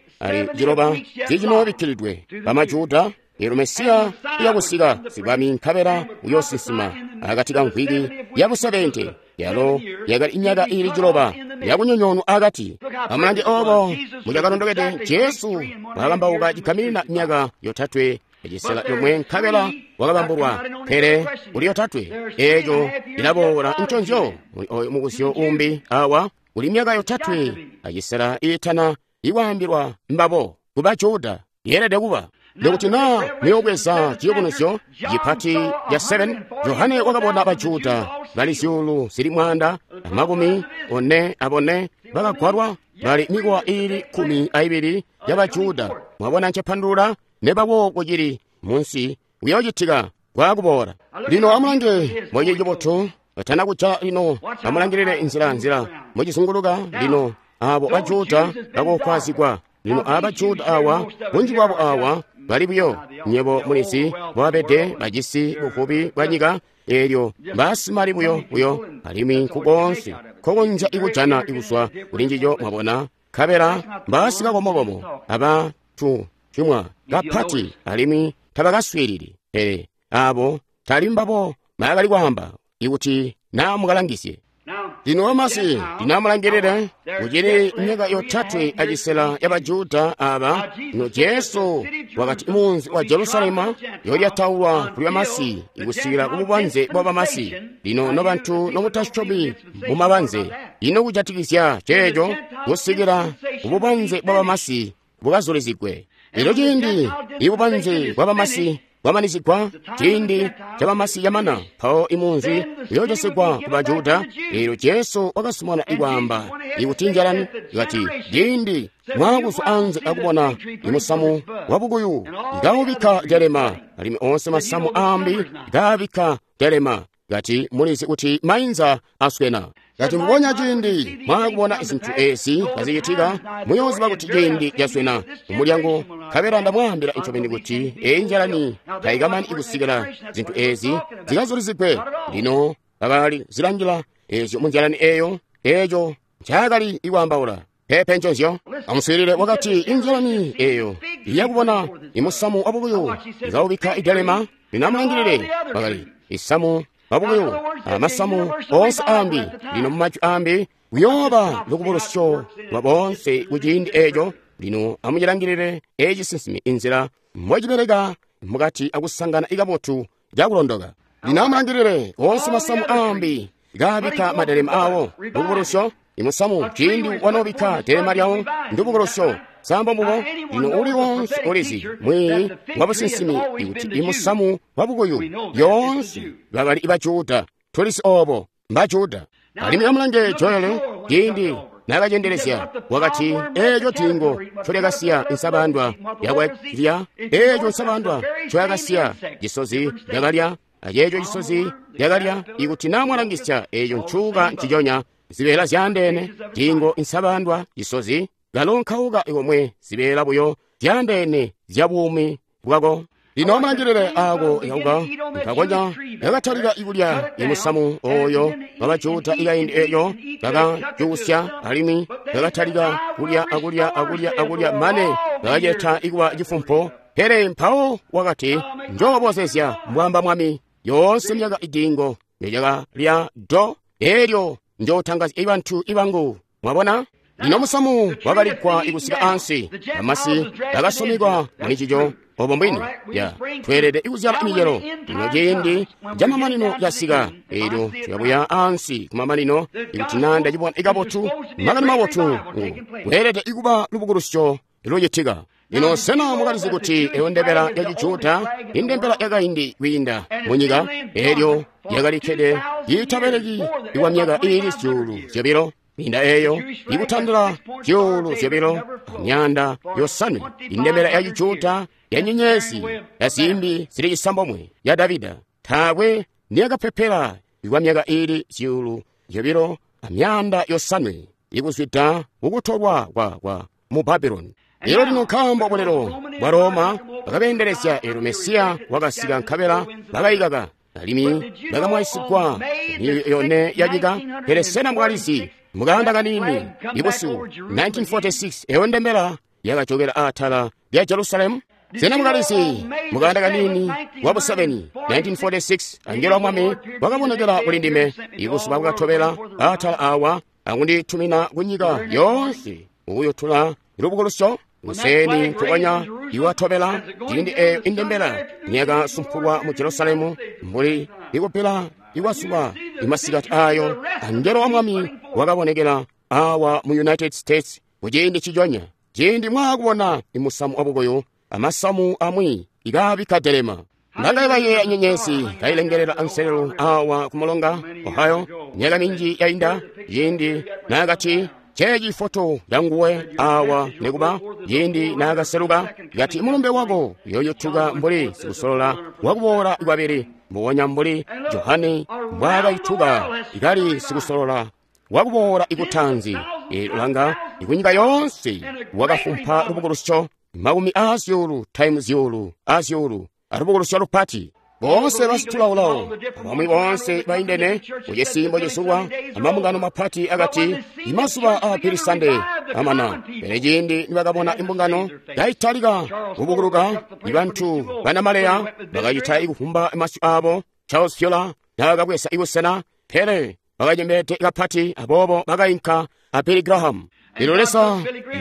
zicinoobikkilidwe bamajuda, eelyo Mesiya uyakusika sibwami nkabela uyoosinsima akati ka mvwiki ya bu70, yalo yakali imyaka ili 7 yakunyonyoonwa akati. Amulange obo mucakalondokede Jesu wakakambauka cigaminina myaka 3 1 nkabela wakabambulwa, pele kuli 3 eeco ilaboola nconzyo muli oyo mubuzyo umbi awa. Kuli myaka 3 acisela iitana ikwaambilwa mbabo kuba Juda, yeelede kuba nikuti naa muyobweza ciyubunuzyo cipati ca 7. Johane wakabona Bajuda bali 144,000 bakagwalwa, bali mikowa iili 12 ya Bajuda. Mwabona ncepandulula nebawo kucili munsi kuyoocitika kwaakuboola. Lino amulange mboci cibotu batana kuca. Lino amulangilile nzila mbocizunguluka. Lino abo Bajuda bakokwazigwa. Lino aba Bajuda awa, bunji bwabo awa bali buyo, nyebo mulizi bwabede, bajisi buvubi bwa nyika, eelyo basimali buyo alimwi nkukoonse nkokonzya ikujana ikuzwa kuli njijo. Mwabona, nkabela mbasikakomokomo aba tucimwa kapati alimwi tabakaswiilili. Pele abo tali mbabo bakali kwaamba ikuti naa mukalangisye. Lino wamasi ndinamulangilile kucili myaka 3 acisela ya Bajuda aba. Lino Jesu wakati munzi wa Jerusalema yolyataulwa kuli bamasi ikusikila kububanze bwa bamasi. Lino nobantu nomutasyomi mumabanze, ino kujatikizya ceeco kusikila kububanze bwa bamasi bukazulizigwe. Lino ciindi ibubanze bwa bamasi bwamanizigwa, ciindi cabamasi camana, mpawo imunzi uyoocesegwa ku Bajuda. Eelyo Jesu wakasumana ikwaamba ikuti njalani, ikati ciindi mwakuzwa anze akubona imusamu wabukuyu ikaubikka delema, alimwi onse masamu ambi ikaabikka delema, kati mulizi kuti mainza aswena. Kati mbubonya ciindi mwakubona zinthu ezi kazicitika, muyooziba kuti ciindi caswena kumulyango. Nkabela ndamwaambila ncobeni kuti eyi njalani tayikamani ikusikila zinthu ezi zikazulizigwe. Lino bakali zilangila ezyo munjalani eyo, eeco ncaakali ikwaambaula. Pepe nconzyo. Amuswiilile, wakati injalani eyo iyakubona imusamu wabukuyu ikaubikka idelema. Lino amulangilile, bakali isamu wabukuyu amasamu oonse ambi. Lino mumajwi ambi kuyooba lukubulusyo lwa boonse kuciindi eeco. Lino amucilangilile eci sinsimi inzila mbocibeleka mukati akusangana ikabotu cakulondoka. Lino amulangilile oonse masamu ambi kaabikka madelema awo lukubulusyo. Imusamu ciindi wanoobikka delema lyawo ndubukulusyo. Sa mbubo? Lino uli wonse ulizi mwiiyi wa businsimi ikuti imusamu wa bukuyu lyoonse bakali ba Juda. Tulisi obo mba Juda. Alimwi amulange Joel ciindi nakacendelezya wakati eeco diingo ncolyakasiya insabandwa yakwalya, eeco nsabandwa ncoyakasiya cisozi lyakalya, aceeco cisozi lyakalya. Ikuti naa mwalangisya eeco ncuka nciconya, zibeela zyaandeene, diingo, insabandwa, cisozi, kalo nkauka komwe, zibeela buyo zyaandeene zya buumi bwako. Lino amulangilile aako kauka nkakonya kakatalika ikulya imusamu oyo wabajuda ikaindi eeyo kakacuusya, alimwi kakatalika kulya akulya akulya akulya mane kakaceta ikuba cifumpo. Pele mpawo wakati, njoobozezya, mbwamba Mwami, yoonse myaka idiingo nilyakalya do, eelyo njootangazya ibantu ibangu. Mwabona? Lino musamu wakaligwa ikusika ansi, bamasi bakasomekwa mulicico. Obo mbwini ya tweelede ikuzyala imicelo. Lino ciindi camamanino casika, eelyo tuyabuya ansi kumamanino. Ikuti naa ndacibona ikabotu, makani mabotu kweelede ikuba lubukulusyo lucitika. Lino sena mwakalizi kuti eyo ndembela ya Cijuda, indembela yakaindi kwiinda munyika, eelyo yakalikkede iitabeleki ikwa myaka iili 2,000 kwiinda eeyo ikutandila 2500, indembela ya Cijuda ya nyenyezi ya zimbi zili 9 ya Davida taakwe niyakapepela ikwa myaka iili 2500 ikuzwida kukutolwa kwa mu Babuloni. Elo lino nkaambo bulelo bwa Roma bakabeendelezya, eelyo Mesiya wakasika nkabela bakayikaka, alimwi bakamwaisigwa miyoyo yone yanyika. Pele sena mwakalizi mukanda kaniini ibusiku 1946 eyo ndembela yakajokela atala lya Jerusalemu? Sena mwakalizi mukanda kaniini wa busebeni 1946 angelo wa Mwami wakabonekela kuli ndime ibusuba bwakatobela atala awa akunditumina kunyika yoonse ukuyotula lubukulusyo kuseni nkukonya iwatobela ciindi eyo indembela niyakasumpulwa mu Jerusalemu mbuli ikupela ikwasuba imasikati ayo, angelo wa Mwami wakabonekela awa mu United States kuciindi ciconya ciindi mwaakubona imusamu wabukuyu amasamu amwi ikaabikka delema. Ndakayibayeeya nyenyezi kayilengelela anselelo awa kumulonga Ohio myaka minji yainda, ciindi naakati ceeci foto yanguwe awa nikuba ciindi naakaseluka kati mulumbe wako uyoyutuka mbuli sikusolola wakuboola kwabili, mbubonya mbuli Johane mbwaakayituka ikali sikusolola wakuboola ikutanzi. Langa ikunyika yoonse wakafumpa lubukulusyo makumi aazyuulu times zyuulu azyuulu alubukulusyo lupati. Boonse basitulaolao abamwi boonse baindene kucisimbo cisulwa amambungano mapati akati imazuba a Billy Sunday amana. Pele ciindi nibakabona imbungano yaitalika kubukuluka, ibantu banamaleya bakacita ikufumba masyu abo. Charles Fuller naakabweza ibusena, pele bakacembede kapati, aboobo bakainka a Billy Graham. Lino Leza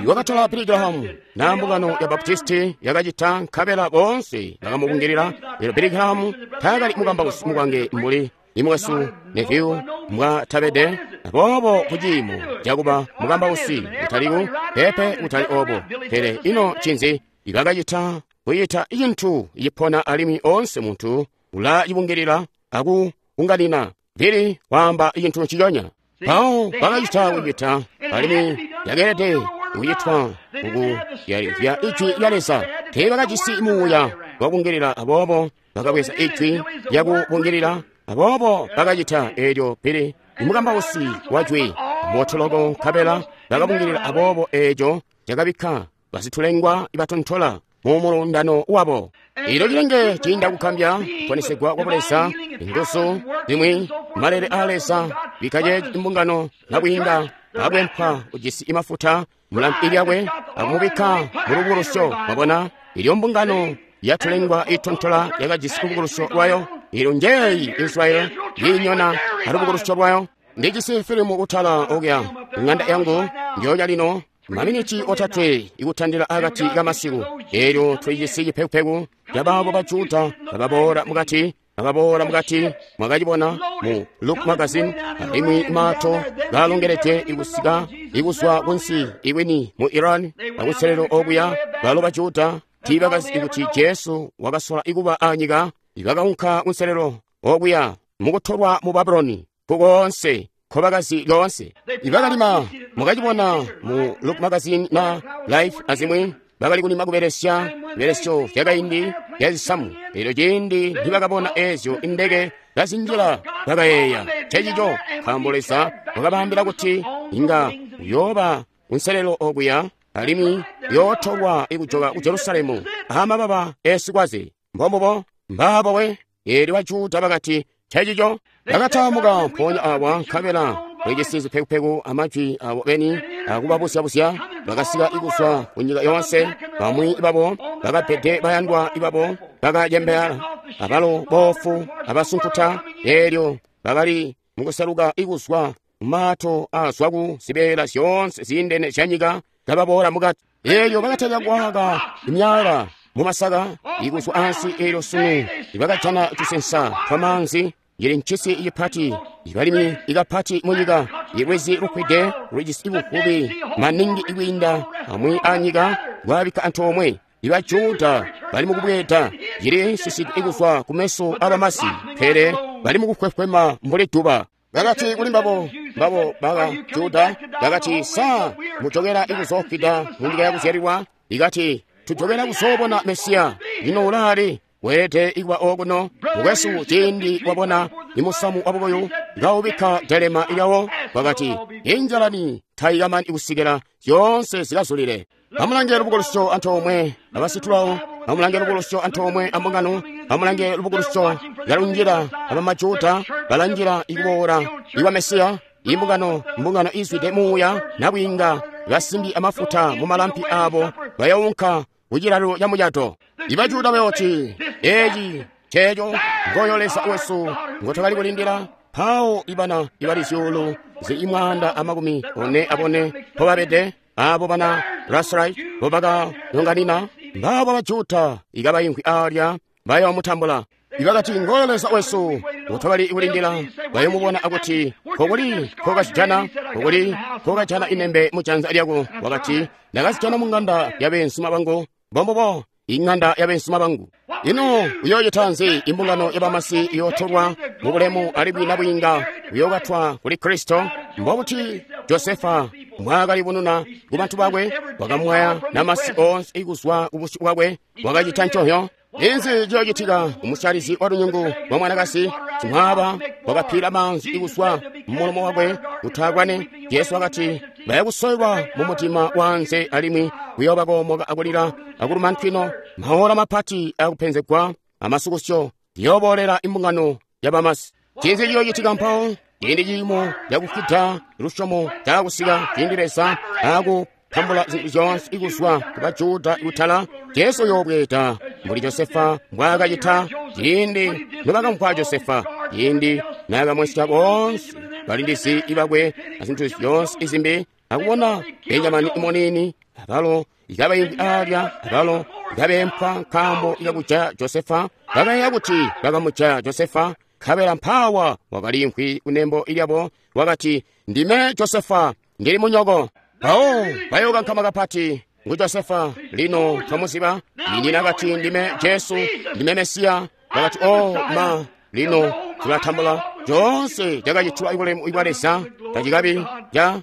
wakatola Billy Graham na mbungano ya Baptisti yakacita, nkabela boonse bakamubungilila. Lino Billy Graham taakali mukambausi mukwange mbuli imwesu Neville mbwatabede, aboobo kuciimo cakuba mukambausi kutaliku pepe kutali obo. Pele ino cinzi ibakacita kuyita cintu cipona, alimwi onse muntu ulacibungilila akuunganina. Billy waamba cintu nciconya. Mpawo bakacita kucita, alimwi yakeelede kucitwa ukuyalizya ijwi lya Leza. Teebakajisi muuya wakungilila, aboobo bakabweza ijwi lyakubungilila, aboobo bakacita eelyo Billy imukambausi wa jwi motoloko, nkabela bakabungilila, aboobo eeco cakabikka basitulengwa ibatontola mu mulundano wabo. Ilo cilenge ciinda kukambya kuponesegwa kwa Buleza, inguzu zimwi malele a Leza bikaye imbungano nakwiinda akwempwa ujisi imafuta mulampi lyakwe akumubikka mu lubukulusyo. Mwabona ilyo mbungano yatulengwa itontola yakajisi lubukulusyo lwayo. Ilyo njeeyi Israeli yiinyona alubukulusyo lwayo. Ndijisi filimu kutala okuya ng'anda yangu ndyoonya lino maminiti 3 ikutandila akati kamasiku. Eelyo tulijisi cipekupeku cabaabo ba Juda bababoola mukati Akaboola mukati, mwakacibona mu Look Magazine, alimwi maato kalongeledwe ikusika ikuzwa kunsi iwini mu Iran, akuselelo okuya, balo baJuda tiibakazi kuti Jesu wakasola ikuba anyika, ibakaunka kunselelo okuya mukutolwa mu Babuloni kukoonse nkobakazi loonse. Ibakalima mwakacibona mu Look Magazine na Life azimwi, bakali kulima kubelesya bibelesyo byakaindi byazisamu. Elyo ciindi nibakabona ezyo indeke kazinjila, bakayeeya ncencico, nkaambo Leza wakabaambila kuti inga uyooba kunselelo okuya alimwi uyootolwa ikujoka ku Jerusalemu amababa esikwaze. Mbombubo mbaabo we. Eelyo baJuda bakati ncencico. Bakataamuka mpoonya awa nkabela bajisi zipekupeku amajwi abo beni akubabuzya-buzya. Bakasika ikuzwa kunyika yoonse. Bamwi babo bakapede bayandwa ibabo bakacembeala, abalo boofu abasunkuta. Eelyo bakali mukuseluka ikuzwa mumaato aazwa ku zibeela zyoonse ziindene zyanyika kababoola mukati. Eelyo bakatalika kwaaka imyaala mumasaka ikuzwa ansi. Eelyo sunu ibakajana tusensa twamaanzi. Ili ncisi ipati, ibalimi ikapati munyika, ilwizi lukwide lulijisi buvubi maningi ikwiinda amwi anyika lwabikka antoomwe. IbaJuda bali mukubweeda, cili sisidwe ikuzwa kumeso abamasi, pele bali mukukwefwema mbuli duba. Bakati kuli mbabo, mbabo baka Juda, bakati, sa mujokera ikuzoofida munyika yakuzyalilwa? Ikati, tujokera kuzoobona Mesiya. Lino ulaali? Weelede ikuba okuno. Mukwesu, ciindi wabona imusamu wabubuyu kawubikka delema lyawo, wakati, injalani tayikamani kusikila zyoonse zikazulile. Amulange lubukulusyo antoomwe abasitulawo, amulange lubukulusyo antoomwe ambungano, amulange lubukulusyo kalunjila abamajuda balanjila ikuboola ikwa Mesiya. Imbungano, mbungano izwide muuya nabwiinga, basimbi amafuta mumalampi abo bayounka kucilalo ca mucato. IbaJuda bayooti, eeci nceeco ngoyo Leza wesu ngotwakali kulindila. Mpawo ibana ibali zyuulu zili 144 mpobabede, abo bana Rasrai mbobakanyonganina, mbaabo baJuda ikabaimvwi aalya bayoomutambula. Ibakati ngoyo Leza wesu ngotwakali kulindila, bayomubona akuti kokuli nkokazijana, kokuli nkokajana inembe mujanza lyako. Wakati, ndakazijana mung'anda yabeenzuma bangu. Mbombubo, ing'anda yabeenzuma bangu. Ino uyoocita nzi? Imbungano yabamasi iyootolwa mubulemu alimwi nabwiinga uyookatwa kuli Kristo. Mbobuti Josefa mbwaakalibununa kubantu bakwe? Wakamwaya namasi oonse ikuzwa kubusyu bwakwe. Wakacita nconyo. Inzi ciyoocitika kumusyalizi wa lunyungu lwa mwanakazi? Simwaaba wakaphila maanzi ikuzwa mumulomo wakwe kuti akwane. Jesu wakati bayakusoyelwa mumutima wanze alimwi kuyooba koomoka akulila akuluma ntwino. Maola mapati akupenzegwa amasukusyo liyooboolela imbungano yabamasi. Cinzi ciyoocitika mpawo? Ciindi ciimo cakufwida lusyomo caakusika, ciindi Leza akutambula zintu zyoonse ikuzwa ku baJuda kutala, Jesu uyoobweeda mbuli Josefa mbwaakacita ciindi nobakamvwa Josefa, ciindi naakamwesya boonse balindizi ibakwe azintu zyoonse izimbi, akubona Benjamini imuniini abalo ikabaimbi aalya abalo ikabeempwa nkaambo ikakuja Josefa. Bakayeeya kuti bakamuja Josefa, nkabela mpaawa wakaliimvwi kunembo lyabo, wakati, ndime Josefa, ndili munyoko. Mpawo bayookankama kapati, ngu Josefa, lino twamuziba. Nyina kati, ndime Jesu, ndime Mesiya. Bakati, o ma, lino tulatambula coonse cakacitwa ibulemu bwa Leza tacikabi ca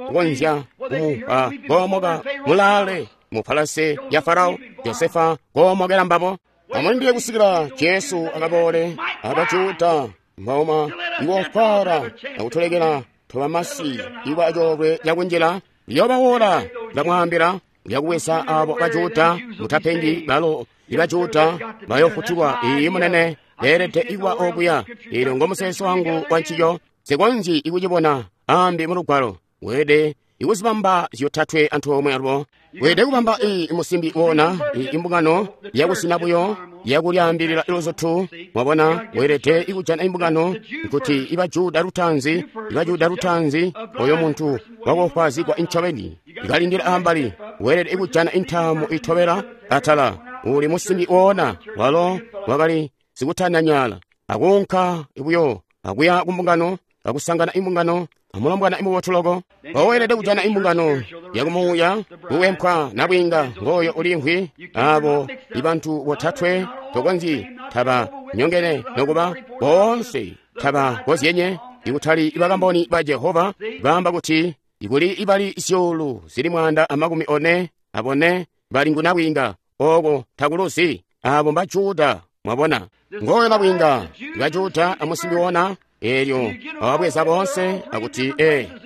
kukonzya kumupa koomoka mulaale mu palase ya Farao. Josefa koomokela mbabo. Amulindile kusikila Jesu akaboole abaJuda mbaoma iwofara akutulekela twabamasi iwa coolwe cakunjila. Liyoobawola ndamwaambila lyakubweza abo baJuda mutapengi balo ibaJuda bayofutulwa. Iyi munene beelede ikuba okuya. Eelyo ngomuseso wangu wa ncico. Sikonzyi ikucibona ambi mulugwalo. Weelede ikuzibamba zyotatwe antoomwe alubo. Weelede kubamba iyi musimbi wona iyi imbungano yakusina buyo yakulyaambilila iluzutu. Mwabona, weelede ikujana imbungano nkuti ibaJuda lutanzi, ibaJuda lutanzi, oyo muntu wakofwaazigwa incobeni ikalindila ambali. Weelede ikujana intaamu itobela atala. Uli musimbi wona walo wakali sikutanyanyaala, akuunka buyo akuya kumbungano, akusangana imbungano, amulombwana imubotu loko. Weelede kujana imbungano yakumuuya, kuwempwa nabwiinga ngooyo ulimvwi abo ibantu botatwe tokonzyi taba nyongene nokuba boonse taba kozyenye. Ikutali bakamboni ba Jehova baamba kuti ikuli ibali zyuulu zili 144 bali ngu nabwiinga. Oko takuluzi. Abo mba Juda. Mwabona, ngooyo nabwiinga ba Juda amusimbi wona. Elyo awabweza boonse akuti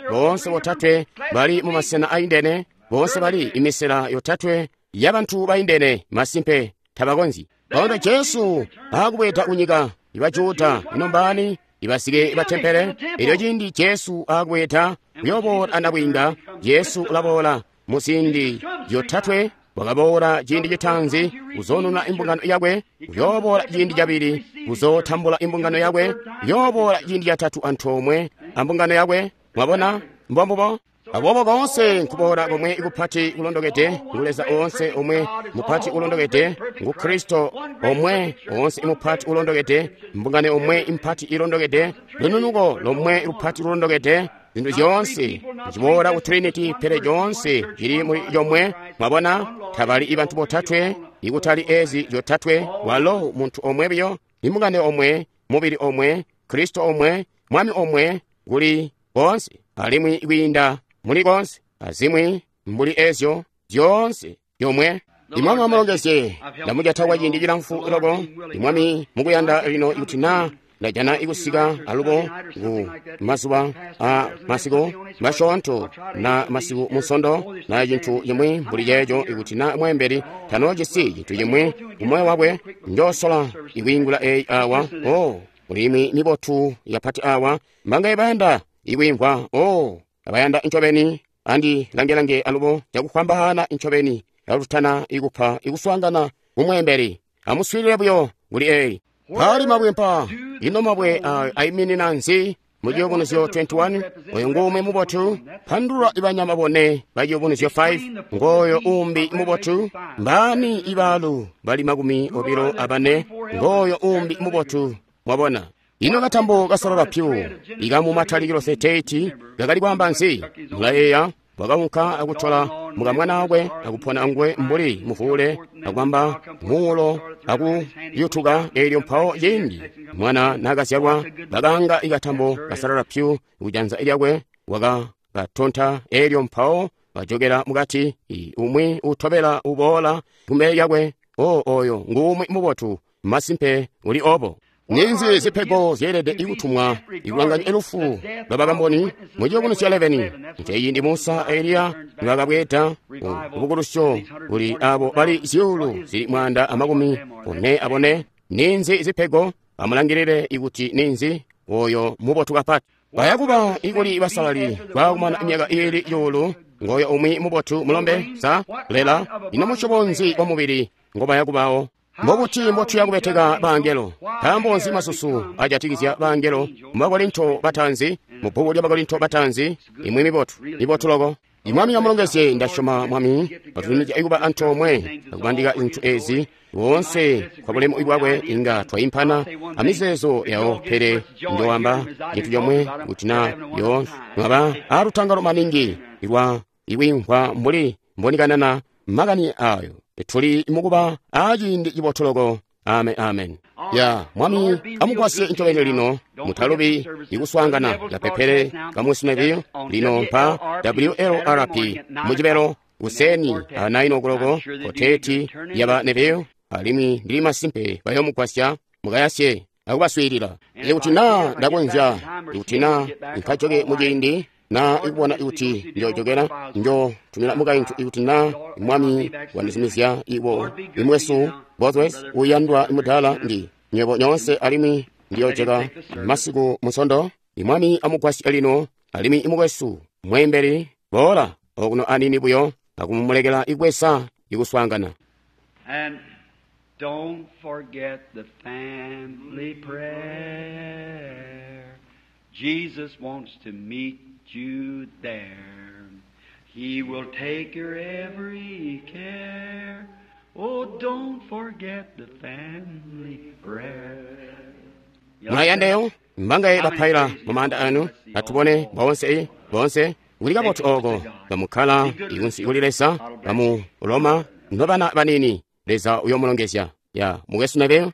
boonse botatwe bali mu masena aindene, boonse bali imisela yotatwe yabantu baindene. Masimpe tabakonzyi. Pawulo Jesu akubweda kunyika iba Juda ino mbani ibasike batempele. Elyo ciindi Jesu akubweda kuyoboola anabwiinga, Jesu ulaboola mu ziindi yotatwe. Wakaboola ciindi citaanzi kuzoonuna imbungano yakwe, kuyoboola ciindi cabili kuzootambula imbungano yakwe, kuyoboola ciindi catatu antoomwe ambungano yakwe. Mwabona, mbombubo. Aboobo koonse nkuboola komwe kupati kulondokede ngu Leza oonse omwe mupati ulondokede ngu Kristo omwe oonse imupati ulondokede, mbungano omwe impati ilondokede, lununuko lomwe lupati lulondokede. Zintu zyoonse ziboola ku Trinity, pele zyoonse zili muli yomwe. Mwabona, tabali ibantu botatwe, ikutali ezi zyotatwe. Walo muntu omwe biyo, imbungano omwe, mubili omwe, Kristo omwe, Mwami omwe, kuli koonse alimwi kwiinda muli koonse azimwi mbuli ezyo zyoonse yomwe. Imwami amulongezye. Ndamujata kwa ciindi cilamfu loko. Imwami mukuyanda lino ikuti na ndajana ikusika alubo ku mazuba a masiku masyoonto na masiku munsondo na cintu cimwi mbuli ceeco, ikuti na mweembeli tanoojisi cintu cimwi kumoyo wakwe, njoosola ikwiingula eyi awa. O ulimwi mibotu yapati awa mbangaye bayanda ikwimvwa. O abayanda ncobeni andi langelange alubo cakufwambaana ncobeni alutana ikupa ikuswaangana kumweembeli. Amuswiilile buyo kuli eyi. Pali mabwe mpa. Ino mabwe aiminina nzi? Mu Ciyubunuzyo 21, oyo ngumwi mubotu. Pandulula ibanyama bone ba Ciyubunuzyo 5, ngoyo umbi mubotu. Mbani ibaalu bali 24, ngoyo umbi mubotu. Mwabona, ino katambo kasalala pyu ikamu Matalikilo 38 kakali kwaamba nzi? Mulayeeya wakaunka akutola mukamwana wakwe akupona ngwe mbuli muvule akwamba muulo akuyutuka. Elyo mpawo ciindi mwana nakazyalwa bakanga ikatambo kasalala pyu kujanza lyakwe wakakatonta. Elyo mpawo bajokela mukati, umwi utobela uboola kumbele lyakwe. O oyo ngumwi mubotu. Masimpe uli obo. Ninzi zipego zyeelede ikutumwa ikulanganya elufu lwabakamboni mu Ciyubunuzyo 11. Nceeciindi Musa a Eliya nibakabweeda kubukulusyo kuli abo bali zyuulu zili 144. Ninzi zipego? Amulangilile ikuti ninzi oyo mubotu kapati. Bayakuba ikuli basalali baakumana imyaka iili cuulu. Ngoyo umwi mubotu mulombe sa lela. Ino musyobo nzi wa mubili ngobayakubawo? Mbobuti mbotuya kubeteka bangelo? Nkaambo nzi masusu ajatikizya bangelo mu Bakorinto batanzi, mu bbuku lya Bakorinto batanzi? Imwi mibotu, mibotu loko. Imwami amulongezye. Ndasyoma Mwami atuzumizya ikuba antoomwe akubandika zintu ezi woonse kwa bulemu bwakwe. Inga twaimpana amizeezo yawo, pele njowamba cintu comwe kuti na yo mwaba alutangalo maningi lwa ikwimvwa mbuli mbonikanana makani ayo. Tuli mukuba aciindi cibotu loko. Amen, amen. Ya Mwami amugwasye ncobeni lino. Mutalubi ikuswaangana kapepele kamusinebiyo lino pa WLRP mucibelo kuseni a 9 o'clock koteti yaba nebiyo. Alimwi ndili masimpe bayomugwasya mukayasye akubaswiilila. Ikuti na ndakonzya, ikuti na nkajoke muciindi na ikubona ikuti njojokela njo tumila mukaintu ikuti na Mwami wandizumizya iwo imwesu Bosworth uyandwa imudala ndi nywebo nyonse. Alimwi ndiyojeka masiku musondo. Imwami amugwasye lino. Alimwi imukwesu mweembeli boola okuno anini buyo akumulekela ikwesa ikuswaangana. And don't forget the family prayer. Jesus wants to meet you there. He will take your every care. Oh, don't forget the family prayer. Mulayandeyo mbangaye bapaila mu maanda anu atubone boonse boonse kuli kabotu oko bamukkala ikunsi kuli Leza bamu Roma nobana banini Leza uyomulongezya ya mukwesu Neville.